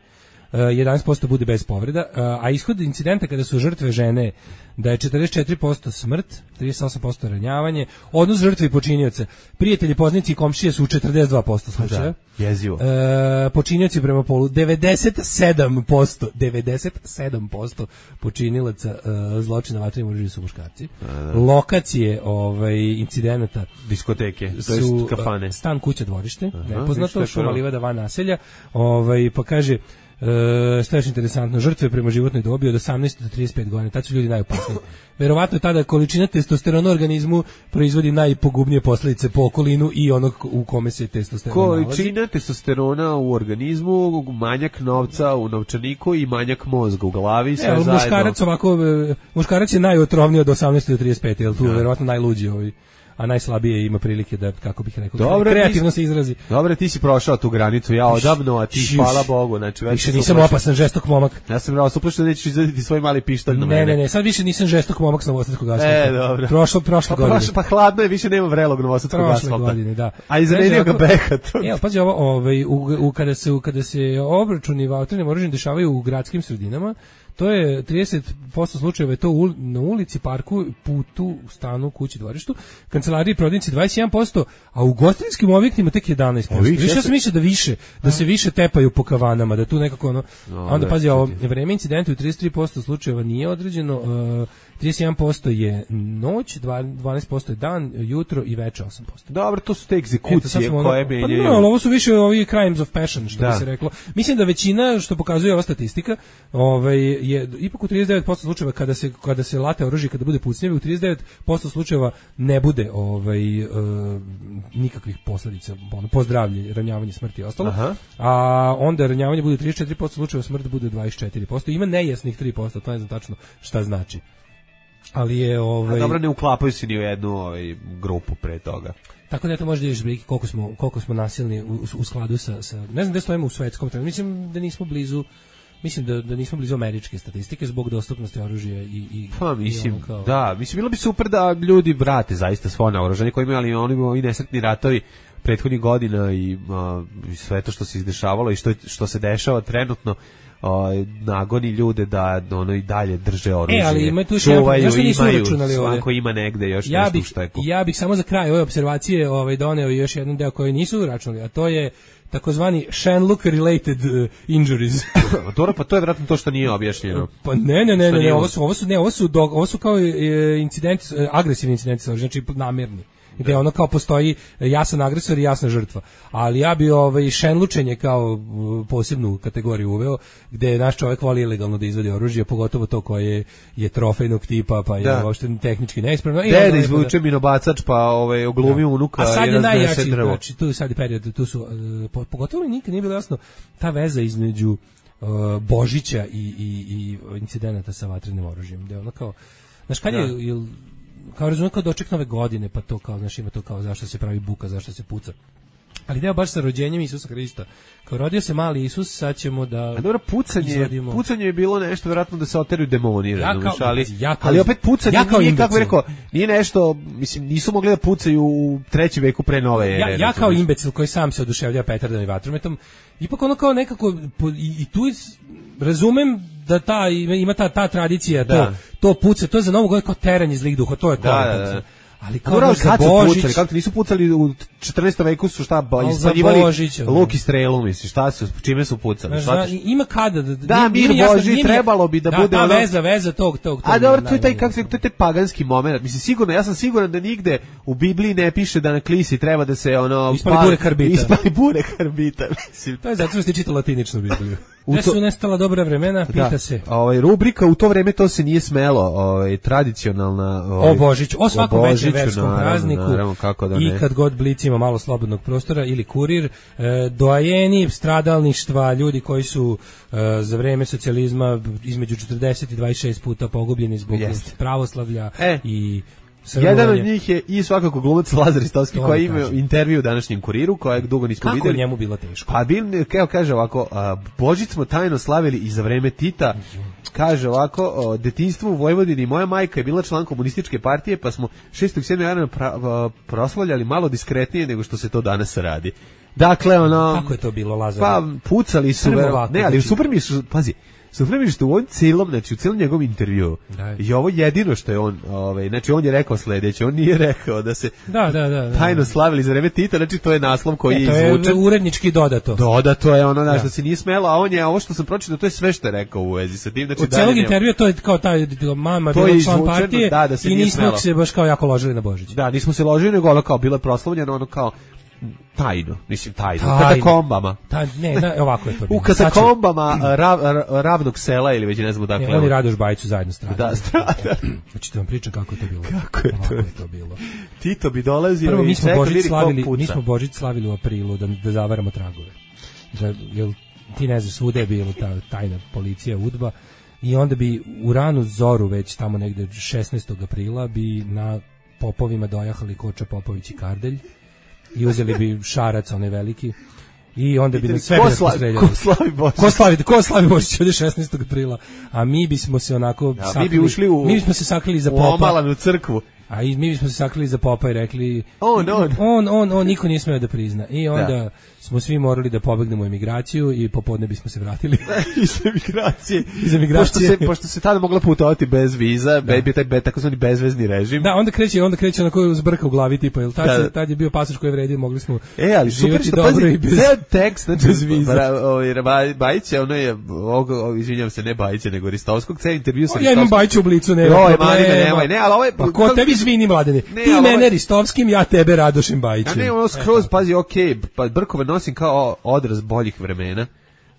jedanaest posto bude bez povreda, a ishod incidenta kada su žrtve žene da je četrdeset četiri posto smrt, trideset osam posto ranjavanje, odnos žrtve i počinioca. Prijatelji, poznanici i komšije su u četrdeset dva posto slučaja. Da, jezivo. E, počinioci prema polu devedeset sedam posto, devedeset sedam posto počinilaca e, zločina vatrenim oružjem su muškarci. Da, da. Lokacije ovaj incidenta diskoteke, to su jest kafane. Stan, kuća, dvorište, Aha, nepoznato, šuma, livada, van naselja. Ovaj pa kaže E, što je interesantno, žrtve prema životnoj dobi od osamnaest do trideset pet godina, tad su ljudi najopasniji. Verovatno tada količina testosterona u organizmu proizvodi najpogubnije posledice po okolinu i onog u kome se testosteron nalazi. Količina testosterona u organizmu, manjak novca u novčaniku i manjak mozga u glavi, sve e, zajedno. Muškarac ovako, muškarac je najotrovniji od osamnaest do trideset pet, jel tu da. Verovatno najluđi ovaj, a najslabije ima prilike da, kako bih rekao, dobre, kreativno ti, se izrazi. Dobre, ti si prošao tu granicu, ja odavno, a ti, Šiš, hvala Bogu. Znači, više nisam uplašen. Opasan, žestok momak. Ja sam bravo, suplašen da nećeš izvaditi svoj mali pištolj na mene. Ne, ne, ne, sad više nisam žestok momak s novosadskog asfalta. E, dobro. Prošlo, prošle pa, godine. Prošlo, pa hladno je, više nema vrelog novosadskog asfalta. Prošle godine, da. A izmenio ga Behat. Evo, pazi ovo, ovaj, u, u, kada, se, kada se obračuni vatrenim oružjem dešavaju u gradskim sredinama, to je trideset posto slučajeva je to u, na ulici, parku, putu, stanu, kući, dvorištu, kancelariji, prodavnici dvadeset jedan posto, a u ugostiteljskim objektima tek jedanaest posto. Više ja sam mislio da više, da se više tepaju po kavanama, da tu nekako ono, no, onda pazi ovo, vreme incidenta u trideset tri posto slučajeva nije određeno, uh, trideset jedan posto je noć, dvanaest posto je dan, jutro i veče osam posto. Dobro, to su te egzekucije Eto, koje menjaju. Pa no, ovo su više ovi crimes of passion, što da. Bi se reklo. Mislim da većina, što pokazuje ova statistika, ovaj, je ipak u trideset devet posto slučajeva kada se, kada se late oružje, kada bude pucnjeve, u trideset devet posto slučajeva ne bude ovaj, uh, nikakvih posledica, ono, pozdravlje, ranjavanje, smrti i ostalo. Aha. A onda ranjavanje bude trideset četiri posto slučajeva, smrt bude dvadeset četiri posto. Ima nejasnih tri posto, to ne znam tačno šta znači. Ali je ovaj, a dobro, ne uklapaju se ni u jednu ovaj, grupu pre toga. Tako da to može da vidiš briki koliko smo koliko smo nasilni u, u skladu sa, sa ne znam gde stojimo u svetskom trenutku. Mislim da nismo blizu Mislim da, da nismo blizu američke statistike zbog dostupnosti oružja i, i pa mislim, i kao... da, mislim bilo bi super da ljudi vrate zaista svo naoružanje koje imaju, ali oni imaju i nesretni ratovi prethodnih godina i a, sve to što se izdešavalo i što, što se dešava trenutno. O, nagoni ljude da ono i dalje drže oružje. E, ali ima tu još jedan, ja što nisu uračunali ovdje. Svako ima negde još ja nešto bih, u šteku. Ja bih samo za kraj ove observacije ovaj, doneo još jedan deo koji nisu uračunali, a to je takozvani Shenlook related uh, injuries. Dobro, pa to je vjerojatno to što nije objašnjeno. Pa ne, ne, ne, ne, ne ovo su ovo su ne, ovo su do, ovo su kao e, incidenti, e, agresivni incidenti, znači namjerni. Gde ono kao postoji jasan agresor i jasna žrtva. Ali ja bi ovaj šenlučenje kao posebnu kategoriju uveo, gde naš čovjek voli ilegalno da izvadi oružje, pogotovo to koje je trofejnog tipa, pa je da. Uopšte tehnički neispravno. Dede izvuče minobacač, pa ovaj oglumi unuka. A sad je najjači, znači tu je sad period, tu su, uh, pogotovo nikad nije bilo jasno ta veza između uh, Božića i, i, i incidenata sa vatrenim oružjem. Gde ono kao, znaš kad je, jel, kao razumijem kao doček nove godine, pa to kao, znaš, ima to kao zašto se pravi buka, zašto se puca. Ali deo baš sa rođenjem Isusa Hrista. Kao rodio se mali Isus, sad ćemo da... A dobro, pucanje, izvadimo... pucanje je bilo nešto, vjerojatno da se oteruju demoni, ja kao, ali, ja kao, ali opet pucanje ja nije, kako bih rekao, nije nešto, mislim, nisu mogli da pucaju u trećem veku pre nove ere. Ja, ja kao imbecil koji sam se oduševlja petardom i vatrometom, ipak ono kao nekako, i, i tu razumem da ta, ima ta, ta tradicija, da. to, to puca, to je za novu godinu kao teranje zlih duha, to je kao da, da, da. Ali kao da za Božić, pucali, kako ti nisu pucali u četrnaestom veku su šta ispaljivali luk i strelu, misli, šta su, čime su pucali? Znaš, da, ima kada da, da mir Božji trebalo bi da, da bude da, ono. veza, veza tog tog. tog a dobro, to je taj kako se to je taj paganski momenat. Mislim sigurno, ja sam siguran da nigde u Bibliji ne piše da na klisi treba da se ono ispali bure karbita. Ispali bure karbita, mislim. To je zato što ste čitali latiničnu Bibliju. Gde su nestala dobra vremena, pita da, se. Ovaj rubrika u to vreme to se nije smelo, ovaj tradicionalna, ovaj o Božiću, o svakom većem verskom prazniku. Naravno, kako da ne. I kad god Blic ima malo slobodnog prostora ili Kurir, e, doajeni stradalništva, ljudi koji su e, za vreme socijalizma između četrdeset i dvadeset šest puta pogubljeni zbog Jest. pravoslavlja e. i jedan od njih je i svakako glumac Lazar Istovski koji ima intervju u današnjem Kuriru, kojeg dugo nismo Kako videli. Kako njemu bilo teško? Pa bil, kao kaže ovako, a, Božić smo tajno slavili i za vreme Tita. Kaže ovako, o, detinjstvo u Vojvodini, moja majka je bila član komunističke partije, pa smo šestog sedmog januara pra, proslavljali malo diskretnije nego što se to danas radi. Dakle, ono... Kako je to bilo, Lazar? Pa, pucali su, Prvo ver, ovako, ne, ali znači- super mi su, pazi, super mi je što u ovom cijelom, znači u cijelom njegovom intervju, Da. i ovo jedino što je on, ovaj, znači on je rekao sledeće, on nije rekao da se Da, da, da. da. tajno slavili za vreme Tita, znači to je naslov koji E, je to je izvučen. urednički dodato. Dodato je ono, znaš, Da. da se nije smelo, a on je, ovo što sam pročitao, to je sve što je rekao u vezi sa tim, znači Od dalje celog nema- intervjua to je kao taj mama To je bila član izvučeno, partije da, da se i nije nismo smelo. se baš kao jako ložili na Božić. Da, nismo se ložili, nego ono kao, bilo je proslavljeno, ono kao, tajno, mislim tajno, Tajno. u katakombama. Ta, ne, da, ovako je to bilo. U katakombama rav, rav, ravnog sela ili već ne znam Sad ću- dakle. Ne, oni Radoš Bajić su zajedno stradali. Da, strada. Hoćete vam pričam kako je to bilo? Kako je to? Ovako je to bilo. Tito bi dolazio Prvo, i mi smo čekao Božić vidi ko slavili, puca. mi smo Božić slavili u aprilu da, da zavaramo tragove. Da, jel, ti ne znaš, svuda je bilo ta tajna policija, udba, i onda bi u ranu zoru, već tamo negde šesnaestog aprila, bi na popovima dojahali Koča Popović i Kardelj i uzeli bi šarac, onaj veliki, i onda bi na sve Ko bi nas sla- postreljali. ko slavi Božić? Ko slavi, ko slavi Božić ovdje šesnaestog aprila, a mi bismo se onako Ja, mi sakrili, bi ušli u, mi bismo se sakrili za u popa, omalanu crkvu. a i mi bismo se sakrili za popa i rekli On, on. on, on, on niko nije smeo da prizna. I onda smo svi morali da pobegnemo u emigraciju i popodne bismo se vratili. Iz emigracije. Iz emigracije. Pošto se, pošto se tada mogla putovati bez viza, da. Be, taj be, takozvani bezvezni režim. Da, onda kreće, onda kreće onako zbrka u glavi tipa, jel tad, Da, da. se, tad je bio pasoš koji je vredio, mogli smo E, ali super živjeti što dobro pazi, i bez... ceo tekst, znači, bez viza. Bra- ovaj, Baj- Bajić je, ono je, ovog, ovog, izvinjam se, ne Bajića, nego Ristovskog, ceo intervju sa O, ja imam Ristovskim. Bajića u blicu, nema Joj, problema. mani me, nemoj, ne, ali ovo je... Pa ko tebi izvini, mladene? Ne, Ti ali ovo mene je- Ristovskim, ja tebe Radošem A Bajićem. ne, ono skroz, pazi, okej, pa brkove nosim kao odraz boljih vremena.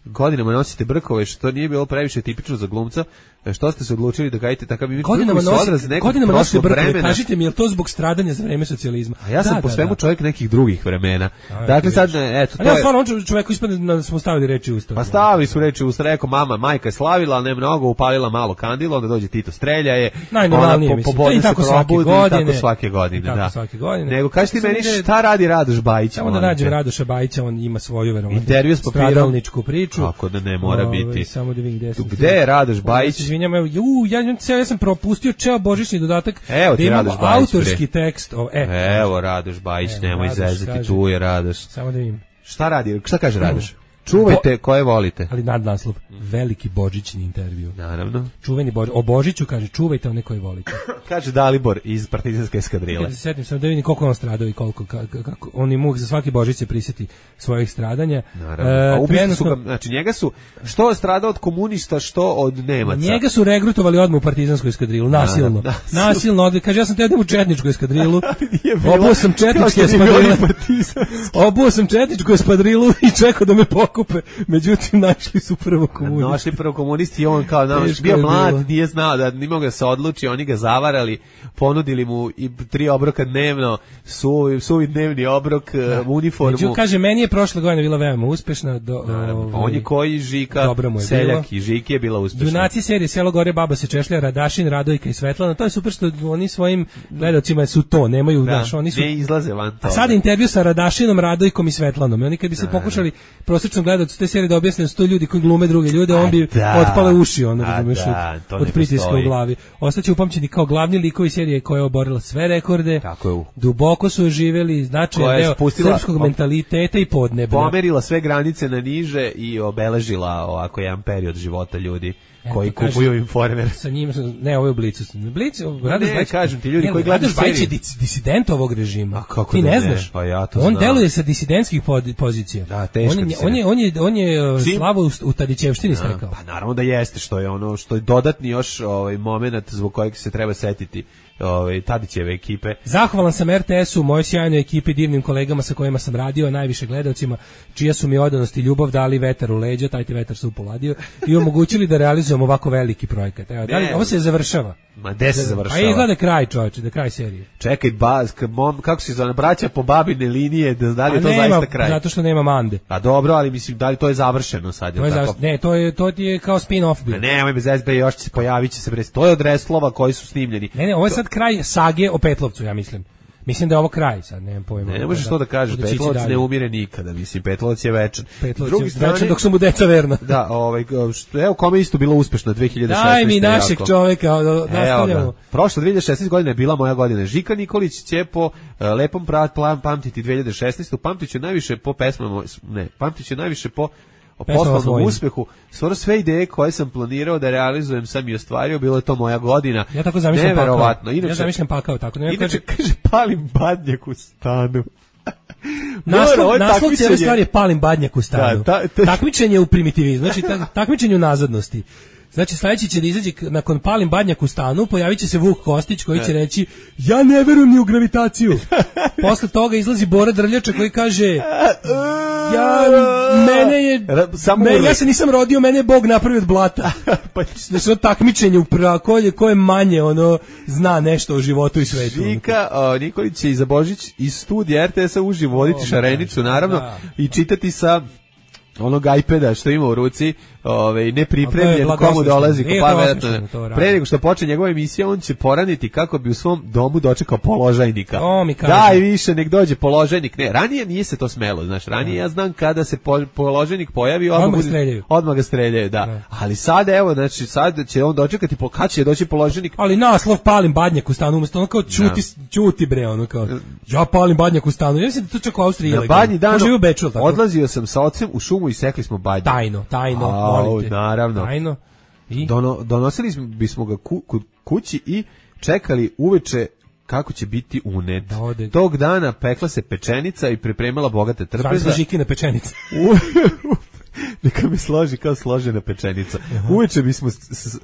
Godinama nosite brkove, što nije bilo previše tipično za glumca, što ste se odlučili da gajite takav imidž. Godinama Brkovi su odraz nosite, nekog godinama nosite prošlog brkove, vremena. kažite mi, je li to zbog stradanja za vreme socijalizma? A ja sam Da, po da, svemu da. čovjek nekih drugih vremena. A, Dakle, eto, sad, vidiš. ne, eto, A to ja je... stvarno, on čoveku ispadne da smo stavili reči u usta. Pa stavili su reči u rekao mama, majka je slavila, ali ne mnogo, upalila malo kandilo, onda dođe Tito strelja je, Najnormalnije, ona mislim. popodne To je i se tako svake probudi, i godine. tako svake godine, I tako da. svake godine. Nego, kaži ti Samo meni ide- šta radi Radoš Bajić? Samo da molim nađem te? Radoša Bajića, on ima svoju verovatno Intervju s papirom. stradalničku priču. Kako da ne mora Ovaj, biti. Samo da vidim gde sam. Tu, gde je Radoš Ja Bajić? se izvinjam, evo, ju, ja, ja, ja sam propustio ceo božićni dodatak. Evo ti da imamo Radoš Bajić, autorski bre. tekst. O, e, Evo Radoš Bajić, Evo, nemoj Radoš zezati, kaže- tu je Radoš. samo da vidim. Šta radi? Šta kaže Radoš? Čuvajte koje volite. Ali nadnaslov, veliki božićni intervju. Naravno. Čuveni Božić, o Božiću kaže, čuvajte one koje volite. Kaže Dalibor iz partizanske eskadrile. Ja se setim sam da vidim koliko je on stradao i koliko, ka- ka- kako, on i muk za svaki Božić se prisjeti svojih stradanja. Naravno. E, A ubili su trenutno- ga, znači njega su, što je stradao od komunista, što od Nemaca. Njega su regrutovali odmah u partizansku eskadrilu, nasilno. Da, da. Nasilno, odli, kaže, ja sam te idem u četničku eskadrilu, Nije bilo- obuo sam kao četničke što nije bilo espadrile, ni partizanske. obuo sam četničku espadrilu i čekao da me pokupe, međutim, našli su prvo komunisti. Našli prvo komunisti i on kao nam Teško bio je mlad, bilo. nije znao da nije mogao da se odluči, oni ga zavarali, ponudili mu i tri obroka dnevno, suvi, suvi dnevni obrok, da. uniformu. Među, kaže, meni je prošla godina bila veoma uspešna. Do, Naravno, ovaj, on je koji Žika, dobro mu je seljak bilo. i Žiki je bila uspešna. Junaci serije Selo gore, baba se češlja, Radašin, Radojka i Svetlana. To je super što oni svojim gledaocima su to, nemaju, Da, znaš, oni su... ne izlaze van A toga. sad intervju sa Radašinom, Radojkom i Svetlanom. I oni kad bi se pokušali prosječnom gledaocu te serije da objasne da su to ljudi koji glume druge ljude, on bi da. otpale uši, ono, A razumeš, da, to od, ne od pritiska postoji. u glavi. Ostaće upamćeni kao glavni likovi serije koja je oborila sve rekorde. Tako je. Duboko su živeli značajan Koja je deo spustila- srpskog mentaliteta i podneblja. Pomerila sve granice na niže i obeležila ovako jedan period života ljudi koji Eto, kaže- kupuju Informer. Sa njim sam, ne, ovo je u Blicu. Blicu, Radoš ne, Bajić, kažem ti, ljudi ne, koji gledaju Radoš Bajić je seriju. dis- disident ovog režima. A kako ti da ne ne? znaš? Pa ja to on znam. deluje sa disidentskih pod- pozicija. Da, teško on je, disident. on je, on je, on je uh, Čim- Slavo u, u Tadićevštini stekao. Pa naravno da jeste, što je ono što je dodatni još ovaj momenat zbog kojeg se treba setiti ovaj Tadićeve ekipe. Zahvalan sam er te esu, mojoj sjajnoj ekipi, divnim kolegama sa kojima sam radio, najviše gledaocima, čija su mi odanost i ljubav dali vetar u leđa, taj ti vetar se upoladio, i omogućili da realizujem ovako veliki projekat. Evo, da li, Ne. ovo se završava. Ma gde se završava? A izgleda kraj, čovječe, da kraj serije. Čekaj, ba, k- mom, kako se zove, braća po babine linije, da, da li je A to nema, zaista kraj? zato što nema Mande. A dobro, ali mislim, da li to je završeno sad? To je jel tako? završ- ne, to je to ti je kao spin-off bio. Ma nemoj bez S B, još će se pojavit će se bre. To je od reslova koji su snimljeni. Ne, ne, ovo je sad kraj sage o Petlovcu, ja mislim. Mislim da je ovo kraj, sad nemam pojma. Ne, ne možeš to da kažeš, Petlovac ne umire nikada, mislim, Petlovac je večan. Petlovac je večan dok su mu deca verna. Da, ovaj, što, evo, kome isto bilo uspešno dve hiljade šesnaeste. Daj mi našeg jako. Čoveka, nastavljamo. Prošla dve hiljade šesnaeste godina je bila moja godina. Žika Nikolić će po uh, lepom prat plan pamtiti dve hiljade šesnaeste. Pamtiću najviše po pesmama, ne, pamtiću najviše po o poslovnom uspehu. Skoro sve ideje koje sam planirao da realizujem sam i ostvario, bilo je to moja godina. Ja tako zamišljam neverovatno. Pakao. Inače, ja zamišljam pakao tako. Ne, inače, kaže, kaže, palim badnjak u stanu. Naslov, naslov cijele stvari je palim badnjak u stanu. Da, ta, ta, takmičenje u primitivizmu, znači tak, takmičenje u nazadnosti. Znači sledeći će da izađe nakon palim badnjak u stanu, pojavit će se Vuk Kostić koji će reći ja ne verujem ni u gravitaciju. Posle toga izlazi Bora Drljača koji kaže ja, mene je, Samo me, ja se nisam rodio, mene je Bog napravio od blata. Znači ono takmičenje u pra, ko je, ko je manje ono zna nešto o životu i svetu. Žika o, Nikolić će iza Božić iz studija R T S-a uživo voditi šarenicu, naravno, da. I čitati sa onog iPada što ima u ruci, ovaj nepripremljen komu dolazi pametno. Pre nego što počne njegova emisija, on će poraniti kako bi u svom domu dočekao položajnika. Daj više, nek dođe položajnik. Ne, ranije nije se to smelo, znaš, ranije ja znam kada se po, položajnik pojavi, odmah ga streljaju. Odmah ga streljaju, da. Ne. Ali sad, evo, znači, sad će on dočekati, po, kad će doći položajnik. Ali naslov palim badnjak u stanu, umesto ono kao čuti, čuti bre, ono kao, ja palim badnjak u stanu. Ja mislim da to čak u Austriji ilegalno. Na badnji dan odlazio sam sa ocem u šumu i sekli smo badnje. Tajno, tajno, molim te. Naravno. Tajno. I? Dono, donosili bismo ga ku, ku, kući i čekali uveče kako će biti unet. Da, tog dana pekla se pečenica i pripremala bogate trpeze. Zvala žikina pečenica. Neka mi složi kao složena pečenica. Aha. Uveče bismo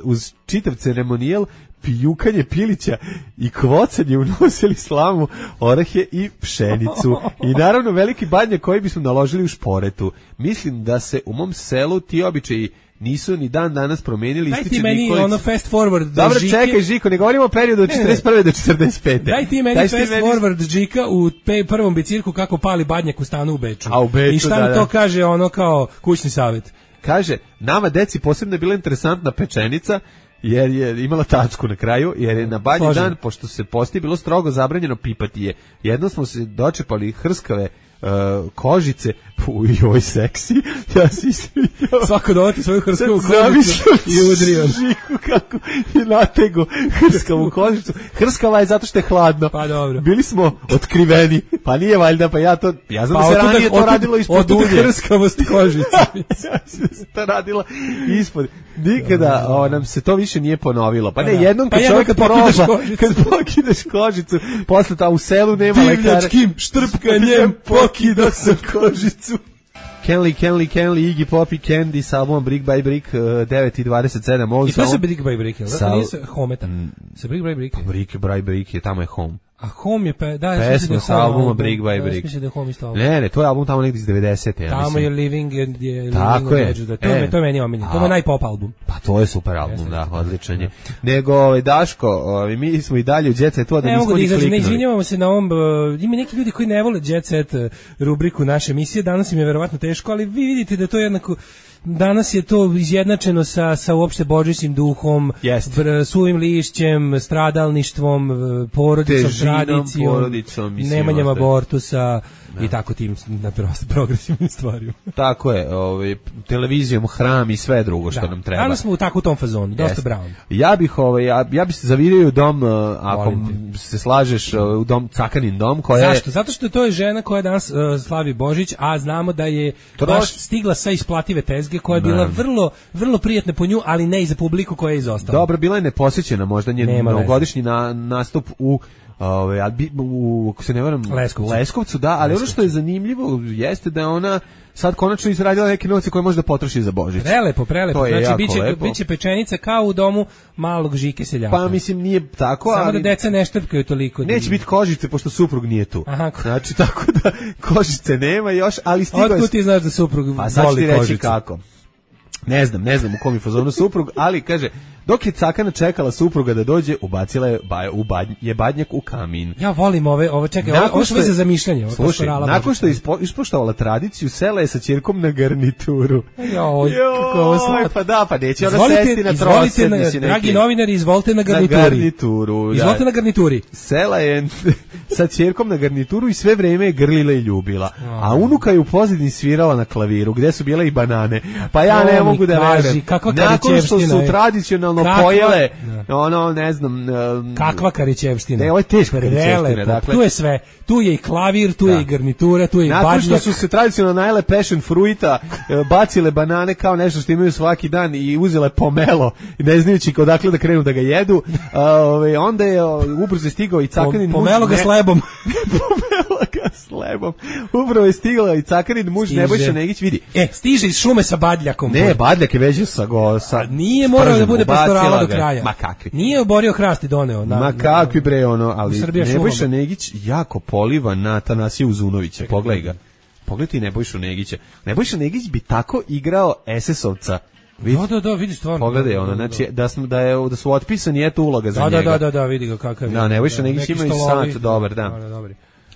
uz čitav ceremonijal, pijukanje pilića i kvocanje unosili slamu, orahe i pšenicu. I naravno veliki badnjak koji bismo naložili u šporetu. Mislim da se u mom selu ti običaji nisu ni dan danas promenili. Daj ti meni Nikolić. Ono fast forward do Dobro, Žike. Čekaj Žiko, ne govorimo o periodu od četrdeset prve do četrdeset pete. Daj ti meni Daj fast meni... forward Žika u pe, prvom bicirku kako pali badnjak u stanu u Beču. A u Beču, I šta da, mi da. to kaže ono kao kućni savjet? Kaže, nama deci posebno je bila interesantna pečenica, jer je imala tačku na kraju, jer je na badnji dan, pošto se posti bilo strogo zabranjeno pipati je. Jedno smo se dočepali hrskave uh, kožice, uj, oj, seksi, ja si sviđao. Svako dovati svoju hrskavu kožicu i udrio. Žiku kako je natego hrskavu kožicu. Hrskava je zato što je hladno. Pa dobro. Bili smo otkriveni, pa nije valjda, pa ja to, ja znam pa da se ranije to radilo ispod dunje. Otud hrskavost kožice. Ja se to radilo ispod. Nikada o, nam se to više nije ponovilo. Pa ne, jednom kad pa čovjek kad proba, kad pokideš kožicu, posle ta u selu nema lekara. Divljačkim štrpkanjem pokidao sam kožicu. Kenley, Kenley, Kenley, Iggy Pop i Candy sa albumom Brick by Brick, devet i dvadeset sedam. I to se Brick by Brick, jel? Zato nije se Hometa. Se Brick by Brick. Brick by Brick je, tamo je Home. A Home je, pe, da, pesma sa albuma Brick by Brick. Ja mislim da je Home isto album. Ne, ne, to je album tamo negdje iz devedesete. Ja tamo mislim. je Living and je Tako je. To, e. je. to je meni omiljen. To je najpop album. Pa to je super album, Jeste, da, odličan je. Nego, ovaj, Daško, ovaj, mi smo i dalje u Jet Setu, a da ne nismo ni kliknuli. Ne izvinjavamo se na ovom, uh, ima neki ljudi koji ne vole Jet Set rubriku naše emisije, danas im je verovatno teško, ali vi vidite da to je jednako danas je to izjednačeno sa, sa uopšte božićnim duhom, br, suvim lišćem, stradalništvom, porodicom, Težinom, tradicijom, porodicom, nemanjem abortusa da. I tako tim na progresivnim stvarima. Tako je, ovaj, televizijom, hram i sve drugo što da. Nam treba. Danas smo u tako u tom fazonu, dosta brown. Ja bih, ovaj, ja, ja bih se zavirio u dom, uh, ako se slažeš, uh, u dom, Cakanin dom. Koja Zašto? Je... Zato što to je žena koja danas uh, slavi Božić, a znamo da je Troš... baš stigla sa isplative tezge, koja je bila ne. vrlo, vrlo prijatna po nju, ali ne i za publiku koja je izostala. Dobro, bila je neposjećena, možda njen novogodišnji na, nastup u Ove, ali u, ako se ne varam, Leskovcu. Leskovcu, da, ali Leskovcu. Ono što je zanimljivo jeste da je ona sad konačno izradila neke novce koje može da potroši za Božić. Prelepo, prelepo. Znači, biće, lepo. biće pečenica kao u domu malog Žike seljaka. Pa mislim, nije tako, Samo ali... da deca ne štrpkaju toliko. Neće biti kožice, pošto suprug nije tu. Aha. Znači, tako da kožice nema još, ali stigla... Otkud ti znaš da suprug pa, sad voli ti reći kožice? Kako. Ne znam, ne znam u kom je fazonu suprug, ali kaže, Dok je Cakana čekala supruga da dođe, ubacila je, ba, u badnj, je badnjak u kamin. Ja volim ove, ove čekaj, ove, ove sve za zamišljanje. Ove slušaj, nakon što je ispo, ispoštovala tradiciju, sela je sa ćerkom na garnituru. Joj, kako ovo slatko. Pa da, pa neće ona sesti na trosed. Na, dragi novinari, izvolite na garnituri. Na garnituru, izvolite da. na garnituri. Sela je sa ćerkom na garnituru i sve vreme je grlila i ljubila. A unuka je u pozadini svirala na klaviru, gde su bile i banane. Pa ja ne mogu da verujem. Nakon što su tradicionalno kakva, pojele, da. ono, ne znam... Um, kakva karićevština. Ne, ovo je teška karićevština. Dakle, tu je sve. Tu je i klavir, tu da. je i garnitura, tu je i badnjak. Nakon što su se tradicionalno najele passion fruita, bacile banane kao nešto što imaju svaki dan i uzele pomelo, ne znajući odakle da krenu da ga jedu, ove, onda je ubrzo stigao i Cakanin muž... Pomelo ga s lebom. Pomelo ga s lebom. Upravo je stigao i Cakanin muž Nebojša Negić, vidi. E, stiže iz šume sa badljakom. Ne, badljak je vežio sa go... Sa, nije morao da bude pastorala do kraja. Ma kakvi. Nije oborio hrast i doneo. Na, Ma kakvi bre ono, ali Nebojša Negić jako poliva na Tanasija Uzunovića. Pogledaj ga. Pogledaj ti Nebojšu Negića. Nebojša Negić bi tako igrao es es ovca. Da, da, da, vidi stvarno. Pogledaj ono, znači da smo da je da su otpisani eto uloga za da, njega. Da, da, da, da, vidi ga kakav je. Da, Nebojša Negić ima i sad dobar, da. Da, dobar.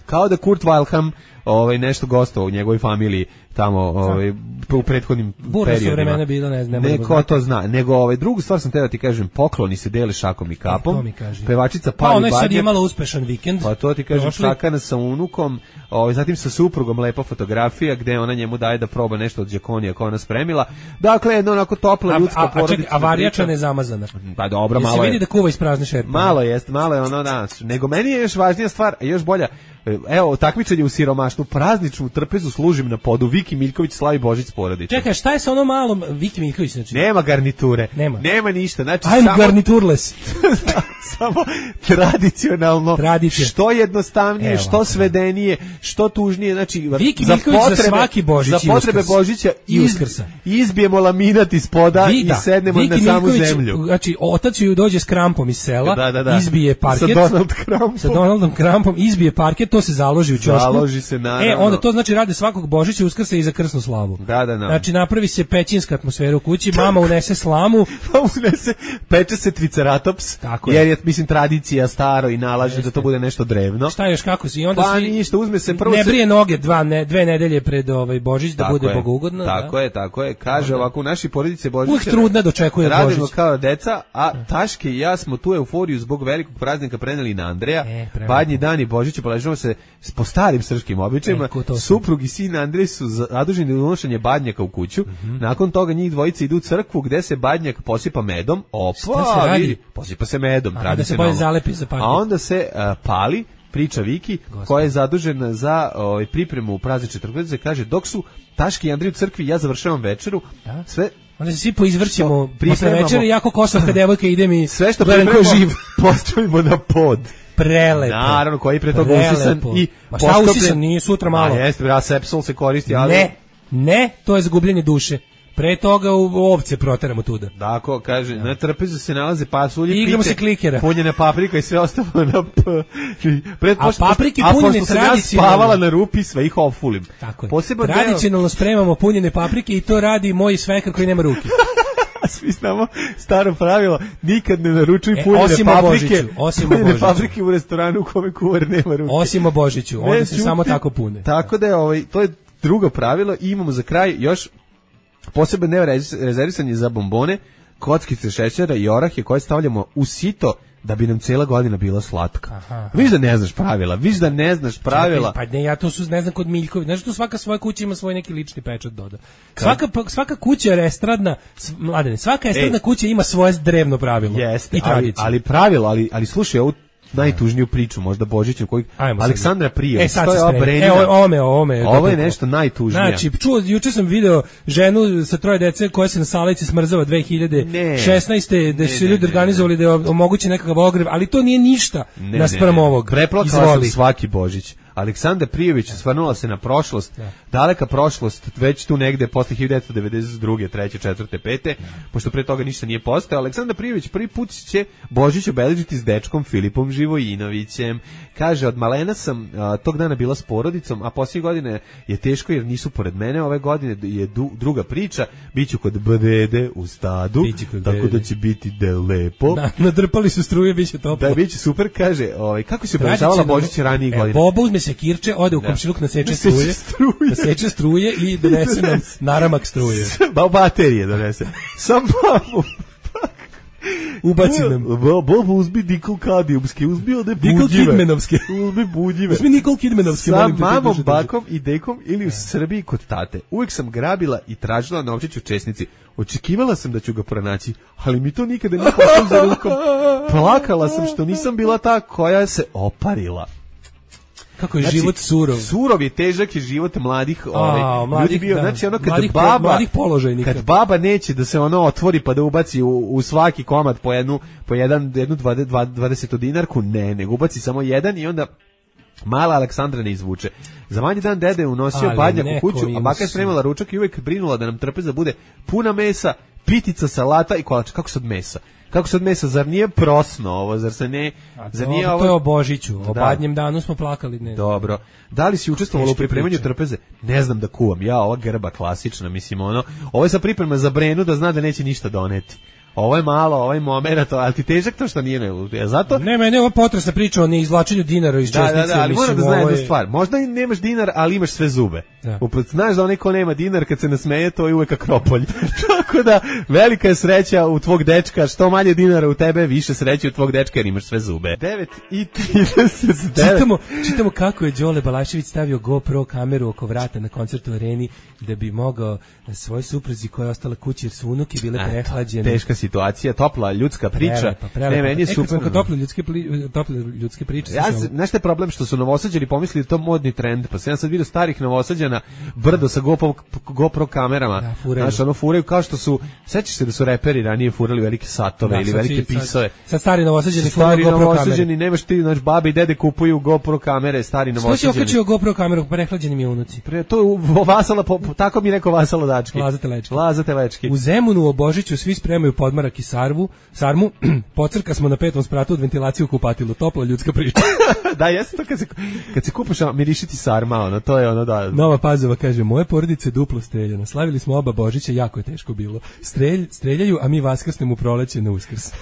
Kao da Kurt Weilham ovaj nešto gostovao u njegovoj familiji tamo ovaj u prethodnim Burno periodima. Burno vremena bilo, ne znam. Neko to zna, nego ovaj drugu stvar sam teo ti kažem, pokloni se dele šakom i kapom. E, pevačica pa Pali ona Badnjak. Pa ona je sad imala uspešan vikend. Pa to ti kažem, Cakana sa unukom, ovaj zatim sa suprugom lepa fotografija gde ona njemu daje da proba nešto od đakonija koje ona spremila. Dakle, jedno onako topla ljudska porodica. A varijača nezamazana. Pa dobro, malo je. Se vidi da kuva iz prazne šerpe. Malo jeste, malo je ono danas. Nego meni je još važnija stvar, još bolja. Evo, takmičenje u siromaštvu, prazničnu trpezu služim na podu, Viki Miljković slavi Božić s porodicom. Čekaj, šta je sa onom malom Viki Miljković? Znači? Nema garniture, nema, nema ništa. Znači, I'm samo, garniturless. samo tradicionalno, Tradicija. Što jednostavnije, Evo, što svedenije, što tužnije. Znači, Viki za potrebe, za svaki Božić za potrebe Uskrsa. Božića i Uskrsa. Izbijemo laminat iz poda Vi, da. i sednemo Viki na samu Miljković, zemlju. Znači, otac ju dođe s krampom iz sela, da, da, da. izbije parket. Sa Donald Krampom. Sa Donaldom Krampom, izbije parket, to se založi u ćošku. Založi se, naravno. E, onda to znači rade svakog Božića, Uskrsa i za krsnu slavu. Da, da, da. Znači, napravi se pećinska atmosfera u kući, mama unese slamu. Mama unese, peče se triceratops, tako jer je, mislim, tradicija staro i nalaže Jeste. da to bude nešto drevno. Šta još, kako si? I onda pa svi ništa, uzme se prvo... Ne brije noge dva, ne, dve nedelje pred ovaj Božić, da tako bude je, bogougodno. Tako da. je, tako je. Kaže ovako, u našoj porodici Božić... Uvijek trudna dočekuje Božić. Radimo kao deca, a Taške i ja smo tu euforiju zbog velikog praznika preneli na Andreja. E, Badnji dan i Božića poležimo se po starim srpskim običajima. E, Suprug i sin Andrej su zaduženi za unošenje badnjaka u kuću. Mm-hmm. Nakon toga njih dvojica idu u crkvu gde se badnjak posipa medom. Opa, vidi, posipa se medom, a, da se bolje zalepi za a onda se uh, pali, priča Viki, Gospod. koja je zadužena za ovaj, pripremu praznične trgovine, kaže, dok su Taški i Andrej u crkvi, ja završavam večeru, da? sve... Onda se svi poizvrćemo posle večere, jako kosovka devojka ide mi sve što pripremamo živ. Postavimo na pod. Prelepo. Naravno, koji pre toga usisan i ma šta usisan, nije sutra malo. A jeste, bra, sepsul se koristi, ali... Ne, ne, to je zagubljenje duše. Pre toga u ovce proteramo tuda. Tako, kaže, na trpezu se nalaze pasulje, I igramo se klikera. Punjena paprika i sve ostalo na p... Pred, a paprike punjene tradicionalno. A pošto sam ja spavala na rupi, sve ih ofulim. Tako je. Posebno tradicionalno deo... spremamo punjene paprike i to radi moj svekar koji nema ruke. Svi znamo staro pravilo, nikad ne naručuj e, punjene osim paprike. Osim punjene paprike u restoranu u kome kuvar nema ruke. Osim o Božiću, onda ne, se čuti, samo tako pune. Tako da je, ovaj, to je drugo pravilo i imamo za kraj još posebno nerezervisanje za bombone, kockice šećera i orahe koje stavljamo u sito da bi nam cijela godina bila slatka. Aha. Viš da ne znaš pravila, viš da ne znaš pravila. Pa ne, ja to su, ne znam, kod Miljković. Znaš, tu svaka svoja kuća ima svoj neki lični pečat doda. Svaka, svaka kuća je estradna, mladene, svaka estradna e, kuća ima svoje drevno pravilo. Jeste, i tradiciju. Ali, ali pravilo, ali, ali slušaj, ovu najtužniju priču, možda Božiću, koji Aleksandra Prije. E, sad se spremi. E, ovo me, ovo me. Ovo je nešto najtužnije. Znači, čuo, juče sam video ženu sa troje dece koja se na Salici smrzava dve hiljade šesnaeste da su ljudi organizovali da omoguće nekakav ogrev, ali to nije ništa naspram ovog. Preplakala sam svaki Božić. Aleksandra Prijović osvrnula se na prošlost, da. daleka prošlost, već tu negde posle hiljadu devetsto devedeset druge, treće, četvrte, pete, pošto pre toga ništa nije postao. Aleksandra Prijović prvi put će Božić obeležiti s dečkom Filipom Živojinovićem. Kaže, od malena sam a, tog dana bila s porodicom, a poslije godine je teško jer nisu pored mene. Ove godine je du, druga priča, biću kod dede u stadu, tako da će biti de lepo. Da, nadrpali su struje, biće toplo. Da, biće super, kaže, ovaj, kako se obeležavala Božić ranijih godina. Boba uzme se kirče, ode u komšiluk, naseče struje, naseče struje i donese nam naramak struje. Ba baterije donese. Sam babu. Ubaci nam. Bobo uzmi Nikol Kadijumski, uzmi ode budjive. Nikol Kidmenovski. Uzmi budjive. Uzmi Nikol Kidmenovski. Sa mamom, bakom i dekom ili u Srbiji kod tate. Uvijek sam grabila i tražila novčić u česnici. Očekivala sam da ću ga pronaći, ali mi to nikada nije pošlo za rukom. Plakala sam što nisam bila ta koja se oparila. Kako je znači, život surov. Surov je, težak je život mladih, ovaj, A, mladih, ljudi bio, da. znači ono kad mladih, baba, mladih položajnika. Kad baba neće da se ono otvori pa da ubaci u, u svaki komad po jednu, po jedan, jednu dvadeset dinarku, ne, nego ubaci samo jedan i onda mala Aleksandra ne izvuče. Za manji dan dede je unosio ali badnjak u kuću, a baka je spremala ručak i uvijek brinula da nam trpeza bude puna mesa, pitica, salata i kolač. Kako sad mesa? Kako sad mesa? Zar nije prosno ovo? Zar se ne... Zar nije to ovo... je o Božiću. O da. Badnjem danu smo plakali. Ne. Dobro. Da li si učestvovala u pripremanju trpeze? Ne znam da kuvam. Ja, ova grba klasična, mislim ono. Ovo je sa priprema za Brenu da zna da neće ništa doneti. Ovo je malo, ovaj momenat, ali ti težak to što nije ne. Zato ne, mene ovo potresna priča o neizvlačenju dinara iz česnice. Da, da, da, ali moram da znaš jednu je... stvar. Možda i nemaš dinar, ali imaš sve zube. Da. Uput, znaš da onaj ko nema dinar kad se nasmeje, to je uvek akropolj. Tako da velika je sreća u tvog dečka, što manje dinara u tebe, više sreće u tvog dečka jer imaš sve zube. devet i trideset devet Čitamo, čitamo kako je Đole Balašević stavio GoPro kameru oko vrata na koncertu u Areni da bi mogao svoj supruzi koja je ostala kući jer su unuke bile prehlađene. Teška situacija, topla ljudska priča. Prelepa, prelepa. Ne, meni je e, super. Kad tople ljudske, pli, tople ljudske priče. Ja, znaš šta je problem što su Novosađani pomislili to modni trend, pa sam ja sad vidio starih Novosađana brdo sa GoPro, GoPro kamerama. Da, furaju. Znaš, ono furaju kao što su, sećaš se da su reperi ranije furali velike satove da, ili velike si, pisove. Sad, sad stari Novosađani stari GoPro Novosađani, nemaš ti, znaš, babi i dede kupuju GoPro kamere, stari Novosađani. Što si okačio GoPro kameru, prehlađeni mi unuci? Pre, to je Vasala, po, tako mi rekao Vasala Dački. Laza Telečki. Laza Telečki. U Zemunu o Božiću svi spremaju podmarak i sarvu, sarmu, pocrka smo na petom spratu od ventilaciju u kupatilu, topla ljudska priča. Da, jeste to kad se, kad se kupaš mirišiti sarma, ono, to je ono da... Nova Pazova kaže, moje porodice duplo streljano, slavili smo oba Božića, jako je teško bilo. Strelj, streljaju, a mi vaskrsnemo u proleće na Uskrs.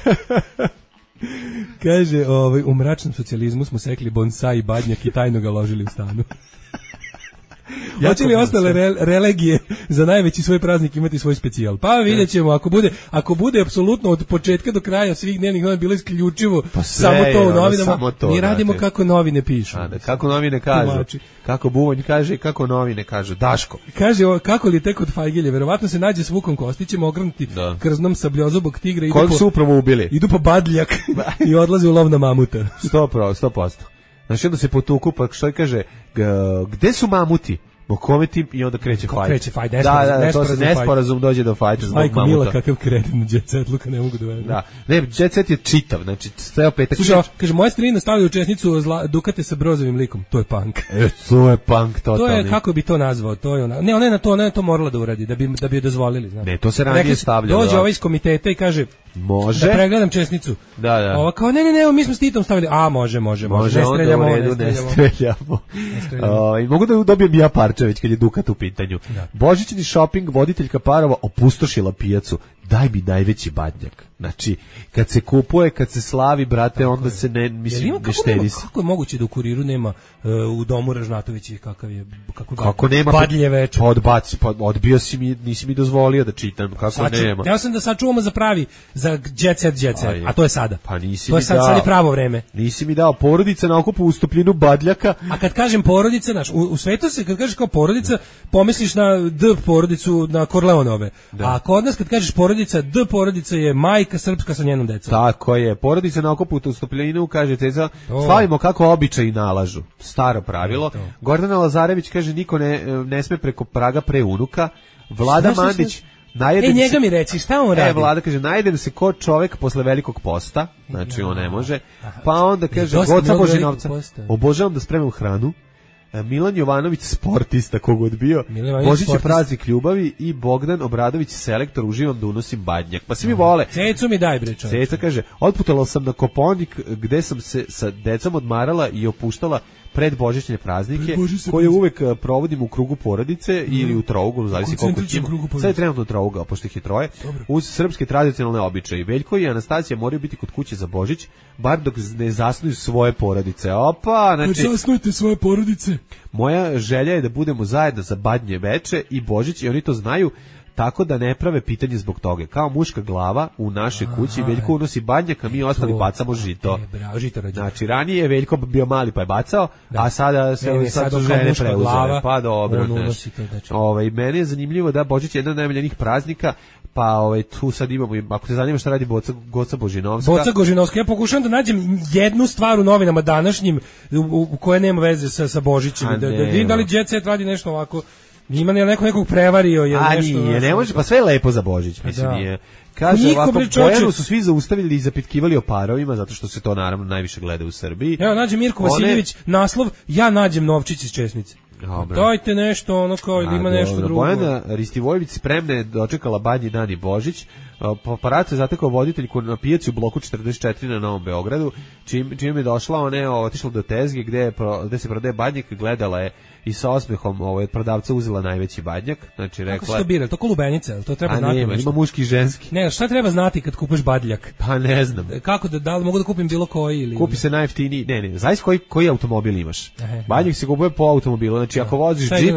Kaže, ovaj, u mračnom socijalizmu smo sekli bonsai i badnjak i tajno ga ložili u stanu. Hoće li ostale re, relegije za najveći svoj praznik imati svoj specijal? Pa vidjet ćemo, ako bude, ako bude apsolutno od početka do kraja svih dnevnih novina bilo isključivo pa samo to u novinama, to, mi radimo znate. Kako novine pišu. A, da, kako novine kažu, Tumači. Kako Buvanj kaže i kako novine kažu. Daško. Kaže, o, kako li tek od Fajgilje, verovatno se nađe s Vukom Kostićem ogrnuti da. Krznom sabljozubog tigra. Idu Kojeg po, su upravo ubili? Idu po badljak i odlaze u lov na mamuta. sto posto, sto posto. Znači onda se potuku, pa što kaže, gde su mamuti? Kome ti i onda kreće fajt. Kreće fajt, da, da, da, to se nesporazum dođe do fajta zbog mamuta. Majko Mila, kakav kreten Jet Set, Luka, ne mogu da verujem. Da, ne, Jet Set je čitav, znači, ceo petak. Slušaj, kaže, moja strina stavlja u česnicu zla, Dukate sa brozovim likom, to je punk. E, to je punk, totalni. To je, kako bi to nazvao, to je ona, ne, ona je na to, ona je to morala da uradi, da bi, da bi je dozvolili, znaš. Ne, to se ranije stavlja. Dođe ovaj iz komiteta i kaže, može. Da pregledam česnicu. Da, da. Ova kao, ne, ne, ne, mi smo s Titom stavili, a, može, može, može, može ne streljamo, ne streljamo. Ne streljamo. Ne streljamo. Uh, mogu da dobijem ja parčević kad je Dukat u pitanju. Da. Božićni shopping, voditeljka parova opustošila pijacu. Daj mi najveći badnjak. Znači, kad se kupuje, kad se slavi, brate, tako onda je. Se ne, mislim, ne štedi se. Kako je moguće da u Kuriru nema uh, u domu Ražnatovići kakav je, kako, kako nema, badlje večer? Pa odbaci, pa odbio si mi, nisi mi dozvolio da čitam, kako sad nema. Ja sam da sačuvamo za pravi, za jet set, jet set, a to je sada. Pa nisi to je mi sad, dao, sad je pravo vreme. Nisi mi dao porodica na okupu u stopljinu badljaka. A kad kažem porodica, znaš, u, u svetu se, kad kažeš kao porodica, pomisliš na D porodicu, na Korleonove. Da. A kod nas kad kažeš porodica, D porodica je majka srpska sa njenom decom. Tako je, porodica na okupu u stopljinu, kaže teza, slavimo kako običaji nalažu. Staro pravilo. Gordana Lazarević kaže, niko ne, ne sme preko praga pre unuka. Vlada šta, Mandić, šta, šta? E, njega se, mi reci, šta on radi? E, Vlada kaže, najedem se ko čovek posle velikog posta, znači on ne može, pa onda kaže, Goca Božinovca, obožavam da spremam hranu, Milan Jovanović sportista kogod bio, Božić je praznik ljubavi i Bogdan Obradović selektor, uživam da unosim badnjak. Pa svi mi vole. Cecu mi daj bre čovječe. Ceca kaže, otputala sam na Koponik gde sam se sa decom odmarala i opuštala pred božićne praznike, koje uvek provodim u krugu porodice mm. ili u trouglu, zavisi koliko ima. Sad je trenutno trougao, pošto ih je troje. Dobro. Uz srpske tradicionalne običaje. Veljko i Anastasija moraju biti kod kuće za Božić, bar dok ne zasnuju svoje porodice. Opa, znači... Kad zasnujete svoje porodice? Moja želja je da budemo zajedno za badnje veče i Božić i oni to znaju, tako da ne prave pitanje zbog toga. Kao muška glava u našoj kući, Veljko unosi badnjak, a mi ostali bacamo žito. E, bravo, žito rađe. Znači, ranije je Veljko bio mali pa je bacao, da. A sada se ne, ne, sad su žene preuzele. Pa dobro, znači. Ovaj, meni je zanimljivo da Božić je jedan od najmiljenijih praznika, pa ovaj, tu sad imamo, ako te zanima šta radi Boca, Goca Božinovska. Boca Božinovska, ja pokušavam da nađem jednu stvar u novinama današnjim u, u koje nema veze sa, sa Božićem. Da, da vidim da li Jet Set radi nešto ovako. Ima li neko nekog prevario ili a nešto? A nije, ne može, pa sve je lepo za Božić, mislim da. Nije. Kaže niko ovako, Bojanu su svi zaustavili i zapitkivali o parovima, zato što se to naravno najviše gleda u Srbiji. Evo, nađe Mirko One... Vasiljević, naslov, ja nađem novčić iz česnice. Dobre. Dajte nešto, ono kao, ili ima nešto drugo. Bojana Ristivojević spremna je dočekala badnji dan i Božić. Paparac je zatekao voditeljku na pijaci u bloku četrdeset četiri na Novom Beogradu, čim, čim je došla, ona je otišla do tezge gde, gde se prodaje badnjak, gledala je i sa osmehom ovaj, prodavca uzela najveći badnjak. Znači, rekla, kako se to bira? To kolubenica, to treba a znati. Nema, ima muški i ženski. Ne, šta treba znati kad kupiš badljak? Pa ne znam. Kako da, da li mogu da kupim bilo koji? Ili... Kupi se najjeftiniji, ne, ne, zavis koji, koji automobil imaš. Ehe, badljak se kupuje po automobilu, znači ako voziš džip,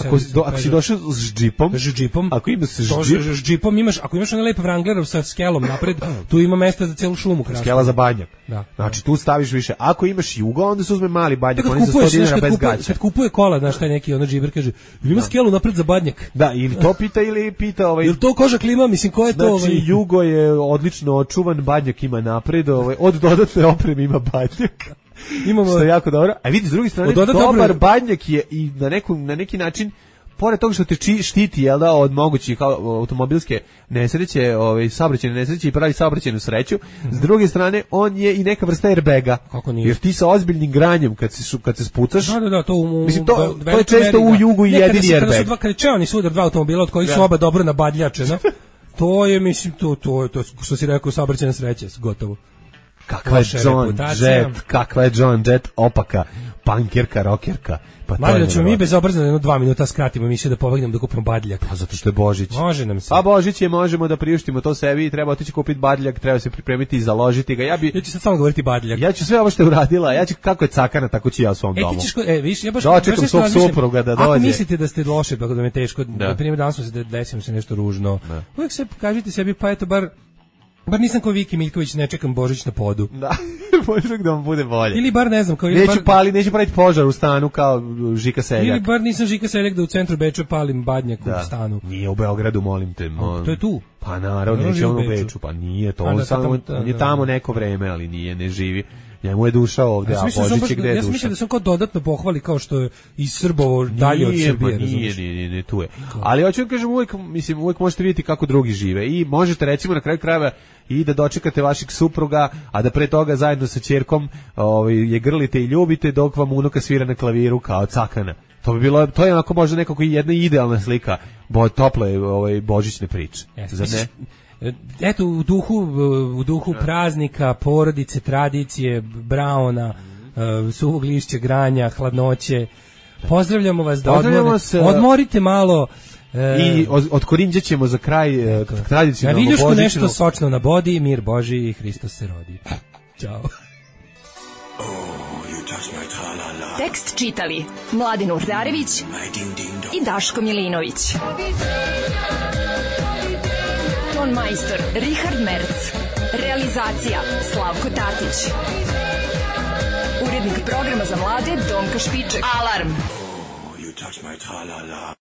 ako, do, ako si došao s džipom, džipom ako imaš s džip, džipom imaš, ako imaš onaj lep Wranglerov sa skelom napred, tu ima mesta za celu šumu. Krasno. Skela za badnjak. Da, znači tu staviš više. Ako imaš Jugo, onda se uzme mali badnjak, oni za sto dinara bez gaća. Kad kupuje kola, znaš, taj neki ono džiber kaže, ima skelu napred za badnjak. Da, ili to pita ili pita ovaj. Jel to koža klima, mislim ko je to ovaj? Znači Jugo je odlično očuvan, badnjak ima napred, ovaj od dodatne opreme ima badnjak. Imamo što je jako dobro. A vidi s druge strane, dobar badnjak je i na neku na neki način pored toga što te či, štiti jel da, od mogućih automobilske nesreće, ovaj, saobraćajne nesreće i pravi saobraćajnu sreću, mm-hmm. S druge strane, on je i neka vrsta airbaga. Kako nije? Jer ti sa ozbiljnim granjem, kad se, kad se spucaš, da, da, da, to, u, mislim, to, to je često u Jugu i jedini airbag. Kada su dva, kada je čeoni sudar dva automobila, od kojih su oba dobro nabadljačena, to je, mislim, to, to, to, što si rekao, saobraćajna sreća, gotovo. Kakva je John Jett, kakva je John Jett opaka, pankerka, rokerka. Pa Mali da ćemo mi bezobrazno jedno dva minuta skratimo emisiju da pobegnemo da kupimo badljak. Pa zato što je Božić. Može nam se. Pa Božić je, možemo da priuštimo to sebi, treba otići kupiti badljak, treba se pripremiti i založiti ga. Ja bi Ja ću sad samo govoriti badljak. Ja ću sve ovo što je uradila, ja ću kako je cakana, tako ću ja u svom e, domu. Ćeš, e, viš, ja baš dočekam svog supruga da dođe. Ako mislite da ste loše, pa da me teško, na primjer danas se desilo se nešto ružno. Da. Uvijek se kažite sebi, pa eto bar bar nisam kao Viki Miljković, ne čekam Božić na podu. Da, možda da vam bude bolje. Ili bar ne znam, kao ili neću bar pali, neću praviti požar u stanu kao Žika Seljak. Ili bar nisam Žika Seljak da u centru Beča palim badnjak da. U stanu. Nije u Beogradu, molim te. Mol... To je tu. Pa naravno, neće on u Beču, pa nije to. On, samo, on je tamo neko vreme, ali nije, ne živi. Njemu je duša ovde, ja a Božić je gde je duša. Ja mislim da sam kao dodatno pohvali kao što je iz Srbovo dalje od Srbije. Nije, nije, nije, nije, nije, tu je. Ali hoću da kažem, uvijek, mislim, uvijek možete vidjeti kako drugi žive i možete recimo na kraju krajeva i da dočekate vašeg supruga, a da pre toga zajedno sa ćerkom ovaj, je grlite i ljubite dok vam unuka svira na klaviru kao cakana. To bi bilo, to je onako možda nekako jedna idealna slika bo, tople ovaj, božićne priče. Zar ne? Eto, u duhu, u duhu praznika, porodice, tradicije, brauna, uh, suvog lišća, granja, hladnoće, pozdravljamo vas da odmor, se, odmorite malo. Uh, I od, od Korinđa ćemo za kraj uh, tradicionalno božićno. Na viljušku nešto sočno na bodi, mir Boži i Hristos se rodi. Ćao. Tekst čitali Mladin Urdarević i Daško Milinović. Ton majstor Richard Merc. Realizacija Slavko Tatić. Urednik programa za mlade Donka Špiček. Alarm! Oh, you touch my tra-la-la.